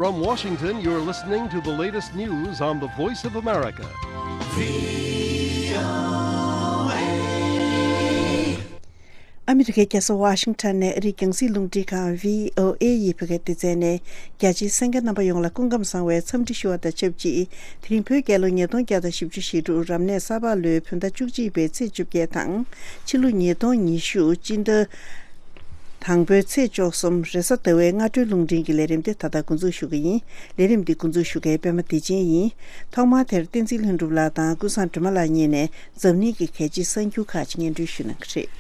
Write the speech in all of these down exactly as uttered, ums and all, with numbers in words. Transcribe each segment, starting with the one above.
From Washington, you're listening to the latest news on the Voice of America. ཨ་མི་རི་ཀའི་རྒྱལ་ས་ཝ་ཤིང་ཊོན་ནས་ཨ་རིའི་རྒྱང་སྲིང་རླུང་འཕྲིན་ཁང་བྷི་ཨོ་ཨེ་ཡི་བོད་སྐད་སྡེ་ཚན་ནས། རྒྱ་ཆེའི་གསན་མཁན་རྣམ་པ་ཡོངས་ལ་སྐུ་ཁམས་བཟང་བའི་འཚམས་འདྲི་ཞུ་བ་དང་ཆབས་ཅིག་དེ་རིང་བོད་རྒྱལ་ལོ་ཉིས་སྟོང་བརྒྱ་དང་བཞི་བཅུ་ཞེ་དྲུག་རབ་གནས་ས་ཕག་ལོའི་བོད་ཟླ་བཅུ་གཅིག་པའི་ཚེས་བཅོ་བརྒྱད་དང་། ཕྱི་ལོ་ཉིས་སྟོང་ཉི་ཤུ་སྤྱི་ཟླ་དང་པོའི་ཚེས་བཅུ་གསུམ་རེས་གཟའ་ཟླ་བའི་སྔ་དྲོའི་རླུང་འཕྲིན་གྱི་ལས་རིམ་དེ་ད་ལྟ་འགོ་འཛུགས་ཞུ་གི་ཡིན། ལས་རིམ་འདི་འགོ་འཛུགས་ཞུ་མཁན་པད་མ་བདེ་ཆེན་ཡིན། ཐོག་མར་དེར་བསྟན་འཛིན་ལྷུན་གྲུབ་ལགས་དང་ཀུན་བཟང་སྒྲོལ་མ་ལགས་གཉིས་ནས་འཛམ་གླིང་གི་གལ་ཆེའི་གསར་འགྱུར་ཁག་ཅིག་སྙན་སྒྲོན་ཞུ་གནང་གི་རེད།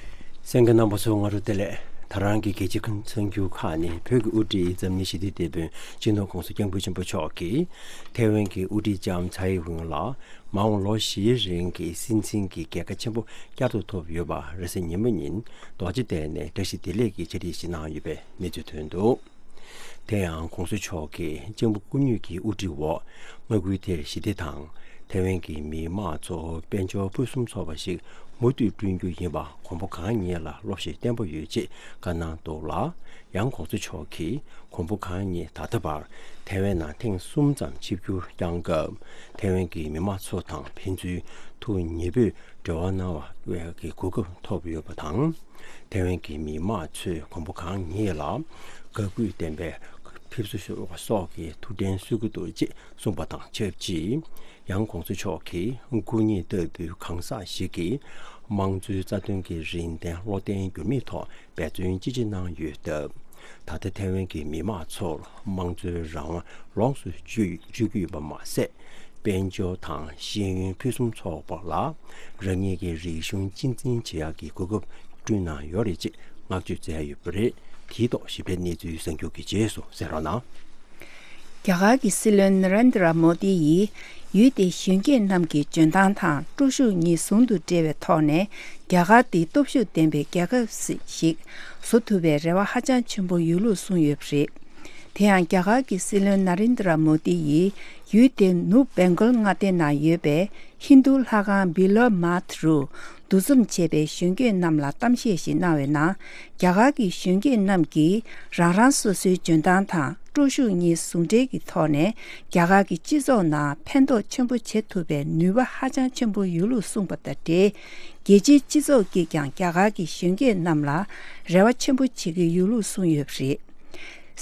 གསན་མཁན་རྣམ་པ་ཚོ་སྔ་དྲོ་བདེ་ལེགས། ད་རང་གི་གལ་ཆེའི་གསར་འགྱུར་ཁག་ནི། བོད་ཀྱི་དབུ་ཁྲིད་འཛམ་གླིང་ཞི་བདེའི་དེད་དཔོན་སྤྱི་ནོར་༸གོང་ས་༸སྐྱབས་མགོན་ཆེན་པོ་མཆོག་གིས་ཐའེ་ཝན་གྱི་དབུ་ཁྲིད་ལྕམ་ཚའེ་ཝེན་ལ་མ་འོངས་ལོ་བཞིའི་རིང་གི་སྲིད་འཛིན་གྱི་རྒྱལ་ཁ་ཆེན་པོ་བསྐྱར་དུ་ཐོབ་ཡོད་པ་རེས་གཟའ་ཉི་མ་ཉིན་རྡོ་རྗེ་གདན་ནས་བཀྲ་ཤིས་བདེ་ལེགས་ཀྱི་ཕྱག་བྲིས་ཤིག་གནང་ཡོད་པའི་གནས་ཚུལ་ཐོན་འདུག་དེ་ཡང་༸གོང་ས་མཆོག་གིས་ལྕམ་སྐུ་ཉིད་ཀྱི་དབུ་ཁྲིད་འོག་མངའ་ཁུལ་དེར་ཞི་བདེ་དང་། ཐའེ་ཝན་གྱི་མི་དམངས་ཚོ་དཔལ་འབྱོར་ཕུན་སུམ་ཚོགས་པ་ཞིག་མུ་མཐུད་བསྐྲུན་རྒྱུ་ཡིན་པ་གོང་བུ་གང་ཉིད་ལ་བློ་ཤེད་བརྟན་པོ་ཡོད་ཅེས་བཀའ་གནང་འདུག་ལ། ཡང་༸གོང་ས་མཆོག་གིས་གོང་བུ་གང་ཉིད་ད་ལྟ་བར་ཐའེ་ཝན་ནང་ཐེངས་གསུམ་ཙམ་ཆིབས་བསྒྱུར་བསྐྱངས་སྐབས། ཐའེ་ཝན་གྱི་མི་དམངས་ཚོ་དང་ཕན་ཚུན་ཐུགས་མཉེས་པོས་འབྲེལ་བ་གནང་བའི་གོ་སྐབས་ཐོབ་ཡོད་པ་དང་། ཐའེ་ཝན་གྱི་མི་དམངས་ཚོས་གོང་བུ་གང་ཉིད་ལ་དགའ་གུས་ལྡན་པའི་ཕེབས་བསུ་ཞུ་བ་སོགས་ཀྱི་ཐུགས་དྲན་གསོས་ཀྱི་འདུག་ཅེས་གསུངས་པ་དང་ཆབས་ཅིག་ཡང་༸གོང་ས་མཆོག་གིས་སྐུ་ཉིད་ལྟ་བུའི་གང་ཟག་ཞིག་གིས་དམངས་གཙོའི་རྩ་དོན་གྱི་རིན་ལྡན་བློ་བརྟན་འགྱུར་མེད་ཐོག་འབད་བརྩོན་ཅི་ཆེ་གནང་ཡོད་སྟབས། ད་ལྟ་ཐའེ་ཝན་གྱི་མི་དམངས་ཚོར་དམངས་གཙོའི་རང་དབང་ལོངས་སུ་སྤྱོད་སྤྱོད་ཀྱི་ཡོད་པ་མ་ཟད། དཔལ་འབྱོར་དང་ཤེས་ཡོན་ཕུན་སུམ་ཚོགས་པ་ལ་རང་ཉིད་ཀྱི་རིག་གཞུང་གཅེས་འཛིན་བྱེད་ཡག་གི་གོ་སྐབས་བསྐྲུན་གནང་ཡོད་རེད་ཅེས་བསྔགས་བརྗོད་མཛད་ཡོད་པ་རེད། དེའི་ཐོག་ཞིབ་ཕྲའི་གནས་ཚུལ་གསར་འགྱུར་གྱི་རྗེས་སུ་གསན་རོགས་གནང་། རྒྱ་གར་གྱི་སྲིད་བློན་ན་རེན་དྲ་མོ་དི་ཡིས་ཡུལ་དེའི་གཞོན་སྐྱེས་རྣམས་ཀྱི་འཇོན་ཐང་དང་སྤྲོ་ཤུགས་གཉིས་ཟུང་དུ་འབྲེལ་བའི་ཐོག་ནས། རྒྱ་གར་འདི་སྟོབས་ཤུགས་ལྡན་པའི་རྒྱལ་ཁབ་ཞིག་བཟོ་ཐུབ་པའི་རེ་བ་ཧ་ཅང་ཆེན་པོ་ཡོད་ལུགས་གསུངས་ཡོད་པ་རེད། དེ་ཡང་རྒྱ་གར་གྱི་སྲིད་བློན་ན་རེན་དྲ་མོ་དི་ཡིས་ཡུལ་དེའི་ནུབ་བེང་གོལ་མངའ་སྡེ་ནང་ཡོད་པའི་ཧིན་རྡུ་ལྷ་ཁང་བི་ལོ་མཱཐ་རུ་འདུ་འཛོམས་བྱས་པའི་གཞོན་སྐྱེས་རྣམས་ལ་གཏམ་བཤད་ཞིག་གནང་བའི་ནང་། རྒྱ་གར་གྱི་གཞོན་སྐྱེས་རྣམས་ཀྱིས་རང་རང་སོ་སོའི་འཇོན་ཐང་དང་སྤྲོ་ཤུགས་གཉིས་ཟུང་འབྲེལ་གྱི་ཐོག་ནས་རྒྱ་གར་གྱི་སྤྱི་ཚོགས་ནང་ཕན་ཐོགས་ཆེན་པོ་བྱེད་ཐུབ་པའི་ནུས་པ་ཧ་ཅང་ཆེན་པོ་ཡོད་ལུགས་གསུངས་པ་དང་འབྲེལ། རྒྱལ་སྤྱིའི་སྤྱི་ཚོགས་ཀྱིས་ཀྱང་རྒྱ་གར་གྱི་གཞོན་སྐྱེས་རྣམས་ལ་རེ་བ་ཆེན་པོ་བྱེད་ཀྱི་ཡོད་ལུགས་གསུངས་ཡོད་པ་རེད།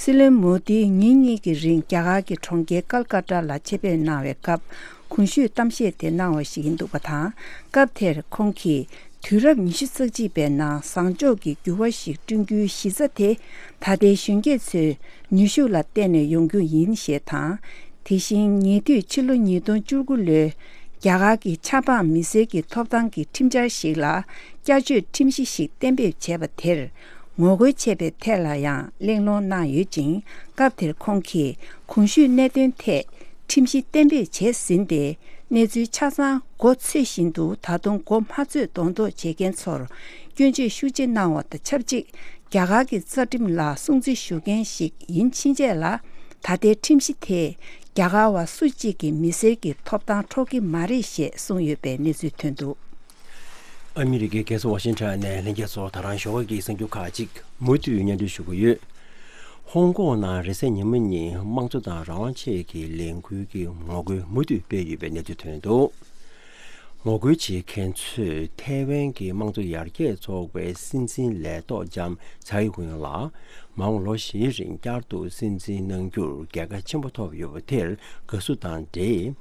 སྲིད་བློན་མོ་དིས་ཉིན་གཉིས་ཀྱི་རིང་རྒྱ་གར་གྱི་གྲོང་ཁྱེར་ཀལ་ཀ་ཏ་ལ་ཆེད་ཕེབས་གནང་བའི་སྐབས། གོང་ཞུས་གཏམ་བཤད་དེ་གནང་བ་ཞིག་ཡིན་འདུག་པ་དང་། སྐབས་དེར་ཁོང་གིས། དུས་རབས་ཉི་ཤུ་རྩ་གཅིག་པའི་ནང་བཟང་ཕྱོགས་ཀྱི་འགྱུར་བ་ཞིག་བསྐྲུན་རྒྱུའི་གཞི་རྩ་དེ། ད་ལྟའི་གཞོན་སྐྱེས་ཚོའི་ནུས་ཤུགས་ལ་བརྟེན་ནས་ཡོང་རྒྱུ་ཡིན་ཞེས་དང་། དེ་བཞིན་ཉེ་དུས་ཕྱི་ལོ་ཉིས་སྟོང་བཅུ་དགུ་ལོའི་རྒྱ་གར་གྱི་ཆབ་འབངས་མི་སེར་གྱི་ཐོབ་ཐང་གི་ཁྲིམས་འཆར་ཞིག་ལ་བསྐྱར་བཅོས་ཁྲིམས་གཞི་ཞིག་གཏན་འབེབས་བྱས་པ་དེར་ངོ་རྒོལ་བྱས་པའི་ཐད་ལ་ཡང་གླེང་སློང་གནང་ཡོད་ཅིང་། སྐབས་དེར་ཁོང་གིས་གོང་ཞུས་གནད་དོན་ཐད་ཁྲིམས་གཞི་གཏན་འབེབས་བྱས་ཟིན་ཏེ། གནས་ཚུལ་ཆ་ཚང་མགོ་ཚོས་བཞིན་དུ་ད་དུང་མགོ་མ་ཚོས་གདོང་ཐོག་བྱེད་མཁན་ཚོར་སྐྱོན་བརྗོད་ཤུགས་ཆེ་གནང་བ་དང་ཆབས་ཅིག་རྒྱ་གར་གྱི་རྩ་ཁྲིམས་ལ་སྲུང་བརྩི་ཞུ་མཁན་ཞིག་ཡིན་ཕྱིན་ཆད་ལ། ད་ལྟའི་ཁྲིམས་གཞི་དེས་རྒྱ་གར་བ་སུ་གཅིག་གི་མི་སེར་གྱི་ཐོབ་ཐང་འཕྲོག་གི་མ་རེད་ཞེས་གསུངས་ཡོད་པའི་གནས་ཚུལ་ཐོན་འདུག་ཨ་མི་རི་ཀའི་རྒྱལ་ས་ཝ་ཤིང་ཊོན་ནས་ལྷན་རྒྱས་ཚོ་ད་རང་ཞོགས་ཀ་གི་གསར་འགྱུར་ཁག་ཅིག་མུ་མཐུད་སྙན་སྒྲོན་ཞུ་གི་ཡོད། ཧོང་ཀོང་ནང་རེས་གཟའ་ཉི་མ་ཉིན་དམངས་གཙོ་དང་རང་དབང་ཆེད་ཀྱི་ལས་འགུལ་གྱི་ངོ་རྒོལ་མུ་མཐུད་སྤེལ་ཡོད་པའི་གནས་ཚུལ་ཐོན་འདུག་ངོ་རྒོལ་བྱེད་མཁན་ཚོས་ཐའེ་ཝན་གྱི་དམངས་གཙོ་ཡར་རྒྱས་ཚོགས་པའི་སྲིད་འཛིན་ལས་ཐོག་ལྕམ་ཚའེ་ཝེན་ལ་མ་འོངས་ལོ་བཞིའི་རིང་བསྐྱར་དུ་སྲིད་འཛིན་གནང་རྒྱུར་རྒྱལ་ཁ་ཆེན་པོ་ཐོབ་ཡོད་པ་དེར་དགའ་བསུ་དང་འབྲེལ།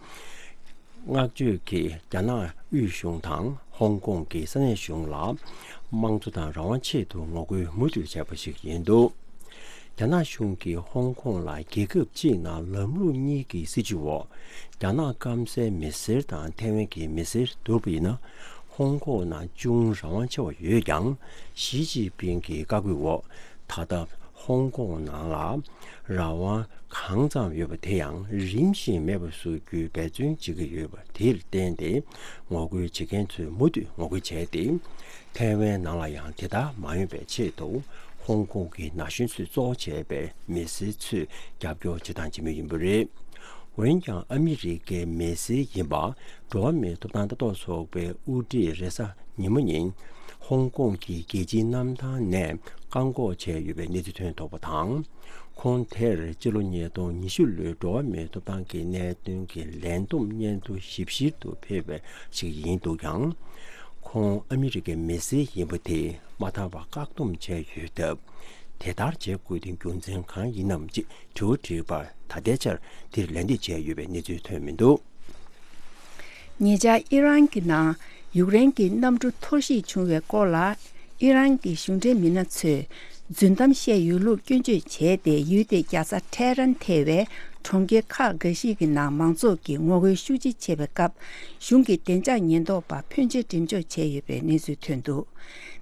བསྔགས་བརྗོད་ཀྱིས་རྒྱ་ནག་དབུས་གཞུང་དང་ཧོང་ཀོང་གི་ས་གནས་གཞུང་ལ་དམངས་གཙོ་དང་རང་དབང་ཆེད་དུ་ངོ་རྒོལ་མུ་མཐུད་བྱས་པ་ཞིག་ཡིན་འདུག་རྒྱ་ནག་གཞུང་གིས་ཧོང་ཀོང་ལ་རྒྱལ་ཁབ་གཅིག་ནང་ལམ་ལུགས་གཉིས་ཀྱི་སྲིད་བྱུས་འོག་རྒྱ་ནག་སྐམ་སའི་མི་སེར་དང་ཐའེ་ཝན་གྱི་མི་སེར་བསྡུར་བ་ཡིན་ན། ཧོང་ཀོང་ནང་ཅུང་རང་དབང་ཆེ་བ་ཡོད་ཀྱང་། ཞི་ཅིན་ཕིང་གི་བཀའ་བཀོད་འོག་ད་ལྟ་ཧོང་ཀོང་ནང་ལ་རང་དབང་གང་ཙམ་ཡོད་པ་དེ་ཡང་རིམ་བཞིན་མེད་པར་བཟོ་རྒྱུའི་འབད་བརྩོན་བྱེད་ཀྱི་ཡོད་པ་དེར་བརྟེན་ཏེ། ངོ་རྒོལ་བྱེད་མཁན་ཚོས་མུ་མཐུད་ངོ་རྒོལ་བྱས་ཏེ། ཐའེ་ཝན་ནང་ལ་ཡང་དེ་ལྟར་མ་ཡོང་བའི་ཆེད་དུ། ཧོང་ཀོང་གི་ན་གཞོན་ཚོས་གཙོ་བོ་བྱས་པའི་མི་སེར་ཚོས་རྒྱབ་སྐྱོར་བྱེད་སྟངས་བྱེད་མུས་ཡིན་པ་རེད། འོན་ཀྱང་ཨ་མི་རི་ཀའི་མི་སེར་ཡིན་པ། འགྲོ་བ་མིའི་ཐོབ་ཐང་ལྟ་རྟོག་ཚོགས་པའི་དབུ་ཁྲིད་རེས་གཟའ་ཉི་མ་ཉིན། ཧོང་ཀོང་གི་རྒྱལ་སྤྱིའི་གནམ་ཐང་ནས་བཀག་འགོག་བྱས་ཡོད་པའི་གནས་ཚུལ་ཐོན་ཐུབ་པ་དང་། ཁོང་དེར་སྤྱི་ལོ་ཉིས་སྟོང་ཉི་ཤུ་ལོའི་འགྲོ་བ་མིའི་ཐོབ་ཐང་གི་གནད་དོན་གྱི་ལས་བསྡོམས་སྙན་ཐོ་ཞིབ་བཤེར་དུ་ཕེབས་པ་ཞིག་ཡིན་འདུག་ཀྱང་། ཁོང་ཨ་མི་རི་ཀའི་མི་སེར་ཡིན་པ་དེ་མ་མཐའ་བར་བཀག་སྡོམ་བྱས་ཡོད་སྟབས། དེ་ལྟར་བྱེད་དགོས་དོན་རྒྱུ་མཚན་གང་ཡིན་ནམ་ཅེས་དྲི་བ་དྲིས་པར། ད་ལྟའི་ཆར་དེར་ལན་འདེབས་བྱས་ཡོད་པའི་གནས་ཚུལ་ཐོན་མི་འདུག། ཉེ་ཆར་ཨི་རན་གྱི་ནང་ཡུཀ་རེན་གྱི་གནམ་གྲུ་འཐོར་ཞིག་བྱུང་བའི་སྐོར་ལ། ཨི་རན་གྱི་གཞུང་འབྲེལ་མི་སྣ་ཚོས་རྫུན་གཏམ་བཤད་ཡོད་ལུགས་སྐྱོན་བརྗོད་བྱས་ཏེ། ཡུལ་དེའི་རྒྱལ་ས་ཐེ་རན་ཐེ་བའི་གྲོང་ཁྱེར་ཁག་འགའ་ཞིག་གི་ནང་མང་ཚོགས་ཀྱིས་ངོ་རྒོལ་ཤུགས་ཆེ་བྱས་པའི་སྐབས། གཞུང་གི་བདེ་འཇགས་ཉེན་རྟོག་པ་ཕོན་ཆེ་འགྲེམས་འཇོག་བྱས་ཡོད་པའི་གནས་ཚུལ་ཐོན་འདུག།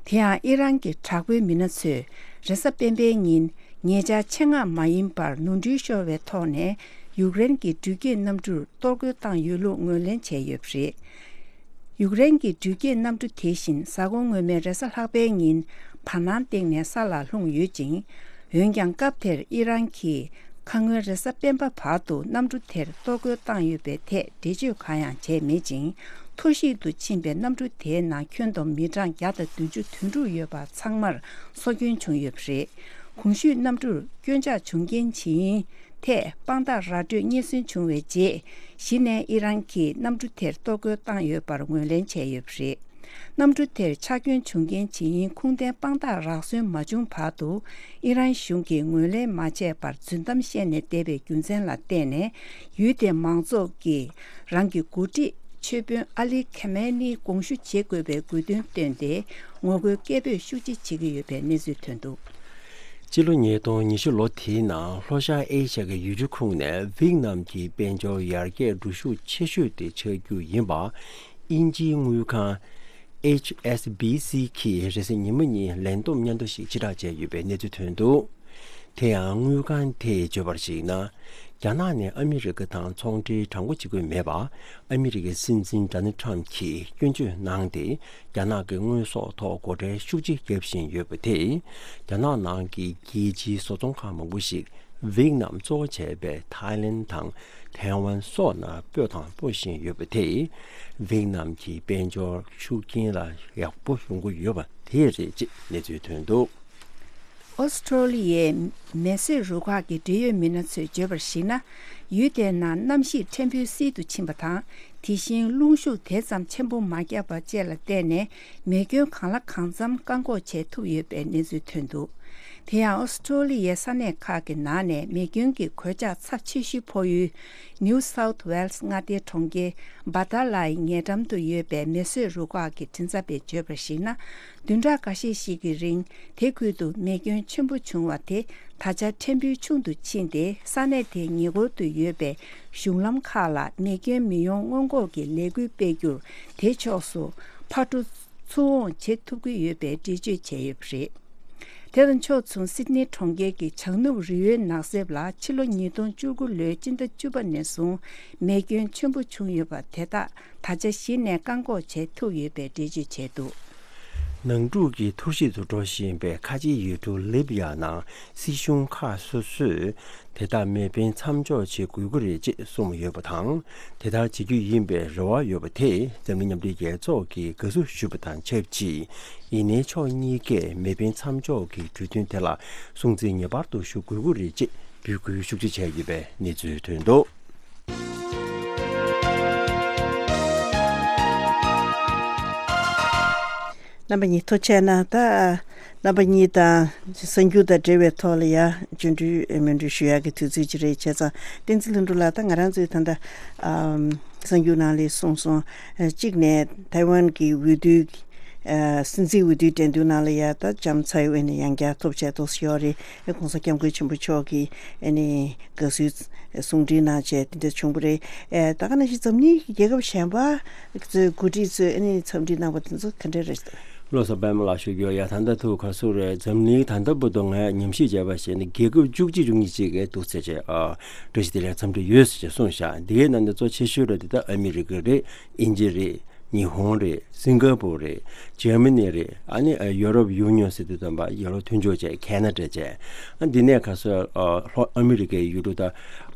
དེ་ཡང་ཨི་རན་གྱི་དྲག་པོའི་མི་སྣ་ཚོས་རེས་གཟའ་སྤེན་པའི་ཉིན། ཉེ་ཆར་ཆེད་མངགས་མ་ཡིན་པར་ནོར་འཁྲུལ་ཤོར་བའི་ཐོག་ནས་ཡུཀ་རེན་གྱི་འགྲུལ་སྐྱེལ་གནམ་གྲུར་གཏོར་རྒོལ་བཏང་ཡོད་ལུགས་ངོས་ལེན་བྱས་ཡོད་པ་རེད། ཡུཀ་རེན་གྱི་འགྲུལ་སྐྱེལ་གནམ་གྲུ་དེ་བཞིན་གཟའ་འཁོར་སྔོན་མའི་རེས་གཟའ་ལྷག་པའི་ཉིན་བར་སྣང་སྟེང་ནས་ས་ལ་ལྷུང་ཡོད་ཅིང་། འོན་ཀྱང་སྐབས་དེར་ཨི་རན་གྱིས་ཁ་སྔོན་རེས་གཟའ་སྤེན་པ་བར་དུ་གནམ་གྲུ་དེར་གཏོར་རྒོལ་བཏང་ཡོད་པའི་ཐད་འགྲེལ་བརྗོད་གང་ཡང་བྱས་མེད་ཅིང་། འཐོར་ཞིག་ཏུ་ཕྱིན་པའི་གནམ་གྲུ་དེའི་ནང་ཁྱོན་བསྡོམས་མི་གྲངས་བརྒྱ་དང་བདུན་ཅུ་དོན་དྲུག་ཡོད་པ་ཚང་མར་སྲོག་སྐྱོན་བྱུང་ཡོད་པ་རེད། གོང་ཞུས་གནམ་གྲུར་སྐྱོན་ཆག་བྱུང་རྐྱེན་ཇི་ཡིན་ཐད་དཔང་རྟགས་ར་སྤྲོད་རྙེད་སོན་བྱུང་བའི་རྗེས། གཞི་ནས་ཨི་རན་གྱིས་གནམ་གྲུ་དེར་གཏོར་རྒོལ་བཏང་ཡོད་པར་ངོས་ལེན་བྱས་ཡོད་པ་རེད། གནམ་གྲུ་དེར་ཆག་སྐྱོན་བྱུང་རྐྱེན་ཇི་ཡིན་ཁུངས་ལྡན་དཔང་རྟགས་རག་སོན་མ་བྱུང་བར་དུ། ཨི་རན་གཞུང་གིས་ངོས་ལེན་མ་བྱས་པར་རྫུན་གཏམ་བཤད་ནས་བསྡད་པའི་རྒྱུ་མཚན་ལ་བརྟེན་ནས། ཡུལ་དེའི་མང་ཚོགས་ཀྱིས་རང་གི་འགོ་ཁྲིད་ཆོས་དཔོན་ཨ་ལི་ཁེ་མེ་ནི་དགོངས་ཞུ་བྱེད་དགོས་པའི་དགོས་འདུན་བཏོན་ཏེ། ངོ་རྒོལ་སྐད་འབོད་ཤུགས་ཆེ་བྱེད་ཀྱི་ཡོད་པའི་གནས་ཚུལ་ཐོན་འདུག། སྤྱི་ལོ་ཉིས་སྟོང་ཉི་ཤུ་ལོ་དེའི་ནང་ལྷོ་ཤར་ཨེ་ཤ་ཡའི་ཡུལ་གྲུ་ཁོངས་ནས་ཝེད་ནམ་གྱི་དཔལ་འབྱོར་ཡར་རྒྱས་འགྲོ་ཤུགས་ཆེ་ཤོས་དེ་ཆགས་རྒྱུ་ཡིན་པ། དབྱིན་ཇིའི་དངུལ་ཁང་ཨེཆ་ཨེས་བི་སི་གིས་རེས་གཟའ་ཉི་མ་ཉིན་ལན་བསྡོམས་སྙན་ཐོ་ཞིག་ཕྱིར་བསྒྲགས་བྱས་ཡོད་པའི་གནས་ཚུལ་ཐོན་འདུག། དེ་ཡང་དངུལ་ཁང་དེས་བརྗོད་པར་གཞིགས་ན། རྒྱ་ནག་ནས་ཨ་མི་རི་ཀ་དང་ཚོང་འབྲེལ་དྲང་པོ་བྱེད་ཀྱི་མེད་པ། ཨ་མི་རི་ཀའི་སྲིད་འཛིན་ཌོ་ནལ་ཊམ་གྱིས་སྐྱོན་བརྗོད་གནང་སྟེ། རྒྱ་ནག་གི་དངོས་ཟོག་ཐོག་སྒོ་ཁྲལ་ཤུགས་ཆེ་བརྒྱབ་བཞིན་ཡོད་པ་དེས། རྒྱ་ནག་ནང་གི་རྒྱལ་སྤྱིའི་བཟོ་ཚོང་ཁང་མང་པོ་ཞིག་ཝེད་ནམ་གཙོ་བོ་བྱས་པའི་ཐའི་ལན་དང་ཐའེ་ཝན་སོགས་ནང་སྤོས་དང་སྤོ་བཞིན་ཡོད་པ་དེས། ཝེད་ནམ་གྱི་དཔལ་འབྱོར་ཤུགས་རྐྱེན་ལ་ཡག་པོ་ཡོང་གི་ཡོད་པ་དེ་རེད་ཅེས་གནས་ཚུལ་ཐོན་འདུག། ཨོ་སི་ཀྲོ་ལི་ཡའི་མེ་གསོད་རུ་ཁག་གི་འབྲེལ་ཡོད་མི་སྣ་ཚོས་བརྗོད་པར་གཞིགས་ན། ཡུལ་དེའི་ནང་གནམ་གཤིས་ཕྲན་བུ་བསིལ་དུ་ཕྱིན་པ་དང་། དེ་བཞིན་རླུང་ཤུགས་དེ་ཙམ་ཆེན་པོ་མ་བརྒྱབ་པ་བཅས་ལ་བརྟེན་ནས། མེ་སྐྱོན་གང་ལ་གང་འཚམ་བཀག་འགོག་བྱེད་ཐུབ་ཡོད་པའི་གནས་ཚུལ་ཐོན་འདུག། དེ་ཡང་ཨོ་སི་ཀྲོ་ལི་ཡའི་ས་གནས་ཁག་གི་ནང་ནས་མེ་སྐྱོན་གྱི་གོད་ཆག་ཚབས་ཆེ་ཤོས་ཕོག་ཡུལ། ནིའུ་སའུཐ་ཝེལ་སི་མངའ་སྡེའི་གྲོང་ཁྱེར་སྦ་ཏཱ་ལའི་ཉེ་འགྲམ་དུ་ཡོད་པའི་མེ་གསོད་རུ་ཁག་གི་མགྲིན་ཚབ་པས་བརྗོད་པར་གཞིགས་ན། བདུན་ཕྲག་འགའ་ཤས་ཤིག་གི་རིང་། དེ་ཁུལ་དུ་མེ་སྐྱོན་ཆེན་པོ་བྱུང་བ་དེ་ད་ཆ་ཕྲན་བུ་ཆུང་དུ་ཕྱིན་ཏེ། ས་གནས་དེའི་ཉེ་འཁོར་དུ་ཡོད་པའི་གཞུང་ལམ་ཁག་ལ་མེ་སྐྱོན་མི་ཡོང་སྔོན་འགོག་གི་ལས་འགུལ་སྤེལ་རྒྱུར། དེ་ཕྱོགས་སུ་ཕར་འགྲོ་ཚུར་འོང་བྱེད་ཐུབ་ཀྱི་ཡོད་པའི་འགྲེལ་བརྗོད་བྱས་ཡོད་པ་རེད། དེ་དང་ཕྱོགས་མཚུངས། སིད་ནི་གྲོང་ཁྱེར་གྱི་བྱང་ནུབ་རི་བོའི་ནགས་གསེབ་ལ་ཕྱི་ལོ་ཉིས་སྟོང་བཅུ་དགུ་ལོའི་སྤྱི་ཟླ་བཅུ་པ་ནས་བཟུང་མེ་སྐྱོན་ཆེན་པོ་བྱུང་ཡོད་པ་དེ་དག་ད་ཆ་གཞི་ནས་བཀག་འགོག་བྱེད་ཐུབ་ཡོད་པའི་འགྲེལ་བརྗོད་བྱས་འདུག། ནང་འཁྲུག་གིས་འཐོར་ཞིག་ཏུ་འགྲོ་བཞིན་པའི་ཁ་ཆེའི་ཡུལ་གྲུ་ལིབ་ཡ་ནང་སྲིད་གཞུང་ཁག་སོ་སོས་དེ་དག་མེ་འཕེན་མཚམས་འཇོག་བྱེད་དགོས་ཀྱི་རེད་ཅེས་གསུངས་ཡོད་པ་དང་། དེ་ལྟར་བྱེད་རྒྱུ་ཡིན་པའི་རེ་བ་ཡོད་པ་དེས་འཛམ་གླིང་མཉམ་འབྲེལ་རྒྱལ་ཚོགས་ཀྱིས་དགའ་བསུ་ཞུས་པ་དང་ཆབས་ཅིག། ཡིན་ནའི་ཕྱོགས་གཉིས་ཀས་མེ་འཕེན་མཚམས་འཇོག་གི་གྲོས་མཐུན་དེ་ལ་སྲུང་བརྩི་ངེས་པར་དུ་ཞུ་དགོས་ཀྱི་རེད་ཅེས་འབོད་སྐུལ་ཤུགས་ཆེ་བྱས་ཡོད་པའི་གནས་ཚུལ་ཐོན་འདུག། རྣམ་པ་གཉིས་ཐུགས་རྗེ་གནང་། ད་རྣམ་པ་གཉིས་དང་གསར་འགྱུར་དང་འབྲེལ་བའི་ཐོག་ལ་ཡ་བརྗོད་འདྲི་མོས་འདྲི་ཞུ་ཡག་གི་དུས་ཚོད་ཅིག་རེད། བྱས་ཙང་བསྟན་འཛིན་ལྷུན་གྲུབ་ལགས། ད་ང་རང་ཚོའི་ད་ལྟ་ཨམ་གསར་འགྱུར་ནང་ལ་གསུངས་སོང་། ཨ་གཅིག་ནས་ཐའེ་ཝན་གྱི་འོས་བསྡུ། ཨ་སྲིད་འཛིན་འོས་བསྡུའི་འགྲན་བསྡུར་ནང་ལ་ཡ་ད་ལྕམ་ཚའེ་ཝེན་ནས་ཡང་བསྐྱར་ཐོབ་བྱས་ཏོག་ཙམ་ཡོད་རེད། ཨེ་༸གོང་ས་༸སྐྱབས་མགོན་ཆེན་པོ་མཆོག་གིས་ཨ་ནི་དགའ་བསུའི་གསུང་འཕྲིན་གནང་བྱས་དེ་འདྲ་བྱུང་བ་རེད། ཨེ་ད་ག་ནང་བཞིན་འཛམ་གླིང་གི་རྒྱལ་ཁབ་གཞན་པ་ཚོའི་འགོ་ཁྲིད་ཚོས་ཨ་ནི་འཚམས་འདྲི་གནང་བ་དེ་ཚོ་ག་འདྲ་རེད། བློ་བཟང་པདྨ་ལགས་ཞུ་རྒྱུ་ཡ། ད་ལྟ་ཐུག་ག་སུ་རེད། འཛམ་གླིང་ད་ལྟ་བར་དུ་ངས་ཉམས་ཞིབ་བྱས་པ་བྱས་ན་རྒྱལ་ཁབ་བཅུ་གཅིག་བཅུ་གཉིས་ཅིག་གིས་འདུག་ཟེར་བྱས་ཨ་བཀྲ་ཤིས་བདེ་ལེགས་འཚམས་འདྲི་ཡོད་ཟེར་བྱས་གསུངས་ཤག། འདི་གའི་ནང་ནས་གཙོ་ཆེ་ཤོས་རེད་འདི་ད་ཨ་མི་རི་ཀ་རེད། དབྱིན་ཇི་རེད། ཉི་ཧོང་རེད། སིང་ག་པུར་རེད། འཇར་མ་ནི་རེད། ཨ་ནི་ཡོ་རོབ་ཡུ་ནི་ཡོན་ཟེར་དུས་ཙམ་པ་ཡོ་རོབ་མཐུན་ཕྱོགས་བྱས། ཁེ་ན་ཌ་བྱས། ཨ་འདི་ནས་ག་སོ་ལྷོ་ཨ་མི་རི་ཀའི་ཡུལ་གྲུ་ད་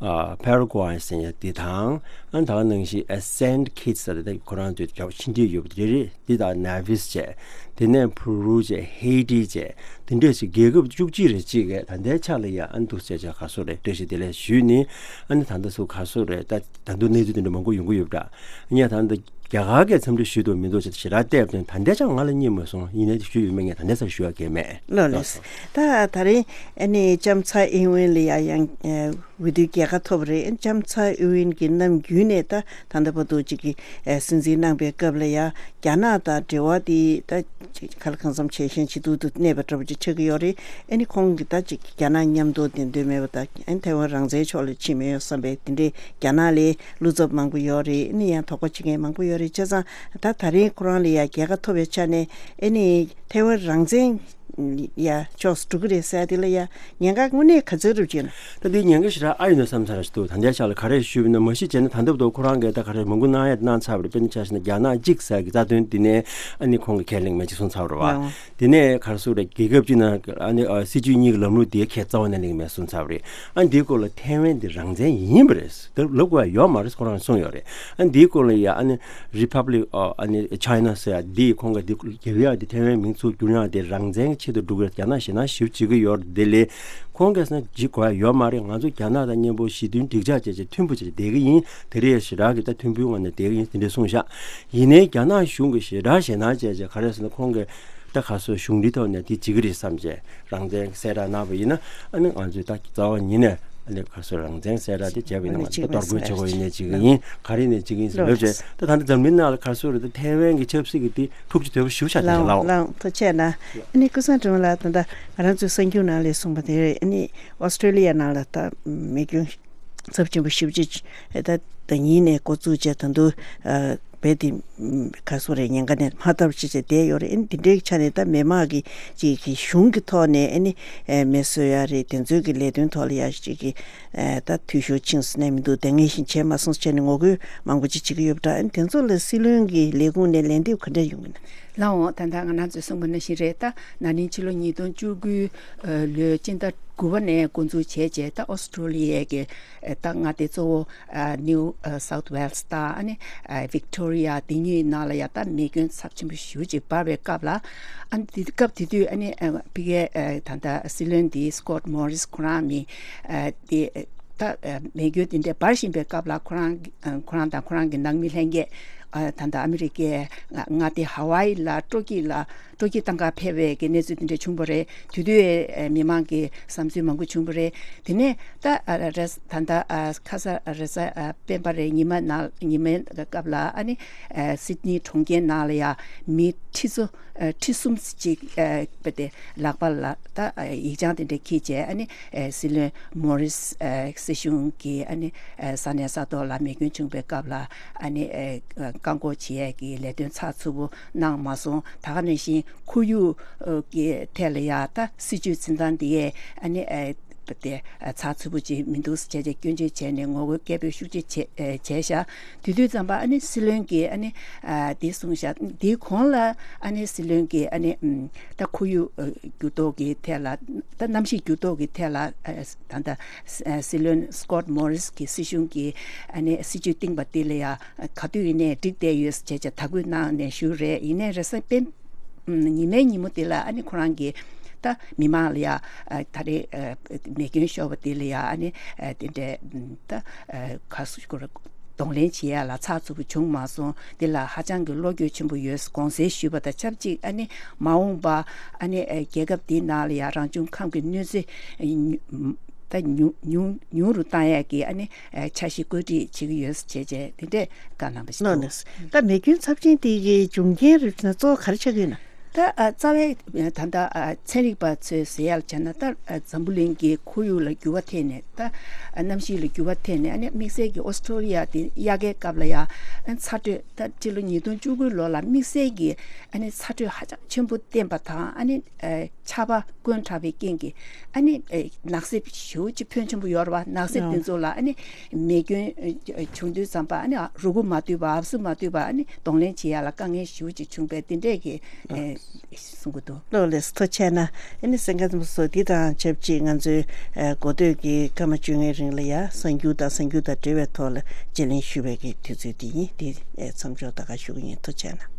ཕེ་ར་ཀུ་ཝེ་ཟེར་ཡ་འདི་དང་། ཨ་ད་ག་ནང་བཞིན་སེན་ཊི་ཁིཊ་ཟེར་ཏེ་ཁོ་རང་ཚོའི་རྒྱབ་ཕྱི་འབྲེལ་ཡོད་པ་དེ་རེད། འདི་དང་ནེ་ཝིས་བྱས། དེ་ནས་ཕུ་རུ་བྱས། ཧེ་ཏི་བྱས། དེ་འདྲས་ཞིག་རྒྱལ་ཁབ་བཅུ་གཅིག་རེ་གཅིག་གིས་ད་ལྟའི་ཆ་ལ་ཡ་ཨ་འདུག་ཟེར་བྱས་ག་སོ་རེད། བཀྲ་ཤིས་བདེ་ལེགས་ཞུས་ནི། ཨ་ནི་ད་ལྟ་སུ་ག་སོ་རེད། ད་ད་དུང་གནས་ཚུལ་དེ་འདྲ་མང་པོ་ཡོང་གི་ཡོད་པ་འདྲ། ཉེ་ད་ལྟ་རྒྱ་གར་གྱིས་འཚམས་འདྲི་ཞུས་འདུག་མི་འདུག་ཅེས་ཞེ་དྲག་བལྟས་པ་དང་། ད་ལྟའི་ཆར་ང་ལ་རྙེད་མ་སོང་། ཡིན་ནའི་ཞུས་ཡོད་མེད་ངས་ད་ལྟའི་ཆར་ཞུ་ཡ་གལ་མེད། ལགས་ལགས། ད་ད་རིང་ཨ་ནི་ལྕམ་ཚ་ཨིན་ཝེན་ལ་ཡ་ཡང་འོས་བསྡུའི་རྒྱལ་ཁ་ཐོབ་པ་རེད། ལྕམ་ཚ་ཨིན་ཝེན་གྱིས་ནམ་རྒྱུན་ནས་ད་ད་ལྟ་བར་དུ་ཅིག་གི་སྲིད་འཛིན་གནང་པའི་སྐབས་ལ་ཡ་རྒྱ་ནག་དང་འབྲེལ་བ་དེ་ད་ཅིག་ག་ལ་གང་འཚམ་ཇེ་ཞན་ཇེ་སྡུག་ཏུ་གནས་པ་འདྲ་པོ་ཅིག་ཆགས་ཀྱི་ཡོད་རེད། ཨ་ནི་ཁོང་གིས་ད་ཅིག་རྒྱ་ནག་མཉམ་དུ་བསྡད་འདོད་མེད་པ་དང་། ཨ་ནི་ཐའེ་ཝན་རང་བཙན་ཕྱོགས་ལ་ཕྱིན་མེད་བསམ་པའི་དེ་འདྲའི་རྒྱ་ནག་ལ་བློ་འཚབ་མང་པོ་ཡོད་རེད། ཨ་ནི་ཡང་དོགས་པ་བྱེད་མཁན་མང་པོ་ཡོད་རེད། བྱས་ཙང་ད་ད་རིང་ཁོ་རང་ལ་ཡ་རྒྱལ་ཁ་ཐོབ་པའི་ཆ་ནས་ཨ་ནི་ཐའེ་ཝན་རང་བཙན་ཡ་ཕྱོགས་སུ་འགྲོ་གི་རེད་ཟེར་དེ་ལ་ཡ་ཉེན་ཁ་དངོས་གནས་ག་ཚོད་རུབ་ཅིག་ན། ད་འདི་ཉེན་ཁ་ཞེ་དྲག་ཨ་ཡོད་ན་བསམ་ཚར་ཞིག་འདུག་ད་ལྟའི་ཆ་ལ་ག་རེ་ཞུས་པ་ཡིན་ན། མ་གཞི་བྱས་ན་ད་ལྟ་བར་དུ་ཁོ་རང་གིས་ད་ག་རེ་མང་པོ་གནང་ཡ་གནང་ཚར་བ་རེད། དཔེར་ན་ཆ་བཞག་ན་རྒྱ་ནག་གཅིག་ཟེར་གི་རྩ་དོན་འདི་ནས་ཨ་ནི་ཁོང་གིས་ཁས་ལེན་མེད་ཅིག་གསུངས་ཚར་བ་རེད་བ། ལའོ། དེ་ནས་ག་རེ་ཟེར་རེད། རྒྱལ་ཁབ་གཅིག་ནང་ཨ་ནི་ཨ་སྲིད་བྱུས་གཉིས་ཀྱི་ལམ་ལུགས་དེ་ཁས་རྩ་བ་ནས་ལེན་གི་མེད་གསུངས་ཚར་བ་རེད། ཨ་འདིའི་སྐོར་ལ་ཐའེ་ཝན་འདི་རང་བཙན་ཡིན་པ་རེད། དེ་ལབ་དགོས་ཡ་ཡོད་མ་རེད། ཁོ་རང་གསུངས་ཡོད་རེད། ཨ་འདིའི་སྐོར་ལ་ཡ་ཨ་ནི་རི་ཕབ་ལིག་ཨ་ནི་ཆའི་ན་ཟེར་ཡ་འདི་ཁོང་གིས་འདི་རྒྱབ་ཡ་འདི་ཐའེ་ཝན་མིང་ཚུར་བསྒྱུར་ཡ་འདི་རང་བཙན་གྱི་ཆེད་དུ་སྒྲུབ་ཡ། རྒྱ་ནག་ཞེད་སྣང་ཞེ་པོ་བྱེད་ཀྱི་ཡོད་རེད། དེ་ལས་ཁོང་གིས་ཟེར་ན་བྱེད་དགོས་ཡ་ཡོད་མ་རེད། ང་ཚོ་རྒྱ་ནག་དང་མཉམ་པོ་ཞི་མཐུན་འགྲིག་འཇགས་བྱས་བྱས་མཐུན་པོ་བྱས་བསྡད་ཀྱི་ཡིན། དེ་རིང་ཞེ་དྲག་གི་ད་མཐུན་པོའི་ངང་ནས་བསྡད་ཀྱི་ཡིན། དེ་འདྲ་གསུངས་ཤག་ཡིན་ནའི་རྒྱ་ནག་གཞུང་གིས་ཞེ་དྲག་ཞེད་སྣང་བྱས་བྱས་ག་རེ་ཟེར་ན། ཁོང་གིས་ད་ག་སོ་གཞུང་འདི་ཐོག་ནས་དེ་བྱེད་ཀྱི་རེད་བསམ་བྱས་རང་བཙན་གསལ་བསྒྲགས་གནང་བ་ཡིན་ན། ཨ་ནི་ང་ཚོས་ད་རྩ་བ་ཉིད་ནས་ཨ་ནི་ག་སོ་རང་བཙན་གསལ་བསྒྲགས་དེ་བྱས་པ་ཡིན་ན། ང་ཚོས་ད་གཏོར་རྒོལ་བྱེད་དགོས་ཡིན་ནའི་བྱེད་ཀྱི་ཡིན། ག་རེ་ཡིན་ནའི་བྱེད་ཀྱི་ཡིན་ཟེར་ལབ་བྱས། ད་ད་ལྟ་འཛམ་གླིང་ནང་ལ་ག་སོ་རེད། ད་ཐའེ་ཝན་གྱི་ཆབ་སྲིད་ཀྱི་དེ་ཐུགས་རྗེ་དོད་པོ་ཞེ་པོ་ཆགས་བསྡད་ཤག་ལགས། ལགས་ཐུགས་རྗེ་ཆེ་གནང་། ཨ་ནི་ཀུན་བཟང་སྒྲོལ་མ་ལགས། ད་ལྟ་ང་རང་ཚོའི་གསར་འགྱུར་ནང་ལ་གསུངས་པ་དེ་རེད། ཨ་ནི་ཨོ་སི་ཀྲོ་ལི་ཡ་ནང་ལ་ད་མེ་སྐྱོན་ཚབས་ཆེན་པོ་ཞེ་པོ་ཅིག་ད་ཟླ་ཉིན་ནས་འགོ་བཙུགས་བྱས་ད་དུང་རྦད་དེ་ག་སོ་རེད། ཉེན་ཁ་ནས་མ་ཐར་བ་ཅིག་བྱས་བསྡད་ཡོད་རེད། ཨ་ནི་འདི་འདྲའི་ཆ་ནས་ད་མི་མང་གི་ཅིག་གི་གཞུང་གི་ཐོག་ནས་ཨ་ནི་མེ་གསོད་ཡ་རེད། དེ་ཚོའི་གི་ལས་དོན་ཐོག་ལ་ཡ་ཅིག་གི་ད་འཐུས་ཤོར་ཕྱིན་སོང་ནས་མི་འདུག་དེ་ངས་ཤིང་བྱས་མ་སོང་བྱས་ནས་ངོ་རྒོལ་མང་པོ་ཅིག་བྱེད་ཀྱི་ཡོད་པ་འདྲ། ཨ་ནི་དེ་ཚོ་ལ་སྲིད་བློན་གྱི་ལས་ཁུངས་ནས་ལན་འདེབས་ག་འདྲ་ཡོང་གི་ན། ལགས་འོང་། ད་ལྟ་ང་རང་ཚོས་གསུངས་པ་ནང་བཞིན་རེད། ད་ན་ནིང་ཕྱི་ལོ་ཉིས་སྟོང་བཅུ་དགུ་ལོའི་སྤྱི་ཟླ་དགུ་པ་ནས་འགོ་འཛུགས་བྱས་རྗེས། ད་ཨོ་སི་ཀྲོ་ལི་ཡའི་གི་ད་མངའ་སྡེ་གཙོ་བོ་ནིའུ་སའུཐ་ཝེལ་སི་དང་ཨ་ནི་ཝིག་ཏོ་རི་ཡ་དེ་གཉིས་ནང་ལ་ཡ་ད་མེ་སྐྱོན་ཚབས་ཆེན་པོ་ཞེ་པོ་ཅིག་འབར་བའི་སྐབས་ལ། ཨ་ནི་དེ་སྐབས་དེ་དུས་ཨ་ནི་ཕ་གིའི་ད་ལྟ་སྲིད་བློན་དེ་སི་ཀོཊ་མོ་རི་སི་ཁོ་རང་མི་དེ། ད་མེ་སྐྱོན་དེ་འདྲ་འབར་བཞིན་པའི་སྐབས་ལ་ཁོ་རང་ཁོ་རང་དང་ཁོ་རང་གི་ནང་མི་ལྷན་རྒྱས། ད་ལྟ་ཨ་མི་རི་ཀའི་མངའ་སྡེ་ཧ་ཝ་ཨི་ལ་སྤྲོ་སྐྱིད་ལ་སྤྲོ་སྐྱིད་བཏང་ག་ཕེབས་པའི་གི་གནས་ཚུལ་དེ་འདྲ་བྱུང་བ་རེད། དེ་དུས་མི་མང་གི་བསམ་ཚུལ་མང་པོ་བྱུང་བ་རེད། དེ་ནས་ད་རེས་ད་ལྟ་ཁ་ས་རེས་གཟའ་སྤེན་པ་རེད། ཉི་མ་ནང་ཉི་མའི་སྐབས་ལ་ཨ་ནི་སིད་ནི་གྲོང་ཁྱེར་ནང་ལ་ཡ་མི་ཁྲི་ཚོ་ཁྲི་གསུམ་ཅིག་དཔེ་དེ་ལག་པ་ལ་ད་ཡིག་བྱང་དེ་འདྲ་འཁྱེར་བྱས། ཨ་ནི་སྲིད་བློན་མོ་རི་སི་སྲིད་གཞུང་གི་ཨ་ནི་ས་གནས་ས་ཐོག་ལ་མེ་སྐྱོན་བྱུང་བའི་སྐབས་ལ་ཨ་ནི་བཀག་འགོག་བྱེད་ཡས་ཀྱི་ལས་དོན་ཚགས་ཚུད་པོ་གནང་མ་སོང་། ད་ག་ནང་བཞིན་ཁོར་ཡུག་གི་ཐད་ལ་ཡ་ད་སྲིད་བྱུས་འཛིན་སྟངས་དེ་ཡས་ཨ་ནི་དེ་ཚགས་ཚུད་པོ་ཅིག་མི་འདུག་ཟེར་བྱས་སྐྱོན་བརྗོད་བྱས་ནས་ངོ་རྒོལ་སྐད་འབོད་ཤུགས་ཆེ་བྱས་བྱས་ཤག་དེ་དུས་ཙམ་པ་ཨ་ནི་སྲིད་བློན་གྱིས་ཨ་ནི་དེ་གསུངས་ཤག་དེའི་གོང་ལ་ཨ་ནི་སྲིད་བློན་གྱིས་ཨ་ནི་ད་ཁོར་ཡུག་འགྱུར་ལྡོག་གི་ཐད་ལ། ད་གནམ་གཤིས་འགྱུར་ལྡོག་གི་ཐད་ལ་ད་ལྟ་སྲིད་བློན་སི་ཀོཊ་མོ་རི་སི་གི་སྲིད་གཞུང་གིས་ཨ་ནི་སྲིད་བྱུས་བཏིང་པ་དེ་ལ་ཡ་ག་དུས་ཡིན་ནའི་འགྲིག་བསྡད་ཡོད་ཟེར་བྱས་བྱས་དག་སྐུལ་གནང་ནས་བཞུགས་རེད། ཡིན་ནའི་རེས་གཟའ་སྤེན་ཉི་མའི་ཉིན་མོ་དེ་ལ་ཨ་ནི་ཁོ་རང་གིས་ད་མི་མང་ལ་ཡ་ད་རེས་མེ་སྐྱོན་ཤོར་བ་དེ་ལ་ཡ་ཨ་ནི་དེ་འདྲའི་ད་ག་སུ་གོ་ར་གདོང་ལེན་བྱེད་ཡ་ལ་ཚགས་ཚུད་པོ་བྱུང་མ་སོང་། དེ་ལ་ཧ་ཅང་གི་བློ་འགྱོད་ཆེན་པོ་ཡོད་དགོངས་སེལ་ཞུས་པ་དང་ཆབས་ཅིག་ཨ་ནི་མ་འོངས་པ་ཨ་ནི་རྒྱལ་ཁབ་འདིའི་ནང་ལ་ཡ་རང་བྱུང་ཁམས་ཀྱི་གནོད་འཚེ་ད་ཉུང་ཉུང་ཉུང་རུ་བཏང་ཡ་གི་ཨ་ནི་འཆར་གཞི་བཀོད་སྒྲིག་བྱེད་ཀྱི་ཡོད་ཟེར་བྱས་བྱས་དེ་འདྲས་བཀའ་གནང་བ་ཞིག་ལགས་འདུག་ལགས། ད་མེ་སྐྱོན་ཚབས་ཆེན་དེ་གི་འབྱུང་རྐྱེན་རིགས་ན་གཙོ་བོ་ག་རེ་ཆགས་ཀྱི་ཡོད་ན། ད་ཨ་རྩ་བའི་ད་ལྟ་ཨ་ཚན་རིག་པ་ཚོས་ཟེར་ཡག་བྱས་ན། ད་ཨ་འཛམ་བུ་གླིང་གི་ཁོར་ཡུག་ལ་འགྱུར་བ་ཐེབས་ནས། ད་ཨ་གནམ་གཤིས་ལ་འགྱུར་བ་ཐེབས་ནས། ཨ་ནི་དམིགས་བསལ་གྱི་ཨོ་སི་ཀྲོ་ལི་ཡ་དེ་དབྱར་ཁའི་སྐབས་ལ་ཡ་ཨ་ཚ་དྲོད། ད་སྤྱི་ལོ་ཉིས་སྟོང་བཅུ་དགུ་ལོ་ལ་དམིགས་བསལ་གྱི་ཨ་ནི་ཚ་དྲོད་ཧ་ཅང་ཆེན་པོ་བསྟན་པ་དང་། ཨ་ནི་ཨ་ཆར་པ་དཀོན་དྲགས་པའི་རྐྱེན་གྱིས་ཨ་ནི་ཨ་ནགས་གསེབ་ཞེ་པོ་ཅིག་ཕོན་ཆེན་པོ་ཡོད་རེད་པ། ནགས་གསེབ་ཨ་དེ་ཚོ་ལ་ཨ་ནི་མེ་སྐྱོན་ཨ་བྱུང་དུས་ཙམ་པ། ཨ་ནི་རུ་གུ་མ་བཏུས་པ། ཨབ་སུ་མ་བཏུས་པ། ཨ་ནི་གདོང་ལེན་བྱེད་ཡ་ལ་དཀའ་ངལ་ཞེ་པོ་ཅིག་བྱུང་བས། དེ་འདྲས་ཀྱི་ཨེ་གསུང་གི་འདུག། ལགས་ལགས་སོ། ཐུགས་རྗེ་གནང་། ཨ་ནི་གསན་མཁན་རྣམ་པ་ཚོ། འདི་དང་ཆབས་ཅིག་ང་ཚོའི་ཨེ་འགོ་སྟོད་ཀྱི་སྐར་མ་བཅོ་ལྔའི་རིང་ལ་ཡ་གསར་འགྱུར་དང་གསར་འགྱུར་དང་འབྲེལ་བའི་ཐོག་ལ་དཔྱད་གླེང་ཞུ་བའི་གི་དུས་ཚོད་འདི་ཡིན། འདི་ཨེ་མཚམས་འཇོག་ད་ག་ཞུ་གི་ཡིན། ཐུགས་རྗེ་གནང་།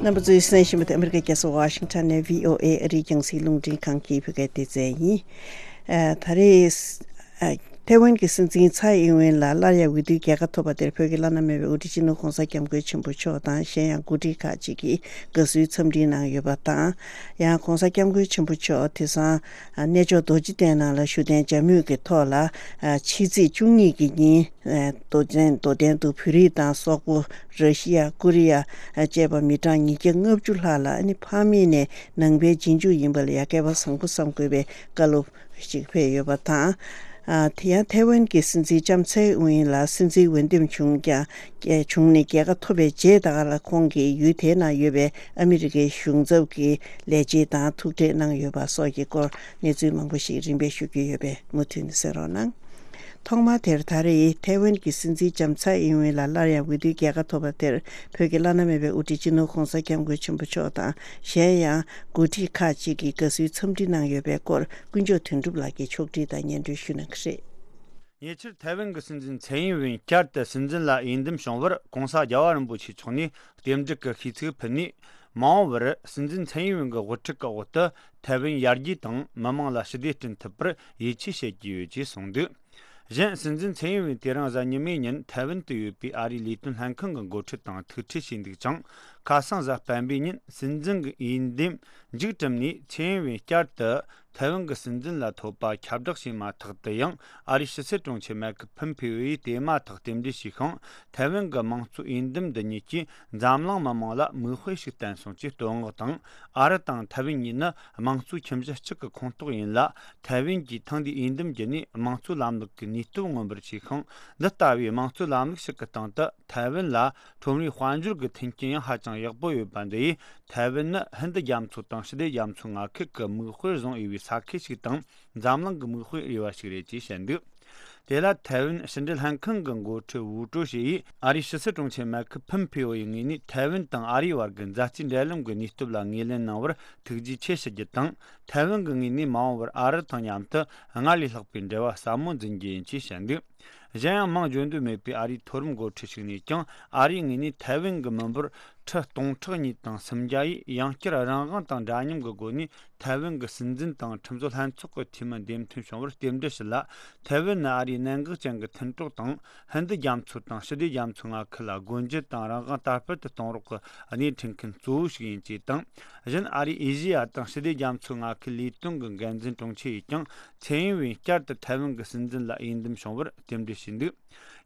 རྣམ་པ་ཚོས་གསན་བཞིན་པ་དེ་ཨ་མི་རི་ཀའི་རྒྱལ་ས་ཝ་ཤིང་ཊོན་ནས་བྷི་ཨོ་ཨེ་ཨ་རིའི་རྒྱང་སྲིང་རླུང་འཕྲིན་ཁང་གི་བོད་སྐད་སྡེ་ཚན་ཡིན། ཨ་ད་རེས་ཨ་ཐའེ་ཝན་གྱི་སྲིད་འཛིན་ཚའེ་ཨིན་ཝེན་ལ་སླར་ཡང་འོས་བསྡུའི་རྒྱལ་ཁ་ཐོབ་པ་དེར་བོད་ཀྱི་བླ་ན་མེད་པའི་དབུ་ཁྲིད་སྤྱི་ནོར་༸གོང་ས་༸སྐྱབས་མགོན་ཆེན་པོ་མཆོག་དང་། གཞན་ཡང་འགོ་ཁྲིད་ཁག་ཅིག་གིས་དགའ་བསུའི་འཚམས་འདྲི་གནང་ཡོད་པ་དང་། ཡང་༸གོང་ས་༸སྐྱབས་མགོན་ཆེན་པོ་མཆོག་དེང་སང་ཨ་གནས་མཆོག་རྡོ་རྗེ་གདན་ནང་ལ་བཞུགས་གདན་འཇགས་མུས་ཀྱི་ཐོག་ལ། ཨ་ཕྱི་ཚེས་བཅུ་གཉིས་ཀྱི་ཉིན་ཨ་རྡོ་གདན་རྡོ་གདན་དུ་བོད་རིགས་དང་སོག་པོ། ར་ཤི་ཡ། ཀོ་རི་ཡ་ཨ་བཅས་པ་མི་གྲངས་ཉིས་བརྒྱ་ལྔ་བཅུ་ལྷག་ལ་ཨ་ནི་ཕ་མེས་ནས་ནང་པའི་རྗེས་འཇུག་ཡིན་པ་ལ་ཡ་སྐལ་པ་བཟང་པོ་བསམ་དགོས་པའི་བཀའ་སློབ་ཞིག་ཕེབས་ཡོད་པ་དང་། ཨ་དེ་ཡང་ཐའེ་ཝན་གྱི་སྲིད་འཛིན་ལྕམ་ཚའེ་ཝེན་ལ་སྲིད་འཛིན་འོས་འདེམས་བྱུང་ཀྱང་། བྱུང་ནས་རྒྱལ་ཁ་ཐོབ་པའི་རྗེས་ད་ག་ལ་ཁོང་གིས་ཡུལ་དེའི་ནང་ཡོད་པའི་ཨ་མི་རི་ཀའི་གཞུང་ཚབ་ཀྱི་ལས་བྱེད་དང་ཐུག་འཕྲད་གནང་ཡོད་པ་སོགས་ཀྱི་སྐོར་གནས་ཚུལ་མང་པོ་ཞིག་རིམ་པས་ཞུ་རྒྱུ་ཡོད་པས་མུ་མཐུད་ནས་གསན་རོགས་གནང་། ཐོག་མ་དེར་ད་རེས་ཐའེ་ཝན་གྱི་སྲིད་འཛིན་ལྕམ་ཚའེ་ཨིན་ཝེན་ལ་སླར་ཡང་འོས་བསྡུའི་རྒྱལ་ཁ་ཐོབ་པ་དེར་བོད་ཀྱི་བླ་ན་མེད་པའི་དབུ་ཁྲིད་སྤྱི་ནོར་༸གོང་ས་༸སྐྱབས་མགོན་ཆེན་པོ་མཆོག་དང་། གཞན་ཡང་འགོ་ཁྲིད་ཁག་ཅིག་གིས་དགའ་བསུའི་འཚམས་འདྲི་གནང་ཡོད་པའི་སྐོར་ཀུན་མཆོག་དོན་གྲུབ་ལགས་ཀྱིས་ཕྱོགས་སྒྲིག་དང་སྙན་སྒྲོན་ཞུ་གནང་གི་རེད། ཉེ་ཆར་ཐའེ་ཝན་གྱི་སྲིད་འཛིན་ཚའེ་ཨིན་ཝེན་བསྐྱར་དུ་སྲིད་འཛིན་ལ་འོས་འདེམས་བྱུང་བར་༸གོང་ས་༸རྒྱལ་བ་རིན་པོ་ཆེ་མཆོག་ནས་རྟེན་འབྲེལ་གྱི་ཤིས་ཚིག་ཕུལ་ནས། མ་འོངས་པར་སྲིད་འཛིན་ཚའེ་ཨིན་ཝེན་གྱི་དབུ་ཁྲིད་ཀྱི་འོག་ཏུ་ཐའེ་ཝན་ཡར་རྒྱས་དང་མི་དམངས་ལ་ཞི་བདེ་བསྐྲུན་ཐུབ་པར་ཡིད་ཆེས་བྱེད་ཀྱི་ཡོད་ཅེས་གསུངས་འདུག། གཞན། སྲིད་འཛིན་ཚའེ་ཨིན་ཝེན་དེ་རིང་གཟའ་ཉི་མའི་ཉིན་ཐའེ་ཝན་དུ་ཡོད་པའི་ཨ་རིའི་ལས་དོན་ལྷན་ཁང་གི་འགོ་ཁྲིད་དང་ཐུག་འཕྲད་བྱས་འདུག་ཅིང་། ཁ་སང་གཟའ་སྤེན་པའི་ཉིན་སྲིད་འཛིན་གྱི་འོས་འདེམས་མཇུག་བསྒྲིལ་ནས། ཚའེ་ཨིན་ཝེན་བསྐྱར་དུ་ཐའེ་ཝན་གྱི་སྲིད་འཛིན་ལ་ཐོབ་པ་ཁྱབ་བསྒྲགས་བྱས་མ་ཐག་ཏུ་ཡང་། ཨ་རིའི་ཕྱི་སྲིད་དྲུང་ཆེ་མའེ་ཁེལ་ཕོམ་ཕེ་ཨོ་ཡིས་དེ་མ་ཐག་རྟེན་འབྲེལ་ཞུས་ཤིང་། ཐའེ་ཝན་གྱི་དམངས་གཙོའི་འོས་འདེམས་འདི་ཉིད་ཀྱིས་འཛམ་གླིང་མི་དམངས་ལ་མིག་དཔེ་ཞིག་བསྟན་སོང་ཅེས་བསྟོད་བསྔགས་དང་། ཨ་རི་དང་ཐའེ་ཝན་གཉིས་ནི་དམངས་གཙོའི་ཁྱིམ་གཞི་གཅིག་གི་ཁོངས་གཏོགས་ཡིན་ལ། ཐའེ་ཝན་གྱིས་ཐེངས་འདིའི་འོས་འདེམས་བརྒྱུད་ནས་དམངས་གཙོའི་ལམ་ལུགས་ཀྱི་ནུས་སྟོབས་མངོན་པར་བྱས་ཤིང་། འདི་ལྟ་བུའི་དམངས་གཙོའི་ལམ་ལུགས་ཤིག་གི་སྟེང་དུ་ཐའེ་ཝན་ལ་ཁྲོམ་རའི་དཔལ་འབྱོར་གྱི་མཐུན་རྐྱེན་ཡང་ཧ་ཅང་ཡག་པོ་ཡོད་པ་འདི་ཡིས། ཐའེ་ཝན་ནི་ཧིན་རྡུ་རྒྱ་མཚོ་དང་ཞི་བདེ་རྒྱ་མཚོའི་མངའ་ཁུལ་གྱི་མིག་དཔེར་བཟུང་འོས་པའི་ས་ཁུལ་ཞིག་དང་། འཛམ་གླིང་གི་མིག་དཔེ་འོས་པ་ཞིག་རེད་ཅེས་བཤད་འདུག། དེ་ལ་ཐའེ་ཝན་ཕྱི་འབྲེལ་ལྷན་ཁང་གི་འགོ་ཁྲིད་ཝུའུ་ཀྲོ་ཞི་ཡིས། ཨ་རིའི་ཕྱི་སྲིད་དྲུང་ཆེ་མའེ་ཁེལ་ཕོམ་ཕེ་ཨོ་ཡི་ངོས་ནས་ཐའེ་ཝན་དང་ཨ་རིའི་བར་གྱི་མཛའ་བརྩེའི་འབྲེལ་ལམ་གྱི་ནུས་སྟོབས་ལ་ངོས་ལེན་གནང་བར་ཐུགས་རྗེ་ཆེ་ཞུ་རྒྱུ་དང་། ཐའེ་ཝན་གྱི་ངོས་ནས་མ་འོངས་པར་ཨ་རི་དང་མཉམ་དུ་སྔར་ལས་ལྷག་པའི་འབྲེལ་བ་ཟབ་མོ་འཛིན་རྒྱུ་ཡིན་ཅེས་བཤད་འདུག། གཞན་ཡང་། མིང་བརྗོད་འདོད་མེད་པའི་ཨ་རིའི་མཐོ་རིམ་འགོ་ཁྲིད་ཞིག་ནས་ཀྱང་། ཨ་རིའི་ངོས་ནས་ཐའེ་ཝན་གྱི་མི་འབོར་ཁྲི་སྟོང་ཕྲག་གཉིས་དང་སུམ་བརྒྱ་ཡིས་ཡང་བསྐྱར་རང་དབང་དང་འདྲ་མཉམ་གྱི་སྒོ་ནས་ཐའེ་ཝན་གྱི་སྲིད་འཛིན་དང་ཁྲིམས་བཟོ་ལྷན་ཚོགས་ཀྱི་འཐུས་མི་འདེམས་ཐོན་བྱུང་བར་རྟེན་འབྲེལ་ཞུ་ལ། ཐའེ་ཝན་ནི་ཨ་རིའི་གནད་འགག་ཅན་གྱི་མཐུན་གྲོགས་དང་། ཧིན་རྡུ་རྒྱ་མཚོ་དང་ཞི་བདེ་རྒྱ་མཚོའི་མངའ་ཁུལ་ལ་སྒོ་འབྱེད་དང་རང་དབང་དར་སྤེལ་དུ་གཏོང་རོགས་ཀྱི་སྣེ་ཁྲིད་མཁན་གཙོ་བོ་ཞིག་ཡིན་ཅེས་དང་། གཞན། ཨ་རིའི་ཨེ་ཤེ་ཡ་དང་ཞི་བདེ་རྒྱ་མཚོའི་མངའ་ཁུལ་ལས་དོན་གྱི་འགན་འཛིན་དྲུང་ཆེ་ཡིས་ཀྱང་། ཚའེ་ཨིན་ཝེན་བསྐྱར་དུ་ཐའེ་ཝན་གྱི་སྲིད་འཛིན་ལ་འོས་འདེམས་བྱུང་བར་རྟེན་འབྲེལ་ཞུས་འདུག།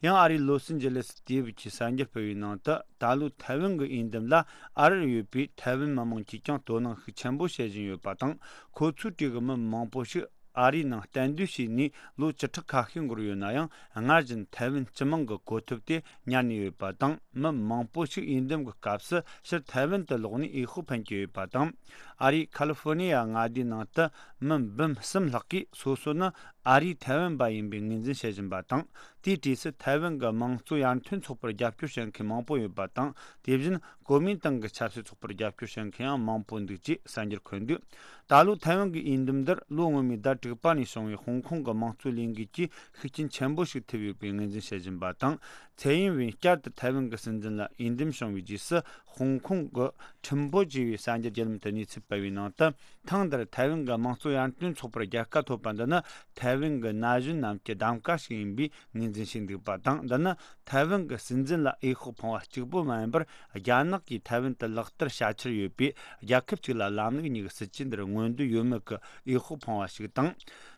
ཡང་། ཨ་རིའི་ལོ་སི་ཇེ་ལེ་སི་དུས་བབ་ཀྱིས་གསར་འགྱུར་སྤེལ་བའི་ནང་དུ། ད་ལོའི་ཐའེ་ཝན་གྱི་འོས་འདེམས་ལ་ཨ་རིར་ཡོད་པའི་ཐའེ་ཝན་མི་མང་གིས་ཀྱང་དོ་སྣང་ཤུགས་ཆེན་པོ་བྱེད་བཞིན་ཡོད་པ་དང་། ཁོ་ཚོའི་གྲས་ཀྱི་མི་མང་པོ་ཞིག་ཨ་རིའི་ནང་གཏན་སྡོད་བྱས་ནས་ལོ་བཅུ་ཕྲག་ཁ་ཤས་འགོར་ཡོད་ན་ཡང་། སྔར་བཞིན་ཐའེ་ཝན་སྤྱི་དམངས་ཀྱི་གོ་ཐོབ་དེ་ཉར་ནས་ཡོད་པ་དང་། མི་མང་པོ་ཞིག་འོས་འདེམས་ཀྱི་སྐབས་སུ་ཕྱིར་ཐའེ་ཝན་དུ་ལོག་ནས་འོས་ཤོག་འཕེན་གྱི་ཡོད་པ་དང་། ཨ་རིའི་ཁ་ལི་ཧྥོར་ནི་ཡ་མངའ་སྡེའི་ནང་དུ་མི་འབུམ་གསུམ་ལྷག་གིས་སོ་སོ་ནི་ཨ་རིའི་ཐའེ་ཝན་པ་ཡིན་པའི་ངོས་འཛིན་བྱེད་བཞིན་པ་དང་། དེའི་གྲས་སུ་ཐའེ་ཝན་གྱི་དམངས་གཙོ་ཡར་ཐོན་ཚོགས་པར་རྒྱབ་སྐྱོར་བྱེད་མཁན་མང་པོ་ཡོད་པ་དང་། དེ་བཞིན་གོ་མིན་ཏང་གི་ཆབ་སྲིད་ཚོགས་པར་རྒྱབ་སྐྱོར་བྱེད་མཁན་ཡང་མང་པོ་འདུག་ཅེས་གསར་འགྱུར་འཁོད་འདུག། ད་ལོ་ཐའེ་ཝན་གྱི་འོས་འདེམས་འདིར་ལོ་སྔོན་མའི་ཟླ་དྲུག་པ་ནས་བྱུང་བའི་ཧོང་ཀོང་གི་དམངས་གཙོའི་ལས་འགུལ་གྱིས་ཤུགས་རྐྱེན་ཆེན་པོ་ཞིག་ཐེབས་ཡོད་པའི་ངོས་འཛིན་བྱེད་བཞིན་པ་དང་། ཚའེ་ཨིན་ཝེན་བསྐྱར་དུ་ཐའེ་ཝན་གྱི་སྲིད་འཛིན་ལ་འོས་འདེམས་བྱུང་བའི་རྗེས་སུ། ཧོང་ཀོང་གི་ཁྲིམས་བྷོ་ཅེས་པའི་གསར་འགྱུར་བརྒྱུད་ལམ་དུ་གནས་ཚུལ་ སྤེལ་བའི་ནང་དུ། ཐེངས་འདིར་ཐའེ་ཝན་གྱི་དམངས་གཙོ་ཡར་ཐོན་ཚོགས་པར་རྒྱལ་ཁ་ཐོབ་པ་འདི་ནི་ཐའེ་ཝན་གྱི་ན་གཞོན་རྣམས་ཀྱི་གདམ་ག་ཞིག་ཡིན་པའི་ངོས་འཛིན་བྱས་འདུག་པ་དང་། འདི་ནི་ཐའེ་ཝན་གྱི་སྲིད་འཛིན་ལ་འོས་ཤོག་འཕངས་པ་གཅིག་པུ་མ་ཡིན་པར། རྒྱ་ནག་གིས་ཐའེ་ཝན་དུ་ལག་བསྟར་བྱ་འཆར་ཡོད་པའི་རྒྱལ་ཁབ་ཅིག་ལ་ལམ་ལུགས་གཉིས་ཀྱི་སྲིད་ཇུས་འདིར་མངོན་འདོད་ཡོད་མེད་ཀྱི་འོས་ཤོག་འཕངས་པ་ཞིག་དང་།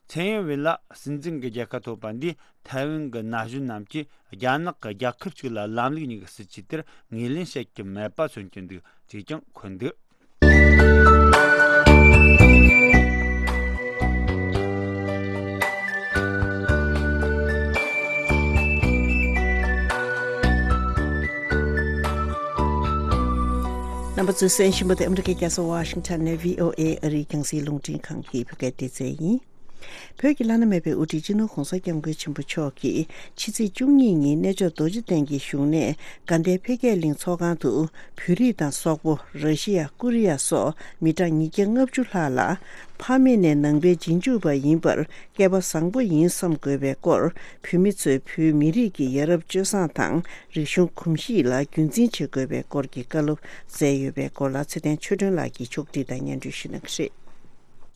ཚེ་ཡིན་ཝེ་ལགས་སྲིད་འཛིན་གྱི་རྒྱལ་ཁ་ཐོབ་པ་འདིས་ཐའེ་ཝན་གྱི་ན་གཞོན་རྣམས་ཀྱིས་རྒྱ་ནག་གི་རྒྱལ་ཁབ་ཅིག་ལ་ལམ་ལུགས་གཉིས་ཀྱི་སྲིད་ཇུས་དེར་ངོས་ལེན་བྱེད་ཀྱི་མེད་པ་མཚོན་གྱི་འདུག་ཅེས་ཀྱང་འཁོད་འདུག་རྣམ་པ་ཚོས་གསན་བཞིན་པ་དེ་ཨ་མི་རི་ཀའི་རྒྱལ་ས་ཝ་ཤིང་ཊོན་ནས་བྷི་ཨོ་ཨེ་ཨ་རིའི་རྒྱང་སྲིང་རླུང་འཕྲིན་ཁང་གི་བོད་སྐད་སྡེ་ཚན་ཡིན། བོད་ཀྱི་བླ་ན་མེད་པའི་དབུ་ཁྲིད་སྤྱི་ནོར་༸གོང་ས་༸སྐྱབས་མགོན་ཆེན་པོ་མཆོག་གིས་ཕྱི་ཚེས་བཅུ་གཉིས་ཉིན་གནས་མཆོག་རྡོ་རྗེ་གདན་གྱི་བཞུགས་གནས་དགའ་ལྡན་འཕེལ་རྒྱས་གླིང་ཚོགས་ཁང་དུ། བོད་རིགས་དང་སོག་པོ། ར་ཤི་ཡ། ཀོ་རི་ཡ་སོགས་མི་གྲངས་ཉིས་བརྒྱ་ལྔ་བཅུ་ལྷག་ལ། ཕ་མེས་ནས་ནང་པའི་རྗེས་འཇུག་པ་ཡིན་པར་སྐལ་པ་བཟང་པོ་ཡིན་བསམ་དགོས་པའི་སྐོར། བོད་མི་ཚོས་བོད་མི་རིགས་ཀྱི་ཡ་རབས་སྤྱོད་བཟང་དང་། རིག་གཞུང་གོམས་གཤིས་ལ་རྒྱུན་འཛིན་བྱེད་དགོས་པའི་སྐོར་གྱི་བཀའ་སློབ་སྩལ་ཡོད་པའི་སྐོར་ལ། ཚེ་བརྟན་ཆོས་སྒྲོན་ལགས་ཀྱིས་ཕྱོགས་བསྒྲིགས་དང་སྙན་སྒྲོན་ཞུ་གནང་གི་རེད།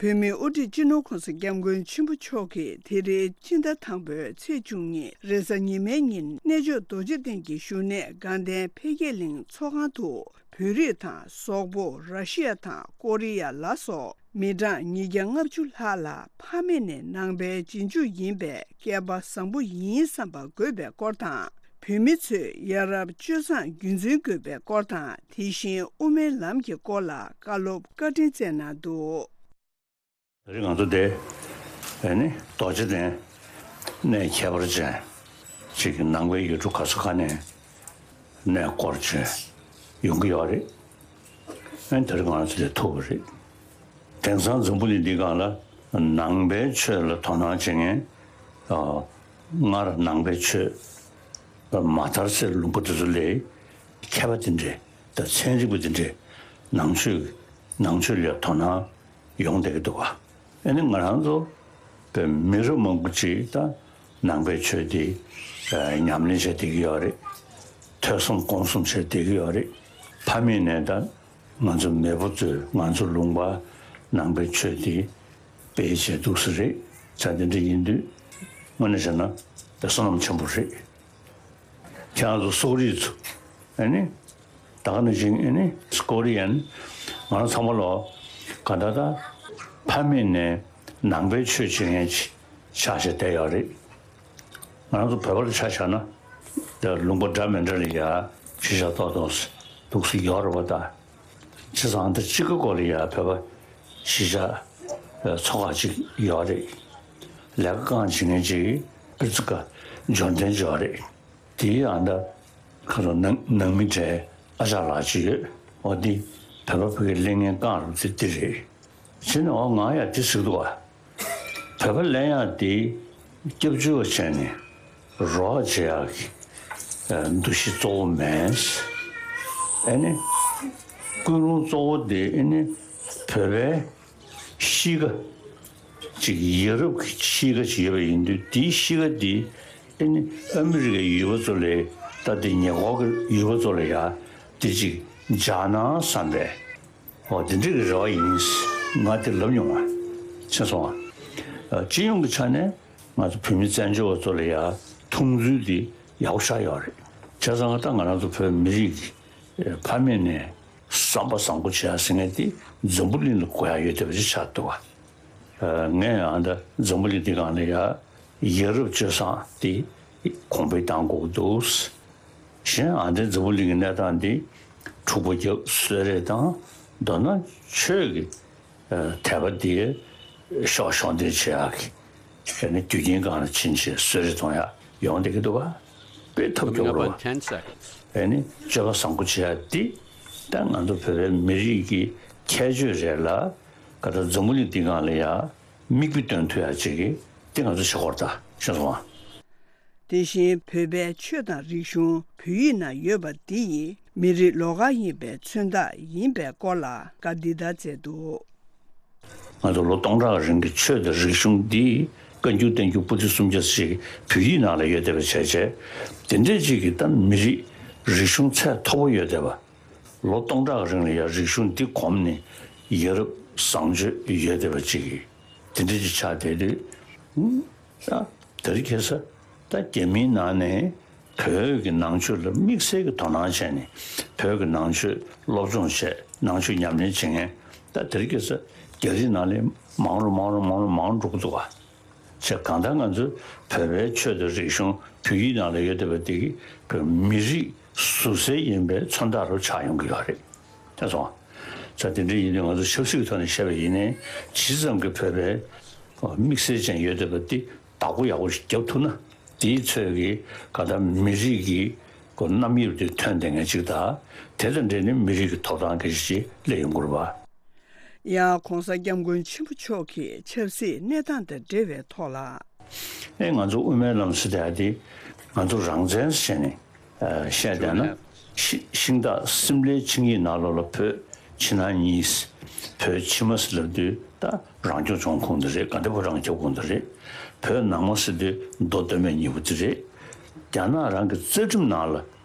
བོད་མིའི་དབུ་ཁྲིད་སྤྱི་ནོར་༸གོང་ས་༸སྐྱབས་མགོན་ཆེན་པོ་མཆོག་གིས་དེ་རིང་སྤྱི་ཟླ་དང་པོའི་ཚེས་བཅུ་གཉིས་རེས་གཟའ་ཉི་མའི་ཉིན། གནས་མཆོག་རྡོ་རྗེ་གདན་གྱི་བཞུགས་གནས་དགའ་ལྡན་འཕེལ་རྒྱས་གླིང་ཚོགས་ཁང་དུ། བོད་རིགས་དང་སོག་པོ། ར་ཤི་ཡ་དང་ཀོ་རི་ཡ་ལ་སོགས་མི་གྲངས་ཉིས་བརྒྱ་ལྔ་བཅུ་ལྷག་ལ། ཕ་མེས་ནས་ནང་པའི་རྗེས་འཇུག་ཡིན་པའི་སྐལ་པ་བཟང་པོ་ཡིན་བསམ་པ་དགོས་པའི་སྐོར་དང་། བོད་མི་ཚོས་ཡ་རབས་སྤྱོད་བཟང་རྒྱུན་འཛིན་དགོས་པའི་སྐོར་དང་། དེ་བཞིན་དབུ་མའི་ལམ་གྱི་སྐོར་ལ་བཀའ་སློབ་བཀའ་དྲིན་སྩལ་གནང་འདུག། ད་རེས་ང་ཚོ་འདི་ཨེ་ནི་རྡོ་རྗེ་གདན་གནས་ཁྱད་པར་ཅན་ཅིག་གི་ནང་པའི་ཡུལ་གྲུ་ག་ས་ག་ནས་གནས་སྐོར་བྱས་ཡོང་གི་ཡོད་རེད། ཨེ་ནི་ད་རེས་ང་ཚོ་འདིར་ཐུག་པ་རེད། དེང་སང་འཛམ་བུ་གླིང་འདིའི་སྒང་ལ་ནང་པའི་ཆོས་ལ་དོ་སྣང་བྱེད་མཁན། ཨ། སྔར་ནང་པའི་ཆོས་མ་དར་ཚེ་ལུང་པ་དེ་ཚོ་ལས་མཁས་པ་དེ་འདྲས་དང་ཚན་རིག་པ་དེ་འདྲས་ནང་ཆོས་ནང་ཆོས་ལ་དོ་སྣང་ཡོང་བསྡད་ཀྱི་འདུག་བ། ཨ་ནི་ང་རང་ཚོ་བོད་མི་རབས་མང་པོ་ཅིག་ད་ནང་པའི་ཆོས་འདི་ཉམས་ལེན་བྱས་བསྡད་ཀྱི་ཡོད་རེད། ཐོས་བསམ་སྒོམ་གསུམ་བྱས་བསྡད་ཀྱི་ཡོད་རེད། ཕ་མེས་ནས་ད་ང་ཚོ་མེས་པོ་ཚོས་ང་ཚོ་ལུང་པ་ནང་པའི་ཆོས་འདི་སྤེལ་བྱས་འདུག་ས་རེད། ད་འདི་འདྲ་ཡིན་དུས་དངོས་གནས་བྱས་ན་ད་བསོད་ནམས་ཆེན་པོ་རེད། ཁྱེད་རང་ཚོ་སོག་རིགས་ཚོ་ཨ་ནི་ད་ག་ནང་བཞིན་ཨ་ནི་ཀོ་རི་ཡན་ང་རང་ཚང་མ་ལོ་ག་ད་ད་ཕ་མེས་ནས་ནང་པའི་ཆོས་བྱེད་མཁན་ཅིག་ཆགས་བྱས་བསྡད་ཡོད་རེད། ང་རང་ཚོ་བོད་པ་ལ་ཆ་བཞག་ན་ད་ལུང་པ་འདྲ་མི་འདྲ་ལ་ཡ་གཞིས་ཆགས་ཏོག་ཏོག་འདུག་སེ་ཡོད་རེད་པ། ད་བྱས་ཙང་ད་གཅིག་གི་སྐོར་ལ་ཡ་བོད་པ་གཞིས་ཆགས་ཚོགས་ཁག་ཅིག་ཡོད་རེད། ལས་ཀ་གང་བྱེད་མཁན་ཅིག་པིར་ཙི་ཀ་འབྱོར་ལྡན་ཅིག་ཡོད་རེད། དེའི་ཨ་ད་ཁ་སང་ནང་ནང་མི་གྲས་ཨ་ཅག་ལགས་ཅིག་ཡོད། འོ་འདི་བོད་པ་ཕ་གིར་སླེབས་མཁན་རྐང་རུ་ཚེ་འདི་རེད། བྱས་ནས་འོ་ང་ཡང་འདི་ཟེར་གི་འདུག་བ། བོད་པ་ལེན་ཡག་འདི་སྐྱབས་བཅོལ་བ་བྱས་ནས་རོགས་བྱེད་ཡག་གི་འདུ་ཤེས་གཙོ་བོ་མེད། ཨ་ནི་ཀུན་སློང་གཙོ་བོ་འདི་ཨ་ནི་བོད་པའི་གཤིས་ཀ་ཅིག་ཡ་རབས་ཀྱི་གཤིས་ཀ་ཅིག་ཡོད་པ་ཡིན་དུས། དེའི་གཤིས་ཀ་འདི་ཨ་ནི་ཨ་མི་རི་ཀའི་ཡུལ་པ་ཚོ་ལས་ད་དེ་ཉེ་འཁོར་གྱི་ཡུལ་པ་ཚོ་ལ་ཡ་དེ་ཅིག་འཇགས་ན་བསམ་པས། འོ་དེ་འདྲ་གི་རེ་བ་ཡིན། ང་དེ་ལབ་མྱོང་བ། ཤེས་སོང་ང་། སྤྱི་ཡོངས་ཀྱི་ཆ་ནས་ང་ཚོ་བོད་མི་བཙན་བྱོལ་བ་ཚོ་ལ་ཡ་མཐོང་ཚུལ་དེ་ཡག་པོ་ཞེ་དྲག་ཡོད་རེད། བྱས་ཙང་ད་ང་རང་ཚོ་བོད་མི་རིགས་ཀྱི་ཕ་མེས་ནས་བསམ་པ་བཟང་པོ་བྱེད་ཡ་ཟེར་མཁན་དེ་འཛམ་བུ་གླིང་ལ་གོ་ཡ་ཡོད་བསྡད་པ་ཞིག་ཆགས་འདུག་བ། ངས་ཡང་ད་འཛམ་བུ་གླིང་འདི་སྒང་ལ་ཡ་ཡ་རབས་སྤྱོད་བཟང་དེ་གོང་འཕེལ་གཏང་དགོས་ཀྱི་འདུག། གཞན་ཡང་འདི་འཛམ་བུ་གླིང་གི་གནས་སྟངས་འདི་འཁྲུག་པ་རྒྱབ་གསོད་རེས་དང་། མདོར་ན་ཆོས་ཀྱི་ཨ་དད་པ་འདི་ཤོག་ཤོག་འདོན་བྱེད་ཡག་གི་ཨ་ནི་དུས་རྒྱུན་སྒང་ལ་ཕྱིན་བྱས་གསོད་རེས་གཏོང་ཡག་ཡོང་བསྡད་ཀྱི་འདུག་བ། དཔེ་ཐབས་སྐྱོ་པོ་རེད་བ། ཨ་ནི་སྤྱོད་པ་བཟང་པོ་བྱེད་ཡག་འདི་ད་ང་ཚོ་བོད་པའི་མི་རིགས་ཀྱི་ཁྱད་ཆོས་རེད་ལ། ག་ད་འཛམ་བུ་གླིང་འདི་སྒང་ལ་ཡ་མིག་དཔེ་སྟོན་ཐུབ་ཡག་ཅིག་གི་དེ་ང་ཚོ་བྱེད་དགོས་རེད། ད་ཤེས་སོང་ང་། དེ་བཞིན་བོད་པའི་ཆོས་དང་རིག་གཞུང་བོད་ཡིག་ནང་ཡོད་པ་འདི་ཡིས་མི་རིགས་ལོགས་ཀ་ཡིན་པའི་མཚོན་རྟགས་ཡིན་པའི་སྐོར་ལ་བཀའ་འདི་ལྟར་སྩལ་འདུག། ང་ཚོ་ལོ་སྟོང་ཕྲག་རིང་གི་ཆོས་དང་རིག་གཞུང་འདི་བཀའ་འགྱུར་བསྟན་འགྱུར་པོ་ཏི་སུམ་བརྒྱ་ཞིག་བོད་ཡིག་ནང་ལ་ཡོད་བསྡད་པ་བྱས་བྱས། དེ་འདྲས་ཅིག་གིས་ད་མི་རིགས་རིག་གཞུང་ཚད་མཐོ་པོ་ཡོད་བསྡད་པ། ལོ་སྟོང་ཕྲག་རིང་ལ་ཡང་རིག་གཞུང་འདི་གོམས་ནས་ ཡ་རབས་བཟང་སྤྱོད་ཡོད་བསྡད་པ་ཅིག་གི་དེ་འདྲ་ཅིག་ཆགས་བསྡད་དུས། ཨ། དེ་རིང་ཁ་སང་ད་རྒྱ་མིའི་ནང་ནས་བོད་ཀྱི་ནང་ཆོས་ལ་དམིགས་བསལ་གྱི་དོ་སྣང་བྱས་ནས་བོད་ཀྱི་ནང་ཆོས་སློབ་སྦྱོང་བྱས། ནང་ཆོས་ཉམས་ལེན་བྱེད་མཁན་ད་དེ་རིང་ཁ་སང་རྒྱ་རིགས་ནང་ལ་མང་རུ་མང་རུ་མང་རུ་མང་རུ་འགྲོ་གི་འདུག་ག་བྱས། གང་ལྟར་ང་ཚོའི་བོད་པའི་ཆོས་དང་རིག་གཞུང་བོད་ཡིག་ནང་ལ་ཡོད་བསྡད་པ་དེ་གི་བོད་མི་རིགས་ཟུར་གསལ་ཡིན་པའི་མཚོན་རྟགས་རུ་ཆགས་ཡོང་གི་ཡོད་རེད། དེ་སོང་། ས་དེ་འདྲ་ཡིན་དུས་ང་ཚོ་ཆབ་སྲིད་ཀྱི་ཐོག་ནས་བཤད་པ་ཡིན་ནའི་ཇི་ཙམ་གྱི་བོད་པའི་དམིགས་བསལ་ཅན་ཡོད་བསྡད་པ་འདི་བདག་པོ་ཡག་པོ་ཞིག་རྒྱབ་ཐུབ་ན། དེའི་ཚོད་ཀྱིས་ག་ད་མི་རིགས་ཀྱི་གོ་རྣམ་དབྱེ་དེ་ཐོན་བསྡད་མཁན་ཅིག་དང་། དེ་དང་འབྲེལ་ནས་མི་རིགས་ཀྱི་ཐོབ་ཐང་སྐད་ཆ་ཅིག་སླེབས་ཡོང་གི་རེད་པ། ཡ། ༸གོང་ས་༸སྐྱབས་མགོན་ཆེན་པོ་མཆོག་གིས་ཆབ་སྲིད་གནས་སྟངས་དང་འབྲེལ་བའི་ཐོག་ལ། ཨེ། ང་ཚོ་དབུ་མའི་ལམ་ཟེར་དེ་ང་ཚོ་རང་བཙན་ཟེར་ནས་བཤད་བསྡད་ན། ཤི་ཤིང་སྟག་སིམ་ལའི་ཆིངས་ཡིག་ནང་ལོགས་ལ་བོད་ཕྱི་ནང་གཉིས། བོད་ཕྱི་མ་ཟེར་ལབ་དུས་ད་རང་སྐྱོང་ལྗོངས་ཁོངས་དེ་རེད། དགའ་ལྡན་ཕོ་བྲང་རྒྱབ་ཁོངས་དེ་རེད། བོད་ནང་མ་ཟེར་དུས་མདོ་སྟོད་སྨད་གཉིས་པོ་དེ་རེད། རྒྱ་ནག་རང་གི་རྩ་ཁྲིམས་ནང་ལ།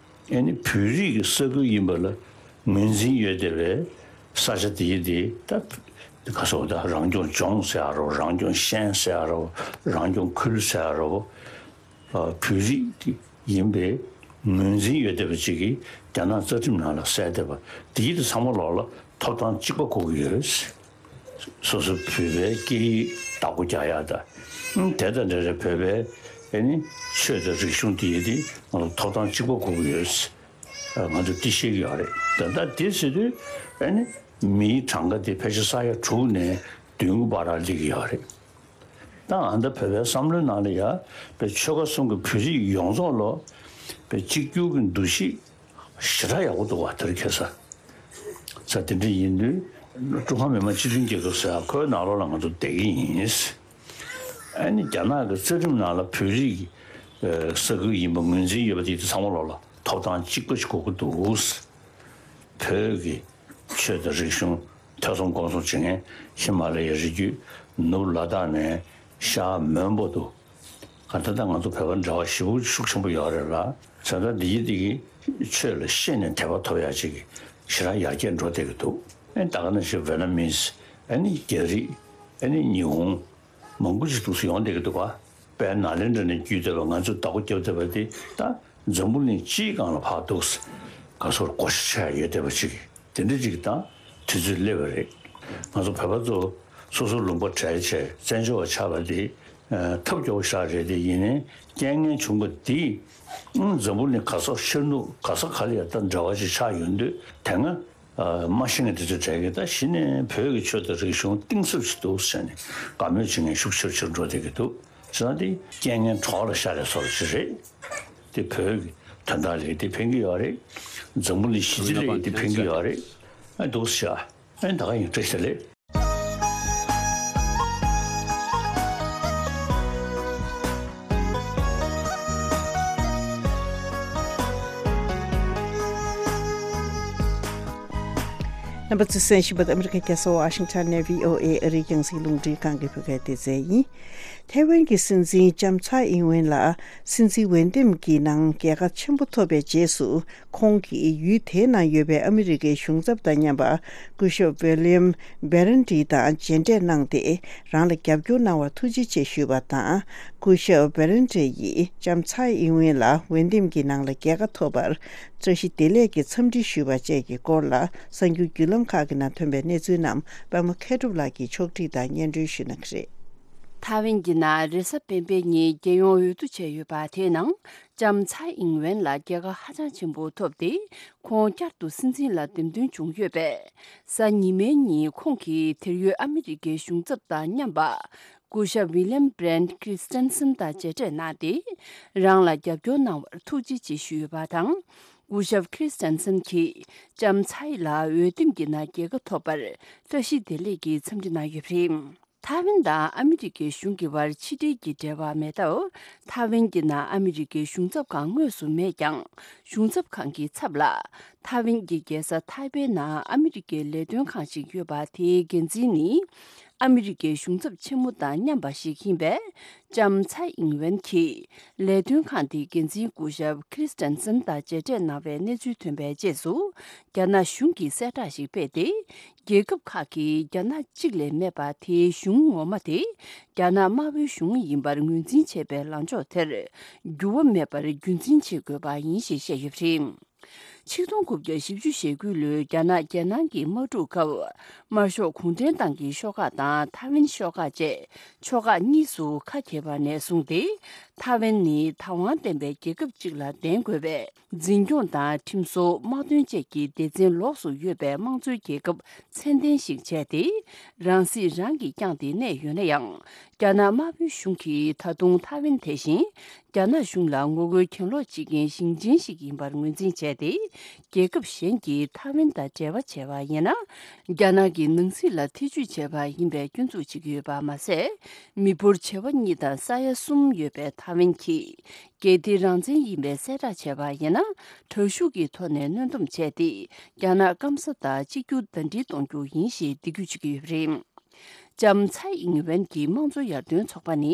ཨེ་ནི་བོད་རིགས་ཀྱི་ས་ཁུལ་ཡིན་པ་ལ་ངོས་འཛིན་ཡོད་བསྡད་པའི་ས་ཆ་དེ་ཡི་དེ་ད་ག་སོགས་ད་རང་སྐྱོང་ལྗོངས་ཟེར་ཡ་རོ། རང་སྐྱོང་ཤན་ཟེར་ཡ་རོ། རང་སྐྱོང་ཁུལ་ཟེར་ཡ་རོ། ཨ། བོད་རིགས་ཡིན་པའི་ངོས་འཛིན་ཡོད་བསྡད་པ་ཅིག་གིས་རྒྱ་ནག་རྩ་ཁྲིམས་ནང་ལ་གསལ་བསྡད་པ་དེ་ཡི་དེ་ཚང་མ་ལོགས་ལ་ཐོབ་ཐང་གཅིག་པ་དགོས་ཀྱི་ཡོད། སོ་སོ་བོད་པའི་སྐད་ཡིག་བདག་པོ་རྒྱག་ཡག་དང་། ཨང་། དེ་དང་འབྲེལ་བའི་བོད་པའི་ཨེ་ནི་ཆོས་དང་རིག་གཞུང་དེ་ཡི་དེ་ང་ཚོ་ཐོབ་ཐང་གཅིག་པ་དགོས་ཀྱི་ཡོད། ཨ། ང་ཚོ་དེ་ཤེས་ཀྱི་ཡོད་རེད། ད་ལྟ་དེ་ཟེར་དུས་ཨེ་ནི་མིའི་གྲངས་ཀ་དེ་ཕལ་ཆེར་ས་ཡ་དྲུག་ནས་བདུན་གྱི་བར་ལ་སླེབས་ཀྱི་ཡོད་རེད། ད་ཨ་ད་བོད་པའི་བསམ་བློའི་ནང་ལ་ཡ་པའི་ཆོལ་ཁ་གསུམ་གྱི་བོད་རིགས་ཡོངས་རྫོགས་ལ་པའི་གཅིག་གྱུར་གྱི་འདུ་ཤེས་ཞེ་དྲག་ཡག་པོ་འདུག་བ། དེར་ཁེལ་ས། ས་དེ་འདྲ་ཡིན་དུས་ཀྲུང་ཧྭ་མི་དམངས་སྤྱི་མཐུན་རྒྱལ་ཁབ་ཟེར་ཡ་ཁོའི་ནང་ལོགས་ལ་ང་ཚོ་བསྡད་ཀྱི་ཡིན། ཨ་ནི་རྒྱ་ནག་གི་རྩ་ཁྲིམས་ནང་ལ་བོད་རིགས་ཀྱི་ས་ཁུལ་ཡིན་པ་ངོས་འཛིན་ཡོད་པ་དེ་དེ་ཚང་མ་ལོགས་ལ་ཐོབ་ཐང་གཅིག་པ་ཞིག་དགོས་ཀྱི་འདུག། བོད་ཀྱི་ཆོས་དང་རིག་གཞུང་ཐོས་བསམ་སྒོམ་གསུམ་བྱེད་མཁན་ཧི་མ་ལ་ཡའི་རི་རྒྱུད་ནུབ་ལ་དྭགས་ནས་ཤར་མོན་པ་དུ། ག་ད་ལྟ་ང་ཚོ་བོད་པ་འབྲེལ་བ་ཞེ་པོ་ཤུགས་ཆེན་པོ་ཡོད་རེད་ལ། བྱས་ཙང་འདི་ཡི་འདི་གི་ཆོས་ལ་ཤེས་ནས་དད་པ་ཐོབ་ཡག་ཅིག་གི་ཞེ་དྲག་ཡར་རྒྱས་འགྲོ་བསྡད་ཀྱི་འདུག། ཨེ་ད་ག་ནང་བཞིན་ཝེ་ནམ་མིས། ཨ་ནི་རྒྱ་རིགས། ཨ་ནི་ཉི་ཧོང་། མང་པོ་ཅིག་འདུག་སེ་ཡོང་བསྡད་ཀྱི་འདུག་ག། དཔལ་ནཱ་ལེནྡྲ་ནས་བརྒྱུད་བསྡད་པ་ང་ཚོས་བདག་པོ་རྒྱབ་བསྡད་པ་དེ་ད་འཛམ་བུ་གླིང་སྤྱིའི་སྒང་ལ་ཕར་འདུག་སེ་ག་སོར་བགོ་བཤའ་བྱས་ཡོད་བསྡད་པ་ཅིག་དེ་འདྲ་ཅིག་དང་དུས་ཚོད་སླེབས་པ་རེད། ང་ཚོ་བོད་པ་ཚོ་སོ་སོ་ལུང་པ་བྲལ་བྱས་བཙན་བྱོལ་བ་ཆགས་པ་དེ་ཐབས་སྐྱོ་བོ་ཞིག་རེད། དེ་ཡིན་ནའི་རྐྱེན་ངན་བྱུང་བ་དེས་འཛམ་བུ་གླིང་ག་ས་ཤར་ནུབ་ག་ས་ག་ལ་ཡ་ད་འབྲེལ་བ་ཅིག་ཆགས་ཡོང་དུས་དེ་སྔ། ཨ། མ་ཤེས་མཁན་དེ་ཚོ་གྲས་ཀྱིས་ད་གཞི་ནས་བོད་ཀྱི་ཆོས་དང་རིག་གཞུང་གཏིང་ཟབ་ཞིག་འདུག་ཟེར་ནས་དགའ་མོས་བྱེད་མཁན་ཤུགས་ཆེར་ཆེར་འགྲོ་བསྡད་ཀྱི་འདུག། བྱས་ཙང་དེ་རྐྱེན་ངན་གྲོགས་ལ་ཤར་བའི་བཟོ་འདྲ་ཞིག་རེད། དེ་བོད་ཀྱི་དོན་དག་ལ་དེ་ཕན་གྱི་ཡོད་རེད། འཛམ་བུ་གླིང་ཞི་བདེ་ལ་དེ་ཕན་གྱི་ཡོད་རེད། ཨ། འདུག་ཟེར། ཨ། ད་ག་ཡིན། བཀྲ་ཤིས་བདེ་ལེགས། རྣམ་པ་ཚོས་གསན་བཞིན་པ་ཨ་མི་རི་ཀའི་རྒྱལ་ས་ཝ་ཤིང་ཊོན་ནས་ཝི་ཨོ་ཨེ་ཨ་རིའི་རྒྱང་སྲིང་རླུང་འཕྲིན་ཁང་གི་བོད་སྐད་སྡེ་ཚན་ཡིན། ཐའེ་ཝན་གྱི་སྲིད་འཛིན་ལྕམ་ཚའེ་ཨིན་ཝེན་ལགས་སྲིད་འཛིན་འོས་འདེམས་ཀྱི་ནང་རྒྱལ་ཁ་ཆེན་པོ་ཐོབ་པའི་རྗེས་སུ། ཁོང་གིས་ཡུལ་དེའི་ནང་ཡོད་པའི་ཨ་མི་རི་ཀའི་གཞུང་ཚབ་དང་མཉམ་པ་སྐུ་ཞབས་ཝི་ལི་ཡམ་བྷེ་རན་ཏི་དང་མཇལ་འཕྲད་གནང་སྟེ། རང་ལ་རྒྱབ་སྐྱོར་གནང་བར་ཐུགས་རྗེ་ཆེ་ཞུས་པ་དང་། སྐུ་ཞབས་བྷེ་རན་ཏི་ཡིས་ལྕམ་ཚའེ་ཨིན་ཝེན་ལ་འོས་འདེམས་ཀྱི་ནང་ལ་རྒྱལ་ཁ་ཐོབ་པར་བཀྲ་ཤིས་བདེ་ལེགས་ཀྱི་འཚམས་འདྲི་ཞུས་པ་བཅས་ཀྱི་སྐོར་ལ་གསར་འགྱུར་བརྒྱུད་ལམ་ཁག་གི་ནང་ཐོན་པའི་གནས་ཚུལ་རྣམས་པད་མ་མཁས་གྲུབ་ལགས་ཀྱིས་ཕྱོགས་སྒྲིག་དང་སྙན་སྒྲོན་ཞུ་གནང་གི་རེད། ཐའེ་ཝན་གྱི་ནང་རེས་གཟའ་སྤེན་པའི་ཉིན་རྒྱལ་ཡོངས་འོས་བསྡུ་བྱས་ཡོད་པ་དེའི་ནང་། ལྕམ་ཚའེ་ཨིན་ཝེན་ལ་རྒྱལ་ཁ་ཧ་ཅང་ཆེན་པོ་ཐོབ་སྟེ། ཁོང་བསྐྱར་དུ་སྲིད་འཛིན་ལ་འདེམས་ཐོན་བྱུང་ཡོད་པས། གཟའ་ཉི་མའི་ཉིན་ཁོང་གིས་དེར་ཡོད་ཨ་མི་རི་ཀའི་གཞུང་ཚབ་དང་མཉམ་པ། སྐུ་ཞབས་ཝི་ལི་ཡམ་བྷེ་རན་ཏི་ཁྲི་སི་ཊན་སན་དང་མཇལ་འཕྲད་གནང་སྟེ། རང་ལ་རྒྱབ་སྐྱོར་གནང་བར་ཐུགས་རྗེ་ཆེ་ཞུས་ཡོད་པ་དང་། སྐུ་ཞབས་ཁྲི་སི་ཊན་སན་གྱིས་ལྕམ་ཚའེ་ལ་འོས་འདེམས་ཀྱི་ནང་རྒྱལ་ཁ་ཐོབ་པར་བཀྲ་ཤིས་བདེ་ལེགས་ཀྱི་འཚམས་འདྲི་གནང་ཡོད་པ་རེད། ཐའེ་ཝན་དང་ཨ་མི་རི་ཀའི་གཞུང་གི་བར་ཕྱི་འབྲེལ་གྱི་འབྲེལ་བ་མེད་སྟབས། ཐའེ་ཝན་གྱི་ནང་ཨ་མི་རི་ཀའི་གཞུང་ཚབ་ཁང་དངོས་སུ་མེད་ཀྱང་། གཞུང་ཚབ་ཁང་གི་ཚབ་ལ་ཐའེ་ཝན་གྱི་རྒྱལ་ས་ཐའེ་པེའི་ནང་ཨ་མི་རི་ཀའི་ལས་དོན་ཁང་ཞིག་ཡོད་པ་དེའི་འགན་འཛིན་ནི་ ཨ་མི་རི་ཀའི་གཞུང་ཚབ་ཆེན་མོ་དང་མཉམ་པ་ཞིག་ཡིན་པའི་ལྕམ་ཚའེ་ཨིང་ཝེན་གྱིས་ལས་དོན་ཁང་དེའི་འགན་འཛིན་སྐུ་ཞབས་ཁྲིས་ཏན་སན་དང་མཇལ་འཕྲད་གནང་བའི་གནས་ཚུལ་ཐོན་པའི་རྗེས་སུ། རྒྱ་ནག་གཞུང་གིས་གསལ་བསྒྲགས་ཤིག་སྤེལ་ཏེ། རྒྱལ་ཁབ་ཁག་གིས་རྒྱ་ནག་གཅིག་ལས་མེད་པ་དེའི་གཞུང་ངོ་མ་དེ་རྒྱ་ནག་དམར་པོའི་གཞུང་ཡིན་པར་ངོས་འཛིན་བྱེད་པའི་ལངས་ཕྱོགས་དེར་འགྱུར་བ་མེད་པར་རྒྱུན་འཛིན་བྱེད་དགོས་པ་ཡིན་ཞེས་བཤད་ཡོད་པ་རེད། ཆིག་སྟོང་དགུ་བརྒྱ་བཞི་བཅུ་ཞེ་དགུ་ལོའི་རྒྱ་ནག་རྒྱལ་ནང་གི་དམག་འཁྲུག་སྐབས། དམར་ཤོག་གུང་ཁྲན་ཏང་གི་ཤོག་ཁག་དང་ཐའེ་ཝན་ཤོག་ཁག་བཅས་ཕྱོགས་ཁག་གཉིས་སུ་ཁ་གྱེས་པ་ནས་བཟུང་སྟེ། ཐའེ་ཝན་ནི་བདག་དབང་ལྡན་པའི་རྒྱལ་ཁབ་ཅིག་ལ་ལྡན་དགོས་པའི་འཛིན་སྐྱོང་དང་ཁྲིམས་བཟོ། དམག་དོན་བཅས་ཀྱི་སྡེ་ཚན་ལོགས་སུ་ཡོད་པའི་དམངས་གཙོའི་རྒྱལ་ཁབ་མཚན་ལྡན་ཞིག་བྱས་ཏེ། རང་སྲིད་རང་གིས་བསྐྱངས་ཏེ་གནས་ཡོད་ན་ཡང་། རྒྱ་ནག་དམར་པོའི་གཞུང་གིས་ད་དུང་ཐའེ་ཝན་དེ་བཞིན། རྒྱ་ནག་གཞུང་ལ་ངོ་རྒོལ་གྱེན་ལོག་བྱེད་མཁན་ཞིང་ཆེན་ཞིག་ཡིན་པར་ངོས་འཛིན་བྱས་ཏེ། རྒྱལ་ཁབ་གཞན་གྱིས་ཐའེ་ཝན་དང་འབྲེལ་བ་བྱས་པ་ཡིན་ན། རྒྱ་ནག་གི་ནང་སྲིད་ལ་ཐེ་ཇུས་བྱས་པ་ཡིན་པའི་སྐྱོན་འཛུགས་བྱེད་ཀྱི་ཡོད་པ་མ་ཟད། མི་འབོར་བྱེ་བ་གཉིས་དང་ས་ཡ་གསུམ་ཡོད་པའི་ཐའེ་ཝན་གྱིས་རྒྱལ་སྡེ་རང་བཙན་ཡིན་པའི་གསལ་བསྒྲགས་བྱས་པ་ཡིན་ན། དྲག་ཤུགས་ཀྱི་ཐོག་ནས་གནོན་སྡོམ་བྱས་ཏེ། རྒྱ་ནག་སྐམ་ས་དང་གཅིག་གྱུར་ཟླ་སྒྲིལ་གཏོང་རྒྱུ་ཡིན་ཞེས་འདེད་སྐུལ་བྱེད་ཀྱི་ཡོད་པ་རེད། ལྕམ་ཚའེ་ཨིང་ཝེན་གྱི་དམངས་གཙོ་ཡར་ཐོན་ཚོགས་པ་ནི་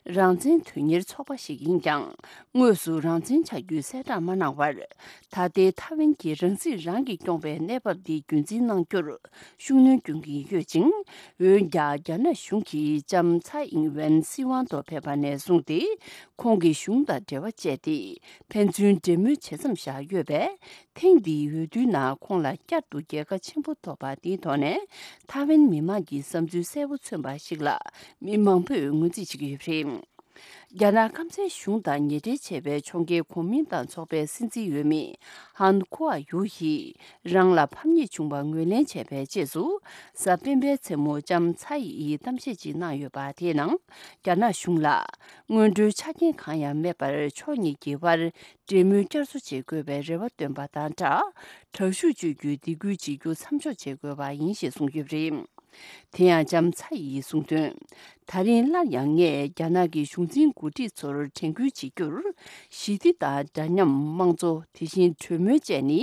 རང་བཙན་དོན་གཉེར་ཚོགས་པ་ཞིག་ཡིན་ཀྱང་། དངོས་སུ་རང་བཙན་ཆགས་རྒྱུའི་གསལ་བསྒྲགས་མ་གནང་བར། ད་ལྟའི་ཐའེ་ཝན་གྱི་རང་སྲིད་རང་གིས་སྐྱོང་བའི་གནས་བབ་འདི་རྒྱུན་འཛིན་གནང་རྒྱུར་ཤུགས་སྣོན་སྐྱོན་གྱིན་ཡོད་ཅིང་། འོན་ཀྱང་། རྒྱ་ནག་གཞུང་གིས་ལྕམ་ཚའེ་ཨིང་ཝེན་སྲིད་དབང་ཐོག་ཕེབས་པ་ནས་བཟུང་སྟེ། ཁོང་གི་གཞུང་དང་འབྲེལ་བ་བཅད་དེ། ཕན་ཚུན་འབྲེལ་མོལ་བྱེད་མཚམས་བཞག་ཡོད་པས། ཐེངས་འདིའི་འོས་བསྡུའི་ནང་ཁོང་ལ་བསྐྱར་དུ་རྒྱལ་ཁ་ཆེན་པོ་ཐོབ་པ་འདིའི་ཐོག་ནས། ཐའེ་ཝན་མི་མང་གི་བསམ་ཚུལ་གསལ་པོ་མཚོན་པ་ཞིག་ལ་མི་མང་པོས་ངོས་འཛིན་བྱེད་ཀྱི་ཡོད་པ་རེད། རྒྱ་ནག་སྐམ་སའི་གཞུང་དང་ཉེ་འབྲེལ་བྱས་པའི་ཕྱོགས་འགལ་གོ་མིན་ཏང་ཚོགས་པའི་སྲིད་འཛིན་འོས་མི་ཧན་ཁོ་ཨ་ཡུ་ཡིས་རང་ལ་ཕམ་ཉེས་བྱུང་བ་ངོས་ལེན་བྱས་པའི་རྗེས་སུ། གཟའ་སྤེན་པའི་མཚན་མོ་ལྕམ་ཚའེ་ཡིས་གཏམ་བཤད་ཅིག་གནང་ཡོད་པ་དེའི་ནང་། རྒྱ་ནག་གཞུང་ལ་སྔོན་འགྲོའི་ཆ་རྐྱེན་གང་ཡང་མེད་པར་ཕྱོགས་གཉིས་ཀྱི་དབར། འབྲེལ་མོལ་བསྐྱར་གསོ་བྱེད་དགོས་པའི་རེ་བ་བཏོན་པ་དང་སྦྲགས། དྲག་ཤུགས་སྤྱོད་རྒྱུའི་སྡིགས་སྐུལ་བྱེད་རྒྱུ་མཚམས་འཇོག་བྱེད་དགོས་པ་ཡིན་ཞེས་གསུངས་ཡོད་པ་རེད། དེ་ཡང་ལྕམ་ཚའེ་ཡིས་གསུངས་དོན། ད་རིང་སླར་ཡང་ངས་རྒྱ་ནག་གི་གཞུང་འཛིན་འགོ་ཁྲིད་ཚོར་དྲན་སྐུལ་བྱེད་རྒྱུར། ཞི་བདེ་དང་འདྲ་མཉམ། དམངས་གཙོ། དེ་བཞིན་གྲོས་མོལ་བཅས་ནི་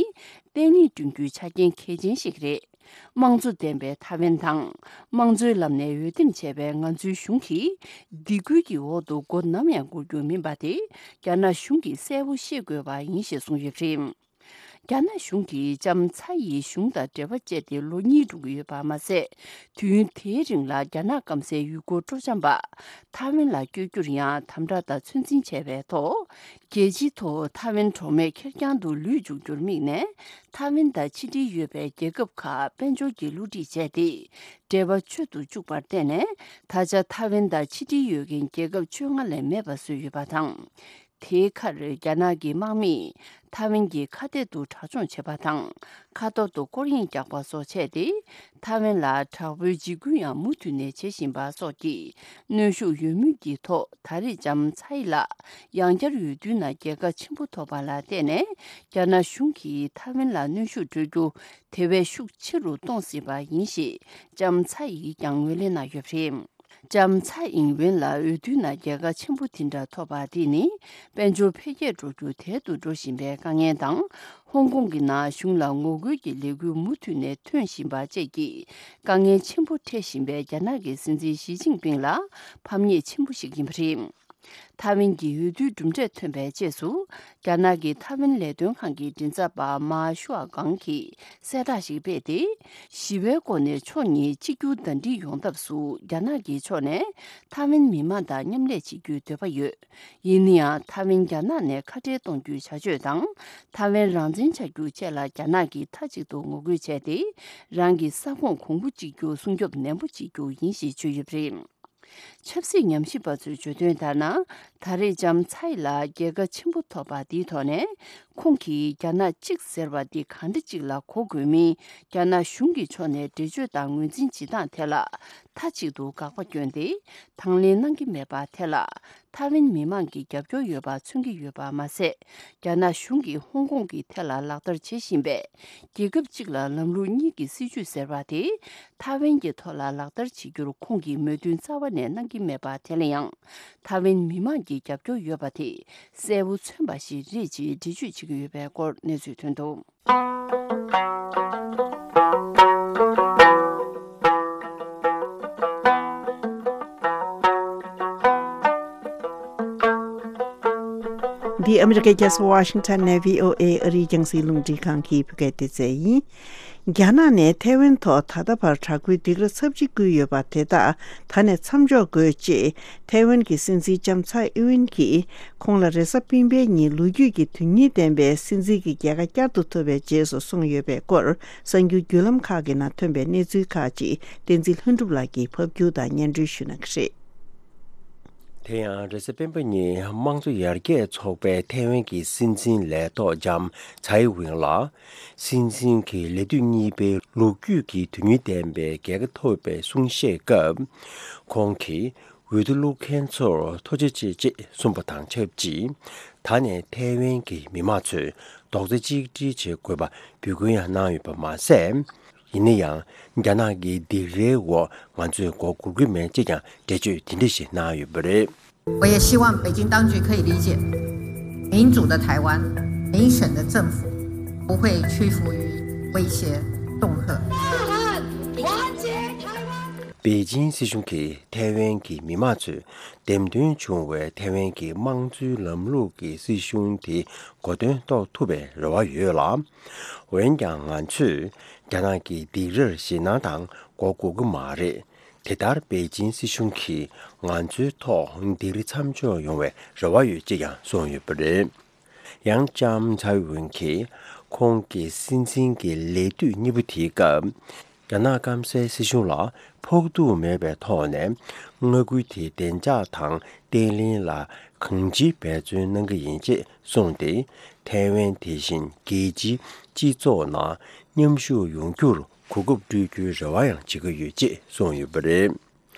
བརྟན་ལྷིང་བསྐྲུན་རྒྱུའི་ཆ་རྐྱེན་གལ་ཆེན་ཞིག་རེད། དམངས་གཙོ་ལྡན་པའི་ཐའེ་ཝན་དང་། དམངས་གཙོའི་ལམ་ནས་འོས་འདེམས་བྱས་པའི་ང་ཚོའི་གཞུང་གིས། སྡིགས་སྐུལ་གྱི་འོག་ཏུ་མགོ་ནམ་ཡང་སྒུར་རྒྱུ་མིན་པ་དེ། རྒྱ་ནག་གཞུང་གིས་གསལ་པོ་ཤེས་དགོས་པ་ཡིན་ཞེས་གསུངས་ཡོད་པ་རེད། རྒྱ་ནག་གཞུང་གིས་ལྕམ་ཚའེ་ཡི་གཞུང་དང་འབྲེལ་བ་བཅད་དེ་ལོ་གཉིས་འགྲོ་གི་ཡོད་པ་མ་ཟད། དུས་ཡུན་དེའི་རིང་ལ་རྒྱ་ནག་སྐམ་སའི་ཡུལ་སྐོར་སྤྲོ་འཆམ་པ་ཐའེ་ཝན་ལ་བསྐྱོད་རྒྱུར་ཡང་དམ་དྲག་དང་ཚོད་འཛིན་བྱས་པའི་ཐོག་རྒྱལ་སྤྱིའི་ཐོག་ཐའེ་ཝན་གྲོགས་མེད་ཁེར་རྐྱང་དུ་ལུས་འཇུག་རྒྱུར་དམིགས་ནས། ཐའེ་ཝན་དང་ཕྱི་འབྲེལ་ཡོད་པའི་རྒྱལ་ཁབ་ཁག་དཔལ་འབྱོར་གྱི་བསླུ་བྲིད་བྱས་ཏེ། འབྲེལ་བ་ཆོད་དུ་བཅུག་པར་བརྟེན་ནས། ད་ཆ་ཐའེ་ཝན་དང་ཕྱི་འབྲེལ་ཡོད་མཁན་རྒྱལ་ཁབ་བཅོ་ལྔ་ལས་མེད་པ་བཟོས་ཡོད་པ་དང་། དེའི་ཁར་རྒྱ་ནག་གི་དམག་མིས་ཐའེ་ཝན་གྱི་ཁ་གཏད་དུ་དྲག་སྦྱོང་བྱེད་པ་དང་། ཁ་ཐོར་དུ་སྐོར་གཡེང་རྒྱག་པ་སོགས་བྱས་ཏེ། ཐའེ་ཝན་ལ་དྲག་པོའི་འཇིགས་སྐུལ་ཡང་མུ་མཐུད་ནས་བྱེད་བཞིན་པ་སོགས་ཀྱི་གནོན་ཤུགས་ཡོད་མུས་ཀྱི་ཐོག་ད་རེས་ལྕམ་ཚའེ་ལ་ཡང་བསྐྱར་འོས་བསྡུའི་ནང་རྒྱལ་ཁ་ཆེན་པོ་ཐོབ་པ་ལ་བརྟེན་ནས། རྒྱ་ནག་གཞུང་གིས་ཐའེ་ཝན་ལ་གནོན་ཤུགས་སྤྲོད་རྒྱུ་དེ་བས་ཤུགས་ཆེ་རུ་གཏོང་སྲིད་པ་ཡིན་ཞེས་ལྕམ་ཚའེ་ཡིས་ཀྱང་ངོས་ལེན་གནང་ཡོད་པ་རེད། ལྕམ་ཚའེ་ཨིང་ཝེན་ལ་འོས་བསྡུའི་ནང་རྒྱལ་ཁ་ཆེན་པོ་དེ་འདྲ་ཐོབ་པ་དེ་ནི། དཔལ་འབྱོར་འཕེལ་རྒྱས་འགྲོ་རྒྱུ་དལ་དུ་འགྲོ་བཞིན་པའི་དཀའ་ངལ་དང་། ཧོང་ཀོང་གི་ནང་གཞུང་ལ་ངོ་རྒོལ་གྱི་ལས་འགུལ་མུ་མཐུད་ནས་ཐོན་བཞིན་པ་བཅས་ཀྱི་དཀའ་ངལ་ཆེན་པོ་འཕྲད་བཞིན་པའི་རྒྱ་ནག་གི་སྲིད་འཛིན་ཞི་ཅིན་ཕིང་ལ་ཕམ་ཉེས་ཆེན་པོ་ཞིག་ཡིན་པ་རེད། ཐའེ་ཝན་གྱི་འོས་བསྡུའི་གྲུབ་འབྲས་ཐོན་པའི་རྗེས་སུ། རྒྱ་ནག་གི་ཐའེ་ཝན་ལས་དོན་ཁང་གི་མགྲིན་ཚབ་པ་མཱ་ཤུའ་ཀང་གིས་གསལ་བསྒྲགས་ཤིག་སྤེལ་ཏེ། ཞི་བའི་སྒོ་ནས་ཕྱོགས་གཉིས་གཅིག་གྱུར་ཟླ་སྒྲིལ་ཡོང་ཐབས་སུ། རྒྱ་ནག་གི་ཕྱོགས་ནས་ཐའེ་ཝན་མི་མང་དང་མཉམ་ལས་བྱེད་རྒྱུའི་འདོད་པ་ཡོད། ཡིན་ན་ཡང་། ཐའེ་ཝན་རྒྱ་ནག་ནས་ཁ་བྲལ་གཏོང་རྒྱུའི་བྱ་སྤྱོད་དང་། ཐའེ་ཝན་རང་བཙན་ཆགས་རྒྱུ་བཅས་ལ་རྒྱ་ནག་གིས་མཐའ་གཅིག་ཏུ་ངོ་རྒོལ་བྱས་ཏེ། རང་གི་ས་ཁོངས་གོང་བུ་གཅིག་གྱུར་སྲུང་སྐྱོབ་ནན་པོ་བྱེད་རྒྱུ་ཡིན་ཞེས་བརྗོད་ཡོད་པ་རེད། ཆབ་སྲིད་ཉམས་ཞིབ་པ་ཚོས་བརྗོད་དོན་ལྟར་ན། ད་རེས་ལྕམ་ཚའེ་ལ་རྒྱལ་ཁ་ཆེན་པོ་ཐོབ་པ་འདིའི་ཐོག་ནས། ཁོང་གིས་རྒྱ་ནག་གཅིག་ཟེར་བ་འདི་གང་འདྲ་ཅིག་ལ་གོ་དགོས་མིན། རྒྱ་ནག་གཞུང་གི་ཕྱོགས་ནས་འགྲེལ་བརྗོད་དང་ངོས་འཛིན་བྱེད་སྟངས་ཐད་ལ། མཐའ་གཅིག་ཏུ་དགག་པ་བསྐྱོན་ཏེ། དང་ལེན་གནང་གི་མེད་པ་ཐད་ལ། ཐའེ་ཝན་མི་མང་གི་རྒྱབ་སྐྱོར་ཡོད་པ་མཚོན་གྱི་ཡོད་པ་མ་ཟད། རྒྱ་ནག་གཞུང་གིས་ཧོང་ཀོང་གི་ཐད་ལ་ལག་བསྟར་བྱེད་བཞིན་པའི་རྒྱལ་ཁབ་གཅིག་ལ་ལམ་ལུགས་གཉིས་ཀྱི་སྲིད་བྱུས་ཟེར་བ་དེ། ཐའེ་ཝན་གྱི་ཐོག་ལ་ལག་བསྟར་བྱེད་རྒྱུར་ཁོང་གིས་མོས་མཐུན་རྩ་བ་ནས་གནང་གི་མེད་པ་དེ་ལ་ཡང་། ཐའེ་ཝན་མི་མང་གི་རྒྱབ་སྐྱོར་ཡོད་པ་དེ་གསལ་པོ་མཚོན་པ་ཞིག་རེད་ཅེས་འགྲེལ་བརྗོད་བྱེད་ཀྱི་ཡོད་པའི་སྐོར་གནས་ཚུལ་ཐོན་འདུག། འདི་ཨ་མི་རི་ཀའི་རྒྱལ་ས་ཝ་ཤིང་ཊོན་ནས་བྷི་ཨོ་ཨེ་ཨ་རིའི་རྒྱང་སྲིང་རླུང་འཕྲིན་ཁང་གི་བོད་སྐད་སྡེ་ཚན་ཡིན། རྒྱ་ནག་ནས་ཐའེ་ཝན་ཐོག་ད་ལྟ་བར་དྲག་པོའི་སྡིགས་ར་ཚབས་ཆེ་བསྐུལ་ཡོད་པ་དེ་དག་ད་ནས་མཚམས་འཇོག་དགོས་ཅེས་ཐའེ་ཝན་གྱི་སྲིད་འཛིན་ལྕམ་ཚའེ་ཨིན་ཝིན་གྱིས་ཁོང་ལ་རེས་གཟའ་སྤེན་པའི་ཉིན་ལོ་རྒྱུས་ཀྱི་དོན་སྙིང་ལྡན་པའི་སྲིད་འཛིན་གྱི་རྒྱལ་ཁ་བསྐྱར་དུ་ཐོབ་པའི་རྗེས་སུ་གསུངས་ཡོད་པའི་སྐོར། གསར་འགྱུར་བརྒྱུད་ལམ་ཁག་གི་ནང་ཐོན་པའི་གནས་ཚུལ་ཁག་ཅིག་བསྟན་འཛིན་ལྷུན་གྲུབ་ལགས་ཀྱིས་ཕབ་སྒྱུར་དང་སྙན་སྒྲོན་ཞུ་གནང་གི་རེད། དེ་ཡང་རེས་གཟའ་སྤེན་པ་ཉིན་དམངས་གཙོ་ཡར་རྒྱས་ཚོགས་པའི་ཐའེ་ཝན་གྱི་སྲིད་འཛིན་ལས་ཐོག་ལྕམ་ཚའེ་ཝིན་ལ། སྲིད་འཛིན་གྱི་ལས་དུས་གཉིས་པའི་ལོ་རྒྱུས་ཀྱི་དོན་སྙིང་ལྡན་པའི་རྒྱལ་ཁ་ཐོབ་པའི་གསུང་བཤད་སྐབས། ཁོང་གིས་འོས་བསྡུ་བླུག་མཁན་ཚོར་ཐུགས་རྗེ་ཆེ་ཅེས་གསུངས་པ་དང་ཆབས་ཅིག་ད་ནས་ཐའེ་ཝན་གྱི་མི་མང་ཚོས་རྡོག་རྩ་གཅིག་སྒྲིལ་བྱེད་དགོས་པ་འབོད་སྐུལ་ཡང་གནང་ཡོད་པ་མ་ཟད། ཡིན་ན་ཡང་། རྒྱ་ནག་གི་སྡིགས་རའི་འོག་ང་ཚོས་མགོ་སྒུར་གྱི་མེད་ཅེས་ཀྱང་འགྲེལ་བརྗོད་དེ་འདྲ་ཞིག་གནང་ཡོད་པ་རེད། 我也希望北京当局可以理解，民主的台湾，民选的政府不会屈服于威胁恫吓。北京 སྲིད་གཞུང་་གིས་ཐའེ་ཝན་གྱི་མི་མང་ཚོས་འདེམས་ཐོན་བྱུང་བའི་ཐའེ་ཝན་གྱི་དམངས་གཙོའི་ལམ་ལུགས་ཀྱི་སྲིད་གཞུང་དེ་གོ་དོན་རྟོགས་ཐུབ་པའི་རེ་བ་ཡོད་ལ། འོན་ཀྱང་ང་ཚོས་རྒྱ་ནག་གི་སྡིགས་རར་ཞེད་སྣང་དང་མགོ་སྒུར་གྱི་མ་རེད། དེ་ལྟར་པེ་ཅིན་སྲིད་གཞུང་གིས་ང་ཚོའི་ཐོག་སྡིགས་ར་མཚམས་འཇོག་ཡོང་བའི་རེ་བ་ཡོད་ཅེས་ཀྱང་གསུངས་ཡོད་པ་རེད། ཡང་ལྕམ་ཚའེ་ཝེན་གྱིས་ཁོང་གི་སྲིད་འཛིན་གྱི་ལས་དུས་གཉིས་པ་དེའི་སྐབས། རྒྱ་ནག་སྐམ་སའི་སྲིད་གཞུང་ལ་ཕོག་ཐུག་མེད་པའི་ཐོག་ནས་མངའ་ཁུལ་དེའི་བདེ་འཇགས་དང་བརྟན་ལྷིང་ལ་གང་ཅིའི་འབད་བརྩོན་གནང་གི་ཡིན་ཅེས་གསུངས་ཏེ། ཐའེ་ཝན་དེ་བཞིན་རྒྱལ་སྤྱིའི་སྤྱི་ཚོགས་ནང་མཉམ་ཞུགས་ཡོང་རྒྱུར་གོ་སྐབས་སྤྲོད་རྒྱུའི་རེ་བ་ཡང་བྱེད་ཀྱི་ཡོད་ཅེས་གསུངས་ཡོད་པ་རེད།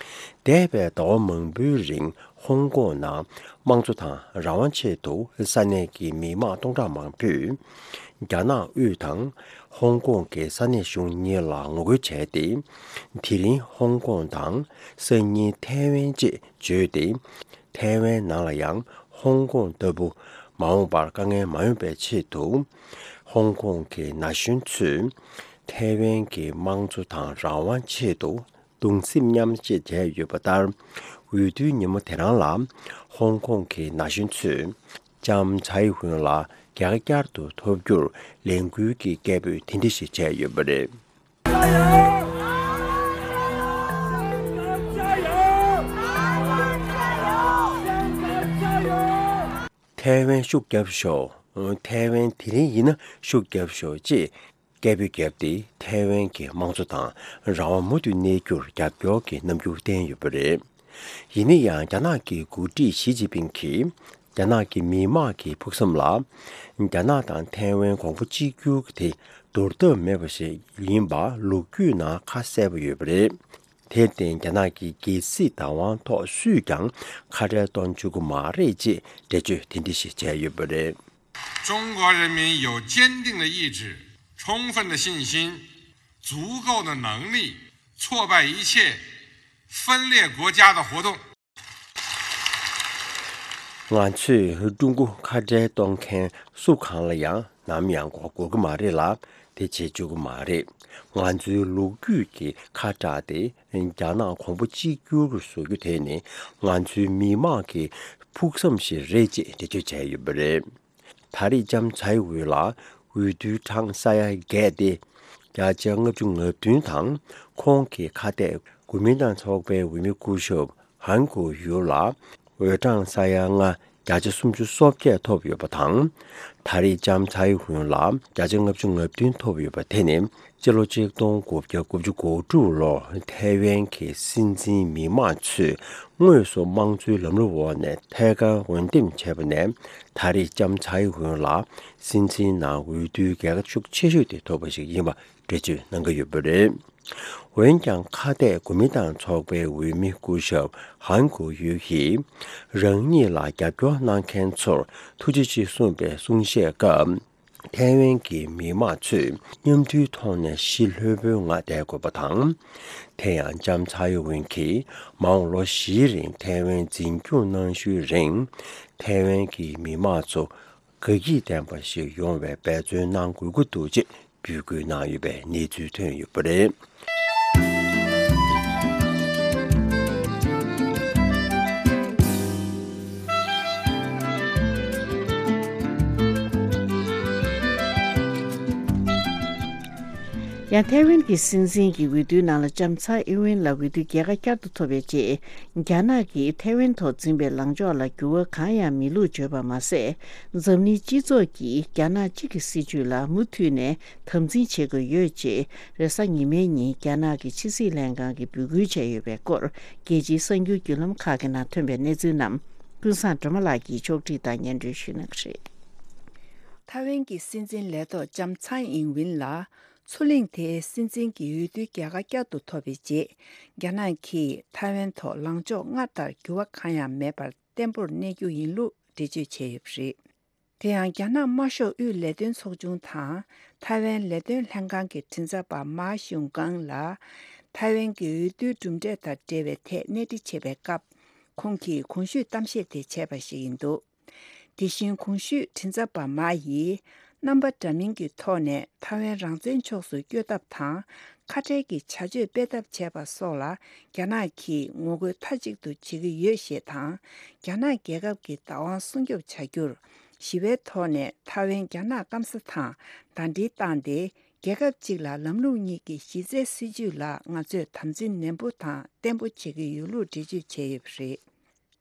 འདས་པའི་ཟླ་བ་མང་པོའི་རིང་ཧོང་ཀོང་ནང་དམངས་གཙོ་དང་རང་དབང་ཆེད་དུ་ས་གནས་ཀྱི་མི་མང་སྟོང་ཕྲག་མང་པོས་རྒྱ་ནག་དབུས་དང་ཧོང་ཀོང་གི་ས་གནས་གཞུང་གཉིས་ལ་ངོ་རྒོལ་བྱས་ཏེ། དེ་རིང་ཧོང་ཀོང་དང་སང་ཉིན་ཐའེ་ཝན་ཅེས་བརྗོད་དེ། ཐའེ་ཝན་ནང་ལ་ཡང་ཧོང་ཀོང་ལྟ་བུ་མ་འོངས་པར་དཀའ་ངལ་མ་ཡོང་བའི་ཆེད་དུ། ཧོང་ཀོང་གི་ན་གཞོན་ཚོས་ཐའེ་ཝན་གྱི་དམངས་གཙོ་དང་རང་དབང་ཆེད་དུ་གདུང་སེམས་མཉམ་སྐྱེད་བྱས་ཡོད་པ་ལྟར། འོས་བསྡུའི་ཉིན་མོ་དེ་རང་ལ་ཧོང་ཀོང་གི་ན་གཞོན་ཚོས་ལྕམ་ཚའེ་ཧུན་ལ་རྒྱལ་ཁ་བསྐྱར་དུ་ཐོབ་རྒྱུར་ལས་འགུལ་གྱི་སྐད་འབོད་དེ་འདྲ་ཞིག་བྱས་ཡོད་པ་རེད། ཐའེ་ཝན་ཤུགས་རྒྱབ་ཤོག་ཐའེ་ཝན་དེ་རིང་ཡིན་ན་ཤུགས་རྒྱབ་ཤོག་ཅེས་སྐད་འབོད་བརྒྱབ་སྟེ། ཐའེ་ཝན་གྱི་དམངས་གཙོ་དང་རང་དབང་མུ་མཐུད་གནས་རྒྱུར་རྒྱབ་སྐྱོར་གྱི་རྣམ་འགྱུར་བསྟན་ཡོད་པ་རེད། ཡིན་ན་ཡང་རྒྱ་ནག་གི་འགོ་ཁྲིད་ཞི་ཅིན་ཕིང་གིས་རྒྱ་ནག་གི་མི་དམངས་ཀྱི་ཕུགས་བསམ་ལ། རྒྱ་ནག་དང་ཐའེ་ཝན་གོང་བུ་གཅིག་གྱུར་དེ་དོར་ཐབས་མེད་པ་ཞིག་ཡིན་པ་ལོ་རྒྱུས་ནང་ཁ་གསལ་པོ་ཡོད་པ་རེད། དེར་བརྟེན་རྒྱ་ནག་གི་རྒྱལ་སྲིད་བདག་དབང་ཐོག་སུས་ཀྱང་ཁ་བྲལ་གཏོང་བཅུག་གི་མ་རེད་ཅེས་འགྲེལ་བརྗོད་དེ་འདྲ་ཞིག་བྱས་ཡོད་པ་རེད། 中国人民有坚定的意志、充分的信心、足够的能力，挫败一切分裂国家的活动。 ང་ཚོས་ཀྲུང་གོ་ཁ་བྲལ་གཏོང་མཁན་སུ་གང་ལ་ཡང་ནམ་ཡང་མགོ་སྒུར་གྱི་མ་རེད་ལ། དེ་བྱེད་བཅུག་གི་མ་རེད། ང་ཚོའི་ལོ་རྒྱུས་ཀྱི་ཁ་བྲལ་ཏེ་རྒྱ་ནག་གོང་བུ་གཅིག་གྱུར་བཟོ་རྒྱུ་དེ་ནི་ང་ཚོའི་མི་དམངས་ཀྱི་ཕུགས་བསམ་ཞིག་རེད་ཅེས་འགྲེལ་བརྗོད་བྱས་ཡོད་པ་རེད། ད་རེས་ལྕམ་ཚའེ་ཝུའུ་ལ་འོས་བསྡུའི་གྲངས་ས་ཡ་བརྒྱད་དེ། བརྒྱ་ཆ་ལྔ་བཅུ་ང་བདུན་དང་ཁོང་གི་ཁ་གཏད་གོ་མིན་ཏང་ཚོགས་པའི་འོས་མི་སྐུ་ཞབས་ཧན་གོ་ཡུ་ལ་འོས་གྲངས་ས་ཡ་ལྔ། བརྒྱ་ཆ་སུམ་ཅུ་སོ་བརྒྱད་ཐོབ་ཡོད་པ་དང་། ད་རེས་ལྕམ་ཚའེ་ཧུན་ལ་བརྒྱ་ཆ་ལྔ་བཅུ་ང་བདུན་ཐོབ་ཡོད་པ་དེ་ནི། སྤྱི་ལོ་ཆིག་སྟོང་དགུ་བརྒྱ་དགུ་བཅུ་གོ་དྲུག་ལོར་ཐའེ་ཝན་གྱི་སྲིད་འཛིན་མི་དམངས་ཚོས་དངོས་སུ་དམངས་གཙོའི་ལམ་ལུགས་འོག་ནས་ཐད་ཀར་འོས་འདེམས་བྱས་པ་ནས། ད་རེས་ལྕམ་ཚའེ་ཧུན་ལ་སྲིད་འཛིན་ནང་འོས་བསྡུའི་རྒྱལ་ཁ་ཤུགས་ཆེ་ཤོས་དེ་ཐོབ་པ་ཞིག་ཡིན་པ་འགྲེལ་བརྗོད་གནང་གི་ཡོད་པ་རེད། འོན་ཀྱང་ཁ་གཏད་གོ་མིན་ཏང་ཚོགས་པའི་འོས་མི་སྐུ་ཞབས་ཧན་གོ་ཡུ་ཡིས་རང་ཉིད་ལ་རྒྱབ་སྐྱོར་གནང་མཁན་ཚོར་ཐུགས་རྗེ་ཆེ་གསུངས་པའི་གསུང་བཤད་སྐབས། ཐའེ་ཝན་གྱི་མི་དམངས་ཚོས་མཉམ་མཐུན་ཐོག་ནས་ཞི་ལྷོད་པོའི་ངང་བསྡད་དགོས་པ་དང་། དེ་ཡང་ལྕམ་ཚའེ་ཝེན་གྱིས་མ་འོངས་ལོ་བཞིའི་རིང་ཐའེ་ཝན་འཛིན་སྐྱོང་གནང་ཤུལ་རིང་། ཐའེ་ཝན་གྱི་མི་དམངས་ཚོ་དགའ་སྐྱིད་ལྡན་པ་ཞིག་ཡོང་བའི་འབད་བརྩོན་གནང་དགོས་ཀྱི་འདུག་ཅེས་འབོད་སྐུལ་གནང་ཡོད་པའི་གནས་ཚུལ་ཐོན་ཡོད་པ་རེད། ཡང་ཐའེ་ཝན་གྱི་སྲིད་འཛིན་གྱི་འོས་བསྡུའི་ནང་ལ་ལྕམ་ཚའེ་ཨིན་ཝིན་ལ་འོས་བསྡུ་རྒྱལ་ཁ་བསྐྱར་དུ་ཐོབ་པའི་རྗེས། རྒྱ་ནག་གིས་ཐའེ་ཝན་ཐོག་འཛིན་པའི་ལངས་ཕྱོགས་ལ་འགྱུར་བ་གང་ཡང་མི་བླུགས་བརྗོད་པ་མ་ཟད། འཛམ་གླིང་སྤྱི་ཚོགས་ཀྱིས་རྒྱ་ནག་གཅིག་གི་སྲིད་བྱུས་ལ་མུ་མཐུད་ནས་དམ་འཛིན་བྱེད་དགོས་ཡོད་ཅེས། རེས་གཟའ་ཉི་མའི་ཉིན་རྒྱ་ནག་གི་ཕྱི་སྲིད་ལྷན་ཁང་གིས་འབོད་སྐུལ་བྱས་ཡོད་པའི་སྐོར། རྒྱལ་སྤྱིའི་གསར་འགྱུར་བརྒྱུད་ལམ་ཁག་གི་ནང་ཐོན་པའི་གནས་ཚུལ་རྣམས། ཀུན་བཟང་སྒྲོལ་མ་ལགས་ཀྱིས་ཕྱོགས་སྒྲིག་དང་སྙན་སྒྲོན་ཞུ་གནང་གི་རེད། ཐའེ་ཝན་གྱི་སྲིད་འཛིན་ལས་ཐོག་ལྕམ་ཚའེ་ཨིན་ཝིན་ལ། མཚོ་གླིང་དེའི་སྲིད་འཛིན་གྱི་འོས་བསྡུའི་རྒྱལ་ཁ་བསྐྱར་དུ་ཐོབ་པའི་རྗེས། རྒྱ་ནག་གིས་ཐའེ་ཝན་ཐོག་ལངས་ཕྱོགས་སྔར་ལྟར་འགྱུར་བ་གང་ཡང་མེད་པར་བརྟན་པོར་གནས་རྒྱུ་ཡིན་ལུགས་འགྲེལ་བརྗོད་བྱས་ཡོད་པ་རེད། དེ་ཡང་རྒྱ་ནག་དམར་ཤོག་དབུས་ལས་དོན་ཚོགས་ཆུང་དང་། ཐའེ་ཝན་ལས་དོན་ལྷན་ཁང་གི་མགྲིན་ཚབ་པ་མཱ་ཞུང་ཀང་ལ། ཐའེ་ཝན་གྱི་འོས་བསྡུའི་གྲུབ་འབྲས་དང་འབྲེལ་བའི་ཐད་གནས་འདྲི་བྱེད་པའི་སྐབས། ཁོང་གིས་གོང་ཞུས་གཏམ་བཤད་དེ་བྱས་པ་ཞིག་ཡིན་འདུག་དེ་བཞིན་གོང་ཞུས་མགྲིན་ཚབ་པ་མཱ་ཡིས། རྣམ་པ་འདྲ་མིན་གྱི་ཐོག་ནས་ཐའེ་ཝན་རང་བཙན་ཕྱོགས་སུ་བསྐྱོད་ཐབས་དང་། ཁ་བྲལ་གྱི་བྱ་སྤྱོད་སྤེལ་ཐབས་བྱས་པ་སོགས་ལ། རྒྱ་ནག་གིས་ངོ་རྒོལ་མཐའ་གཅིག་ཏུ་བྱེད་ཀྱི་ཡོད་ཞེས་དང་། རྒྱ་ནག་རྒྱལ་ཁབ་ཀྱི་བདག་དབང་སྲུང་སྐྱོབ་བྱ་རྒྱུར། ཞི་བའི་ཐོག་ནས་ཐའེ་ཝན་རྒྱ་ནག་སྐམ་ས་དང་ཟླ་སྒྲིལ་བཏང་སྟེ། རྒྱལ་ཁབ་གཅིག་ལ་ལམ་ལུགས་གཉིས་ཀྱི་གཞི་རྩའི་སྲིད་བྱུས་ལ་ང་ཚོས་དམ་འཛིན་ནན་པོ་དང་བརྟན་པོ་བྱེད་ཀྱི་ཡོད་ལུགས་འགྲེལ་བརྗོད་བྱས་ཡོད་པ་རེད།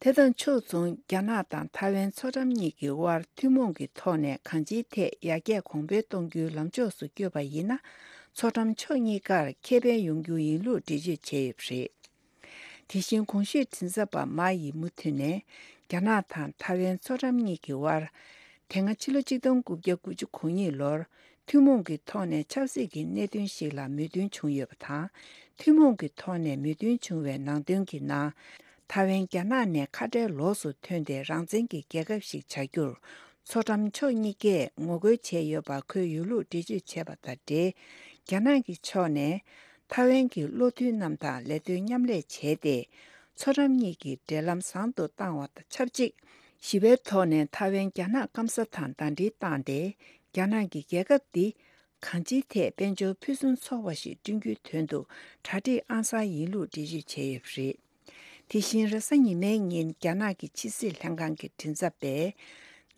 དེ་དང་ཕྱོགས་མཚུངས། རྒྱ་ནག་དང་ཐའེ་ཝན་མཚོ་འགྲམ་གཉིས་ཀྱི་དབར་ཐུན་མོང་གི་ཐོག་ནས་གང་ཅིའི་ཐད་ཡར་རྒྱས་གོང་འཕེལ་གཏོང་རྒྱུའི་ལམ་ཕྱོགས་སུ་བསྐྱོད་པ་ཡིན་ན། མཚོ་འགྲམ་ཕྱོགས་གཉིས་ཀར་ཁེ་ཕན་ཡོང་རྒྱུ་ཡིན་ལུགས་འགྲེལ་བརྗོད་བྱས་ཡོད་པ་རེད། དེ་བཞིན་གོང་ཞུས་མགྲིན་ཚབ་པ་མཱ་ཡིས་མུ་མཐུད་ནས། རྒྱ་ནག་དང་ཐའེ་ཝན་མཚོ་འགྲམ་གཉིས་ཀྱི་དབར། དེ་སྔ་ཕྱི་ལོ་གཅིག་སྟོང་དགུ་བརྒྱ་དགུ་བཅུ་གོ་གཉིས་ལོར། ཐུན་མོང་གི་ཐོག་ནས་ཆབ་སྲིད་ཀྱི་གནད་དོན་ཞིག་ལ་མོས་མཐུན་བྱུང་ཡོད་པ་དང་། ཐུན་མོང་གི་ཐོག་ནས་མོས་མཐུན་བྱུང་བའི་ནང་དོན་གྱི་ནང་། ཐའེ་ཝན་རྒྱ་ནག་ནས་ཁ་བྲལ་ལོགས་སུ་ཐོན་ཏེ་རང་བཙན་གྱི་རྒྱལ་ཁབ་ཞིག་བྱ་རྒྱུར། མཚོ་འགྲམ་ཕྱོགས་གཉིས་ཀས་ངོ་རྒོལ་བྱས་ཡོད་པ་འཁོད་ཡོད་ལུགས་འགྲེལ་བརྗོད་བྱས་པ་དང་འབྲེལ། རྒྱ་ནག་གི་ཕྱོགས་ནས། ཐའེ་ཝན་གྱི་བློ་མཐུན་རྣམས་དང་ལས་དོན་མཉམ་ལས་བྱས་ཏེ། མཚོ་འགྲམ་གཉིས་ཀྱི་འབྲེལ་ལམ་བཟང་དུ་བཏང་བ་དང་ཆབས་ཅིག་ཞི་བའི་ཐོག་ནས་ཐའེ་ཝན་རྒྱ་ནག་སྐམ་ས་དང་ཟླ་སྒྲིལ་བཏང་སྟེ། རྒྱ་ནག་གི་རྒྱལ་ཁབ་འདི་གང་ཅིའི་ཐད་དཔལ་འབྱོར་ཕུན་སུམ་ཚོགས་པ་ཞིག་བསྐྲུན་རྒྱུའི་དོན་དུ་གྲ་སྒྲིག་ཨང་གསར་ཡིན་ལུགས་འགྲེལ་བརྗོད་བྱས་ཡོད་པ་རེད། དེ་བཞིན་རེས་གཟའ་ཉི་མའི་ཉིན་རྒྱ་ནག་གི་ཕྱི་སྲིད་ལྷན་ཁང་གི་མགྲིན་ཚབ་པས།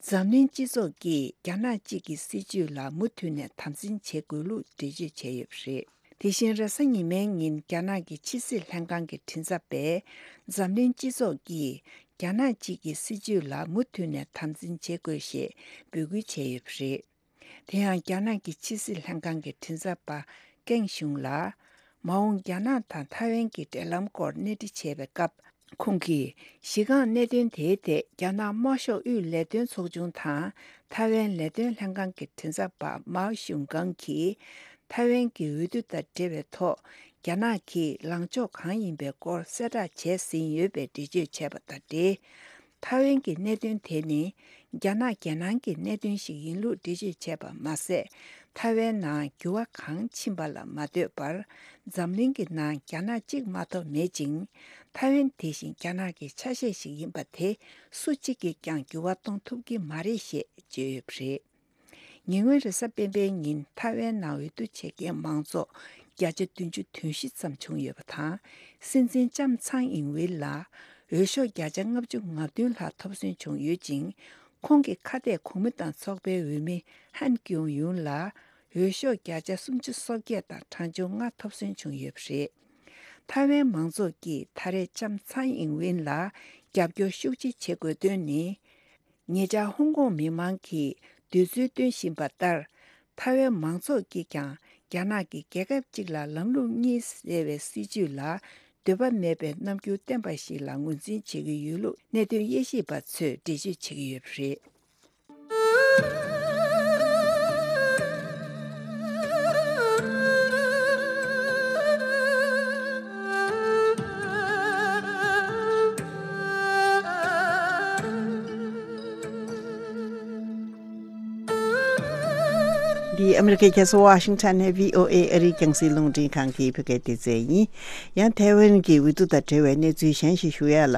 འཛམ་གླིང་སྤྱི་ཚོགས་ཀྱིས་རྒྱ་ནག་གཅིག་གི་སྲིད་བྱུས་ལ་མུ་མཐུད་ནས་དམ་འཛིན་བྱེད་དགོས་ལུགས་འགྲེལ་བརྗོད་བྱས་ཡོད་པ་རེད། དེ་བཞིན་རེས་གཟའ་ཉི་མའི་ཉིན་རྒྱ་ནག་གི་ཕྱི་སྲིད་ལྷན་ཁང་གི་མགྲིན་ཚབ་པས། འཛམ་གླིང་སྤྱི་ཚོགས་ཀྱིས་རྒྱ་ནག་གཅིག་གི་སྲིད་བྱུས་ལ་མུ་མཐུད་ནས་དམ་འཛིན་བྱེད་དགོས་ཞེས་འབོད་སྐུལ་བྱས་ཡོད་པ་རེད། དེ་ཡང་རྒྱ་ནག་གི་ཕྱི་སྲིད་ལྷན་ཁང་གི་མགྲིན་ཚབ་པ་ཀེང་ཞུང་ལ། མ་འོངས་རྒྱ་ནག་དང་ཐའེ་ཝན་གྱི་འབྲེལ་ལམ་སྐོར་གནས་འདྲི་བྱས་པའི་སྐབས། ཁོང་གིས་གཞི་རྐང་གནད་དོན་དེའི་ཐད་རྒྱ་ནག་དམར་ཤོག་དབུས་ལས་དོན་ཚོགས་ཆུང་དང་ཐའེ་ཝན་ལས་དོན་ལྷན་ཁང་གི་མགྲིན་ཚབ་པ་མའོ་ཞུང་ཀང་གིས། ཐའེ་ཝན་གྱི་འོས་བསྡུ་དང་འབྲེལ་བའི་ཐོག་རྒྱ་ནག་གིས་ལངས་ཕྱོགས་གང་ཡིན་པའི་སྐོར་གསལ་བསྒྲགས་བྱས་ཟིན་ཡོད་པའི་འགྲེལ་བརྗོད་བྱས་པ་དང་འབྲེལ། ཐའེ་ཝན་གྱི་གནད་དོན་དེ་ནི། རྒྱ་ནག་རྒྱལ་ནང་གི་གནད་དོན་ཞིག་ཡིན་ལུགས་འགྲེལ་བརྗོད་བྱས་པ་མ་ཟད། ཐའེ་ཝན་ནང་འགྱུར་བ་གང་ཕྱིན་པ་ལ་མ་ལྟོས་པར། འཛམ་གླིང་གི་ནང་རྒྱ་ནག་གཅིག་མ་གཏོགས་མེད་ཅིང་། ཐའེ་ཝན་དེ་བཞིན་རྒྱ་ནག་གི་ཆ་ཤས་ཤིག་ཡིན་པ་དེ། སུ་གཅིག་གིས་ཀྱང་འགྱུར་བ་གཏོང་ཐུབ་ཀྱི་མ་རེད་ཞེས་བརྗོད་ཡོད་པ་རེད། ཉེ་སྔོན་རེས་གཟའ་སྤེན་པའི་ཉིན་ཐའེ་ཝན་ནང་འོས་བསྡུ་བྱེད་མཁན་མང་ཚོགས་བརྒྱ་ཆ་བདུན་ཅུ་དོན་བཞི་ཙམ་བྱུང་ཡོད་པ་དང་། སྲིད་འཛིན་ལྕམ་ཚང་ཨིང་ཝེ་ལ་འོས་ཤོག་བརྒྱ་ཆ་ལྔ་བཅུ་ང་བདུན་ལྷག་ཐོབ་སོན་བྱུང་ཡོད་ཅིང་། ཁོང་གི་ཁ་གཏད་གོང་མ་དང་ཚོགས་པའི་འོས་མི་ཧན་ཀྱུང་ཡུན་ལ་འོས་ཤོག་བརྒྱ་ཆ་སུམ་ཅུ་སོ་བརྒྱད་དང་གྲངས་ཆུང་ལྔ་ཐོབ་སོན་བྱུང་ཡོད་པ་རེད། ཐའེ་ཝན་མང་ཚོགས་ཀྱིས་ད་རེས་ལྕམ་ཚང་ཨིང་ཝེ་ལ་རྒྱབ་སྐྱོར་ཤུགས་ཆེ་བྱེད་དགོས་དོན་ནི། ཉེ་ཆར་ཧོང་ཀོང་མི་མང་གིས་འདོད་ཚུལ་སྟོན་བཞིན་པ་ལྟར། ཐའེ་ཝན་མང་ཚོགས་ཀྱིས་ཀྱང་རྒྱ་ནག་གི་རྒྱལ་ཁབ་གཅིག་ལ་ལམ་ལུགས་གཉིས་ཟེར་བའི་སྲིད་བྱུས་ལ་འདོད་པ་མེད་པའི་རྣམ་འགྱུར་བསྟན་པ་ཞིག་ལ་ངོས་འཛིན་བྱེད་ཀྱི་ཡོད་ལུགས་གནད་དོན་དབྱེ་ཞིབ་པ་ཚོས་འགྲེལ་བརྗོད་བྱེད་ཀྱི་ཡོད་པ་རེད། འདི་ཨ་མི་རི་ཀའི་རྒྱལ་ས་ཝ་ཤིང་ཊོན་ནས་བྷི་ཨོ་ཨེ་ཨ་རིའི་རྒྱང་སྲིང་རླུང་འཕྲིན་ཁང་གི་བོད་སྐད་སྡེ་ཚན་ཡིན། ཡང་ཐའེ་ཝན་གྱི་འོས་བསྡུ་དང་འབྲེལ་བའི་གནས་ཚུལ་གཞན་ཞིག་ཞུ་ཡ་ལ།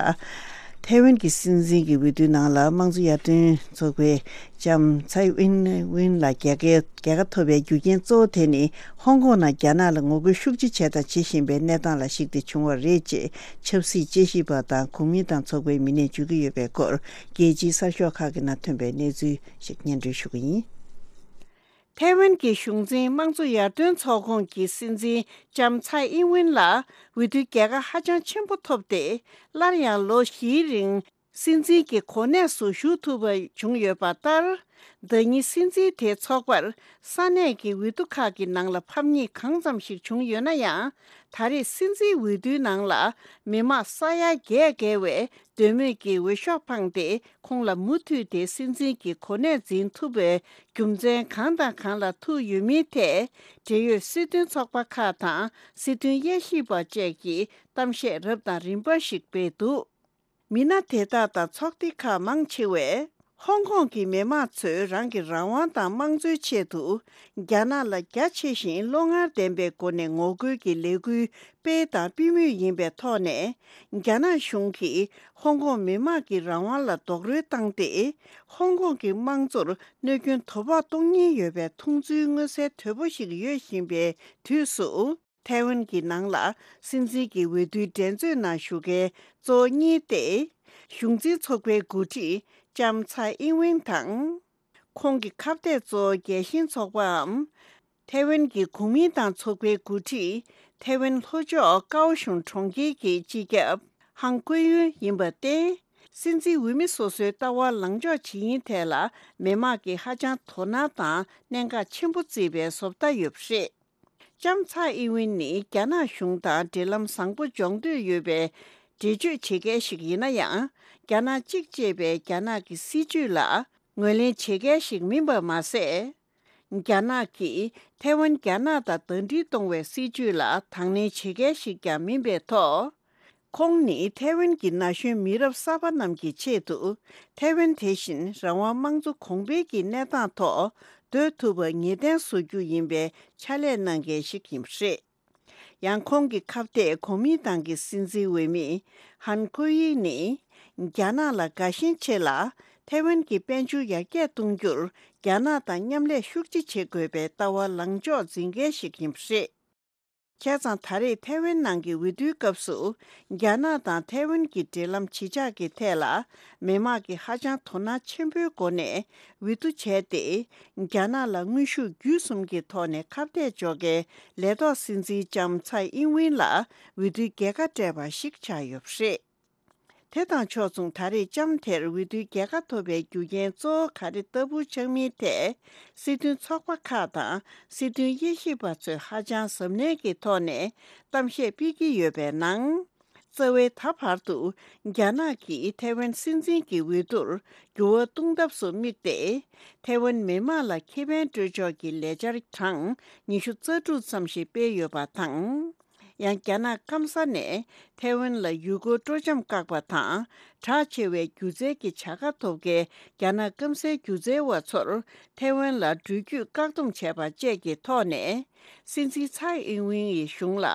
ཐའེ་ཝན་གྱི་སྲིད་འཛིན་གྱི་འོས་བསྡུའི་ནང་ལ་དམངས་གཙོ་ཡར་ཐོན་ཚོགས་པའི་ལྕམ་ཚའེ་ཨིན་ཝིན་ལ་རྒྱལ་ཁ་རྒྱལ་ཁ་ཐོབ་པའི་རྒྱུ་རྐྱེན་གཙོ་བོ་དེ་ནི་ཧོང་ཀོང་ནང་རྒྱ་ནག་ལ་ངོ་རྒོལ་ཤུགས་ཆེ་བྱས་དང་བྱེད་བཞིན་པའི་གནས་སྟངས་ལ་གཞིགས་ཏེ་བྱུང་བ་རེད་ཅེས་ཆབ་སྲིད་དཔྱད་ཞིབ་པ་དང་གོང་མིན་ཏང་ཚོགས་པའི་མི་སྣས་བརྗོད་ཀྱི་ཡོད་པའི་སྐོར། རྒྱལ་སྤྱིའི་གསར་ཤོག་ཁག་གི་ནང་ཐོན་པའི་གནས་ཚུལ་ཞིག་སྙན་སྒྲོན་ཞུ་གི་ཡིན། ཐའེ་ཝན་གྱི་གཞུང་འཛིན་དམངས་གཙོ་ཡར་ཐོན་ཚོགས་ཁོངས་ཀྱི་སྲིད་འཛིན་ལྕམ་ཚའེ་ཨིན་ཝིན་ལ་འོས་བསྡུའི་རྒྱལ་ཁ་ཧ་ཅང་ཆེན་པོ་ཐོབ་སྟེ། སླར་ཡང་ལོ་བཞིའི་རིང་སྲིད་འཛིན་གྱི་གོ་གནས་སུ་བཞུགས་ཐུབ་པ་བྱུང་ཡོད་པ་ལྟར། ཟླ་ཉིན་སྲིད་འཛིན་དེའི་ཚོགས་པར་ས་གནས་ཀྱི་འོས་བསྡུ་ཁག་གི་ནང་ལ་ཕམ་ཉེས་གང་ཙམ་ཞིག་བྱུང་ཡོད་ན་ཡང་། ད་རེས་སྲིད་འཛིན་འོས་བསྡུའི་ནང་ལ་མི་མང་ས་ཡ་བརྒྱད་བརྒལ་བས་འདོད་མོས་ཀྱི་འོས་ཤོག་འཕངས་ཏེ། ཁོང་ལ་མུ་མཐུད་དེ་སྲིད་འཛིན་གྱི་གོ་གནས་འཛིན་ཐུབ་པའི་རྒྱུ་མཚན་གང་དང་གང་ལ་ཐུག་ཡོད་མིན་ཐད། འབྲེལ་ཡོད་སྲིད་དོན་ཚོགས་པ་ཁག་དང་སྲིད་དོན་དབྱེ་ཞིབ་པ་བཅས་ཀྱིས་གཏམ་བཤད་རབ་དང་རིམ་པ་ཞིག་སྤེལ་འདུག་མི་སྣ་དེ་དག་དང་ཚོགས་སྡེ་ཁག་མང་ཆེ་བས། ཧོང་ཀོང་གི་མི་མང་ཚོས་རང་གི་རང་དབང་དང་དམངས་གཙོའི་ཆེད་དུ། རྒྱ་ནག་ལ་རྒྱ་ཆེ་ཞིང་བློ་ངར་ལྡན་པའི་སྒོ་ནས་ངོ་རྒོལ་གྱི་ལས་འགུལ་སྤེལ་དང་སྤེལ་མུས་ཡིན་པའི་ཐོག་ནས། རྒྱ་ནག་གཞུང་གིས་ཧོང་ཀོང་མི་མང་གི་རང་དབང་ལ་རྡོག་རོལ་བཏང་སྟེ། ཧོང་ཀོང་གི་དམངས་གཙོར་གནོད་སྐྱོན་དོ་ཕོག་གཏོང་ཉེན་ཡོད་པའི་མཐོང་ཚུལ་མངོན་གསལ་དོད་པོ་ཞིག་ཡོད་བཞིན་པའི་དུས་སུ། ཐའེ་ཝན་གྱི་ནང་ལ་སྲིད་འཛིན་གྱི་འོས་བསྡུའི་འགྲན་རྩོད་ནང་ཞུགས་མཁན་གཙོ་བོ་གཉིས་ཏེ། གཞུང་འཛིན་ཚོགས་པའི་འགོ་ཁྲིད་ལྕམ་ཚའེ་ཨིན་ཝིན་དང་། ཁོང་གི་ཁ་གཏད་གཙོ་བོ་རྒྱལ་ཞེན་ཚོགས་པའམ། ཐའེ་ཝན་གྱི་གོ་མིན་ཏང་ཚོགས་པའི་འགོ་ཁྲིད་ཐའེ་ཝན་ལྷོ་ཕྱོགས་ཀའོ་ཤུན་གྲོང་ཁྱེར་གྱི་སྤྱི་ཁྱབ་ཧང་ཀུའེ་ཡུན་ཡིན་པར་བརྟེན། སྲིད་འཛིན་འོས་མི་སོ་སོའི་ལྟ་བ་ལངས་ཕྱོགས་ཇི་ཡིན་ཐད་ལ་མི་མང་གིས་ཧ་ཅང་དོ་སྣང་དང་གནད་འགག་ཆེན་པོ་བརྩིས་པའི་བཟོ་ལྟ་ཡོད་པ་རེད། ལྕམ་ཚའེ་ཨིན་ཝིན་ནི་རྒྱ་ནག་གཞུང་དང་འབྲེལ་ལམ་བཟང་པོ་འཇོག་འདོད་ཡོད་པའི་འགྲེལ་བརྗོད་བྱེད་མཁན་ཞིག་ཡིན་ན་ཡང་། རྒྱ་ནག་གཅིག་ཅེས་པའི་རྒྱ་ནག་གི་སྲིད་བྱུས་ལ་ངོས་ལེན་བྱེད་མཁན་ཞིག་མིན་པ་མ་ཟད། རྒྱ་ནག་གིས་ཐའེ་ཝན་རྒྱ་ནག་དང་ཟླ་སྒྲིལ་གཏོང་བའི་སྲིད་བྱུས་ལ་དང་ལེན་བྱེད་མཁན་ཞིག་ཀྱང་མིན་པའི་ཐོག་ཁོང་ནི་ཐའེ་ཝན་གྱི་ན་གཞོན་མི་རབས་གསར་པ་རྣམས་ཀྱི་ཆེད་དུ། ཐའེ་ཝན་དེ་བཞིན་རང་དབང་དམངས་གཙོ་གོང་འཕེལ་གྱི་གནས་སྟངས་ཐོག་སྡོད་ཐུབ་པར་ངེས་གཏན་བཟོ་རྒྱུ་ཡིན་པའི་ཕྱག་ལས་གནང་མཁན་ཞིག་ཡིན་པ་རེད། ཡང་ཁོང་གི་ཁ་གཏད་གོ་མིན་ཏང་གི་སྲིད་འཛིན་འོས་མི་ཧན་ཀུའེ་ཡི་ནི། རྒྱ་ནག་ལ་དགའ་ཞེན་ཆེ་ལ། ཐའེ་ཝན་གྱི་དཔལ་འབྱོར་ཡར་རྒྱས་གཏོང་རྒྱུར་རྒྱ་ནག་དང་མཉམ་ལས་ཤུགས་ཆེ་བྱེད་དགོས་པའི་ལྟ་བ་ལངས་ཕྱོགས་འཛིན་མཁན་ཞིག་ཡིན་པ་རེད། བྱས་ཙང་ད་རེས་ཐའེ་ཝན་ནང་གི་འོས་བསྡུའི་སྐབས་སུ། རྒྱ་ནག་དང་ཐའེ་ཝན་གྱི་འབྲེལ་ལམ་ཇི་ཆགས་ཀྱི་ཐད་ལ། མི་མང་གིས་ཧ་ཅང་དོ་སྣང་ཆེན་པོའི་སྒོ་ནས་འོས་བསྡུ་བྱས་ཏེ། རྒྱ་ནག་ལ་དངོས་ཤུགས་བརྒྱུད་གསུམ་གྱི་ཐོག་ནས་ཁ་གཏད་གཅོག་མཁན་ལས་ཐོག་སྲིད་འཛིན་ལྕམ་ཚའེ་ཨིན་ཝིན་ལ་འོས་བསྡུའི་རྒྱལ་ཁ་སྤྲད་པ་ཞིག་ཆགས་ཡོད་པ་རེད། དེ་དང་ཕྱོགས་མཚུངས་ད་རེས་ལྕམ་དེར་འོས་བསྡུའི་རྒྱལ་ཁ་ཐོབ་པའི་རྒྱུ་རྐྱེན་གཙོ་བོ་ག་རེ་ལྟ་བུ་ཆགས་མིན་ཐད། སྲིད་དོན་ཚོགས་པ་ཁག་དང་སྲིད་དོན་དབྱེ་ཞིབ་པ་ཚོས་ཧ་ཅང་གཟབ་ནན་གྱི་ཐོག་ནས་གཏམ་བཤད་སྤེལ་གྱི་ཡོད་པའི་ནང་། རྩ་བའི་ད་བར་དུ་རྒྱ་ནག་གིས་ཐའེ་ཝན་སྲིད་འཛིན་གྱི་འོས་བསྡུར་འགྱུར་བ་གཏོང་ཐབས་སུ་དམིགས་ཏེ། ཐའེ་ཝན་མི་དམངས་ལ་ཁེ་ཕན་སྤྲོད་ཕྱོགས་ཀྱི་ལས་འཆར་གྲངས་ཉི་ཤུ་རྩ་དྲུག་ཙམ་ཞིག་སྤེལ་ཡོད་པ་དང་། ཡང་རྒྱ་ནག་སྐམ་ས་ནས་ཐའེ་ཝན་ལ་ཡུལ་སྐོར་སྤྲོ་འཆམ་བཀག་པ་དང་། གྲགས་ཆེ་བའི་སྒྱུ་རྩལ་གྱི་བྱ་དགའ་ཐོབ་མཁན་རྒྱ་ནག་སྐམ་སའི་སྒྱུ་རྩལ་བ་ཚོར་ཐའེ་ཝན་ལ་འགྲུལ་སྐྱོད་བཀག་སྡོམ་བྱས་པ་བཅས་ཀྱི་ཐོག་ནས། སྲིད་འཛིན་ཚའེ་ཨིན་ཝིན་ཡི་གཞུང་ལ་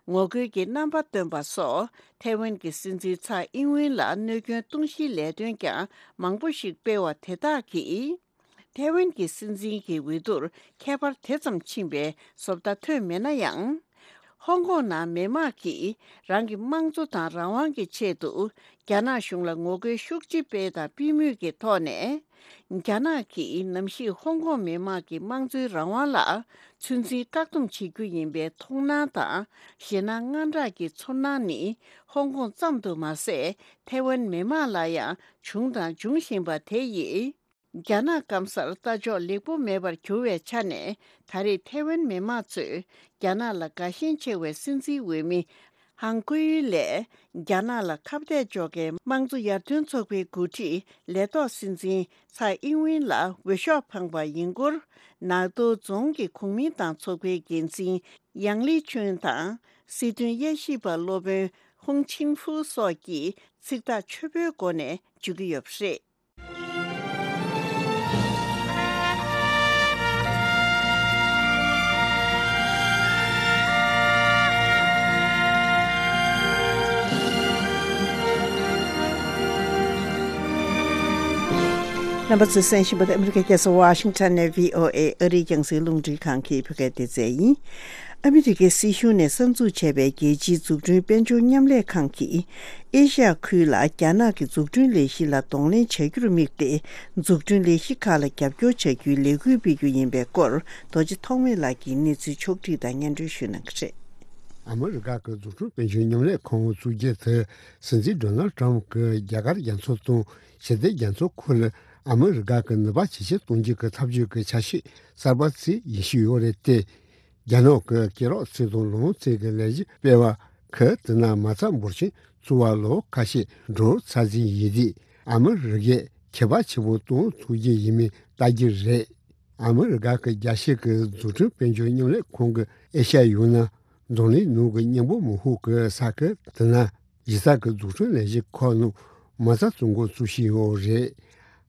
ངོ་རྒོལ་གྱི་རྣམ་པ་སྟོན་པ་སོགས། ཐའེ་ཝན་གྱི་སྲིད་འཛིན་ཚའེ་ཨིན་ཝིན་ལ་གནོད་སྐྱོན་གཏོང་གཞིའི་ལས་དོན་ཀྱང་མང་པོ་ཞིག་སྤེལ་བ་དེ་དག་གིས། ཐའེ་ཝན་གྱི་སྲིད་འཛིན་གྱི་འོས་བསྡུར་ཁྱད་པར་དེ་ཙམ་ཕྱིན་པའི་བཟོ་ལྟ་ཐོན་མེད་ན་ཡང་། ཧོང་ཀོང་ནང་མི་མང་གིས་རང་གི་དམངས་གཙོ་དང་རང་དབང་གི་ཆེད་དུ་རྒྱ་ནག་གཞུང་ལ་ངོ་རྒོལ་ཤུགས་ཆེ་སྤེལ་དང་སྤེལ་མུས་ཀྱི་ཐོག་ནས། རྒྱ་ནག་གིས་ནམ་ཞིག་ཧོང་ཀོང་མི་མང་གི་དམངས་གཙོའི་རང་དབང་ལ་ཚོད་འཛིན་བཀག་སྡོམ་བྱེད་རྒྱུ་ཡིན་པའི་མཐོང་སྣང་དང་ཞེད་སྣང་དངངས་སྐྲག་གི་ཚོར་སྣང་ནི་ཧོང་ཀོང་ཙམ་དུ་མ་ཟད། ཐའེ་ཝན་མི་མང་ལ་ཡང་བྱུང་དང་འབྱུང་བཞིན་པ་དེ་ཡིས། རྒྱ་ནག་སྐམ་སར་ལྟ་ཕྱོགས་ལེགས་པོ་མེད་པར་གྱུར་བའི་ཆ་ནས། ད་རེས་ཐའེ་ཝན་མི་མང་ཚོས་རྒྱ་ནག་ལ་དགའ་ཞེན་ཆེ་བའི་སྲིད་འཛིན་འོས་མི་ཧང་ཀུའེ་ཡུན་ལས། རྒྱ་ནག་ལ་ཁ་གཏད་གཅོག་མཁན་དམངས་གཙོ་ཡར་ཐོན་ཚོགས་པའི་འགོ་ཁྲིད་ལས་ཐོག་སྲིད་འཛིན་ཚའེ་ཨིན་ཝིན་ལ་འོས་ཤོག་འཕངས་པ་ཡིན་སྐོར། ནག་ཏོ་རྫོང་གི་གུང་མིན་ཏང་ཚོགས་པའི་འགན་འཛིན་ཡང་ལི་ཆུན་དང་། སྲིད་དོན་དབྱེ་ཞིབ་པ་སློབ་དཔོན་ཧུང་ཆིང་ཧྥུ་སོགས་ཀྱིས་ཚིག་ཐག་ཆོད་པོའི་སྒོ་ནས་བརྗོད་ཀྱི་ཡོད་པ་རེད། རྣམ་པ་ཚོས་གསན་བཞིན་པ་དེ་ཨ་མི་རི་ཀའི་རྒྱལ་ས་ཝ་ཤིང་ཊོན་ནས་བྷི་ཨོ་ཨེ་ཨ་རིའི་རྒྱང་སྲིང་རླུང་འཕྲིན་ཁང་གི་བོད་སྐད་སྡེ་ཚན་ཡིན། ཨ་མི་རི་ཀའི་སྲིད་གཞུང་ནས་གསར་འཛུགས་བྱས་པའི་རྒྱལ་སྤྱིའི་འཛུགས་སྐྲུན་དཔལ་འབྱོར་མཉམ་ལས་ཁང་གིས། ཨེ་ཤ་ཡ་ཁུལ་ལ་རྒྱ་ནག་གི་འཛུགས་སྐྲུན་ལས་གཞི་ལ་གདོང་ལེན་བྱ་རྒྱུར་དམིགས་ཏེ། འཛུགས་སྐྲུན་ལས་གཞི་ཁག་ལ་རྒྱབ་སྐྱོར་བྱ་རྒྱུའི་ལས་འགུལ་སྤེལ་རྒྱུ་ཡིན་པའི་སྐོར། རྡོ་རྗེ་ཐོགས་མེད་ལགས་ཀྱིས་གནས་ཚུལ་ཕྱོགས་བསྒྲིགས་དང་སྙན་སྒྲོན་ཞུ་གནང་གི་རེད། ཨ་མི་རི་ཀ་གི་འཛུགས་སྐྲུན་དཔལ་འབྱོར་མཉམ་ལས་ཁང་བཙུགས་རྒྱུ་དེ། སྲིད་འཛིན་ཌོ་ནལ་ཊམ་གྱིས་རྒྱ་གར་རྒྱ་མཚོ་དང་ཞི་བདེ་རྒྱ་མཚོ་ཁུལ་ལ་ཨ་མི་རི་ཀ་གི་ནུས་པ་ཇེ་ཆེར་གཏོང་རྒྱུ་གི་འཐབ་ཇུས་ཀྱི་ཆ་ཤས་གསར་པ་ཞིག་ཡིན་བཞིན་ཡོད་རེད་དེ། རྒྱ་ནག་གི་སྐེད་རགས་རྩེ་དང་ལོངས་རྩེ་གི་ལས་གཞི་སྤེལ་བ་ཁག་དེ་ན་མ་རྩ་འབོར་ཆེན་བཙུགས་པ་ལོ་ཁ་ཤས་འགྲོ་ཚར་ཟིན་ཡིན་དུས། ཨ་མི་རི་ཀས་ཁྱད་པར་ཆེན་པོ་གཏོང་ཐུབ་རྒྱུ་ཡིན་མིན་ལྟ་རྒྱུ་རེད། ཨ་མི་རི་ཀ་གི་རྒྱལ་སྤྱི་གི་འཛུགས་སྐྲུན་དཔལ་འབྱོར་མཉམ་ལས་ཁང་གི་ཨེ་ཤ་ཡ་ཡུན་ནན་རྫོང་གླིང་ནང་གི་གཉན་པོ་མོན་ཧོ་གི་ས་ཁུལ་དེ་ན་གཞི་རྩ་གི་འཛུགས་སྐྲུན་ལས་གཞི་ཁག་ནང་མ་རྩ་བཙུགས་འགོ་བཙུགས་བཞིན་ཡོད་རེད།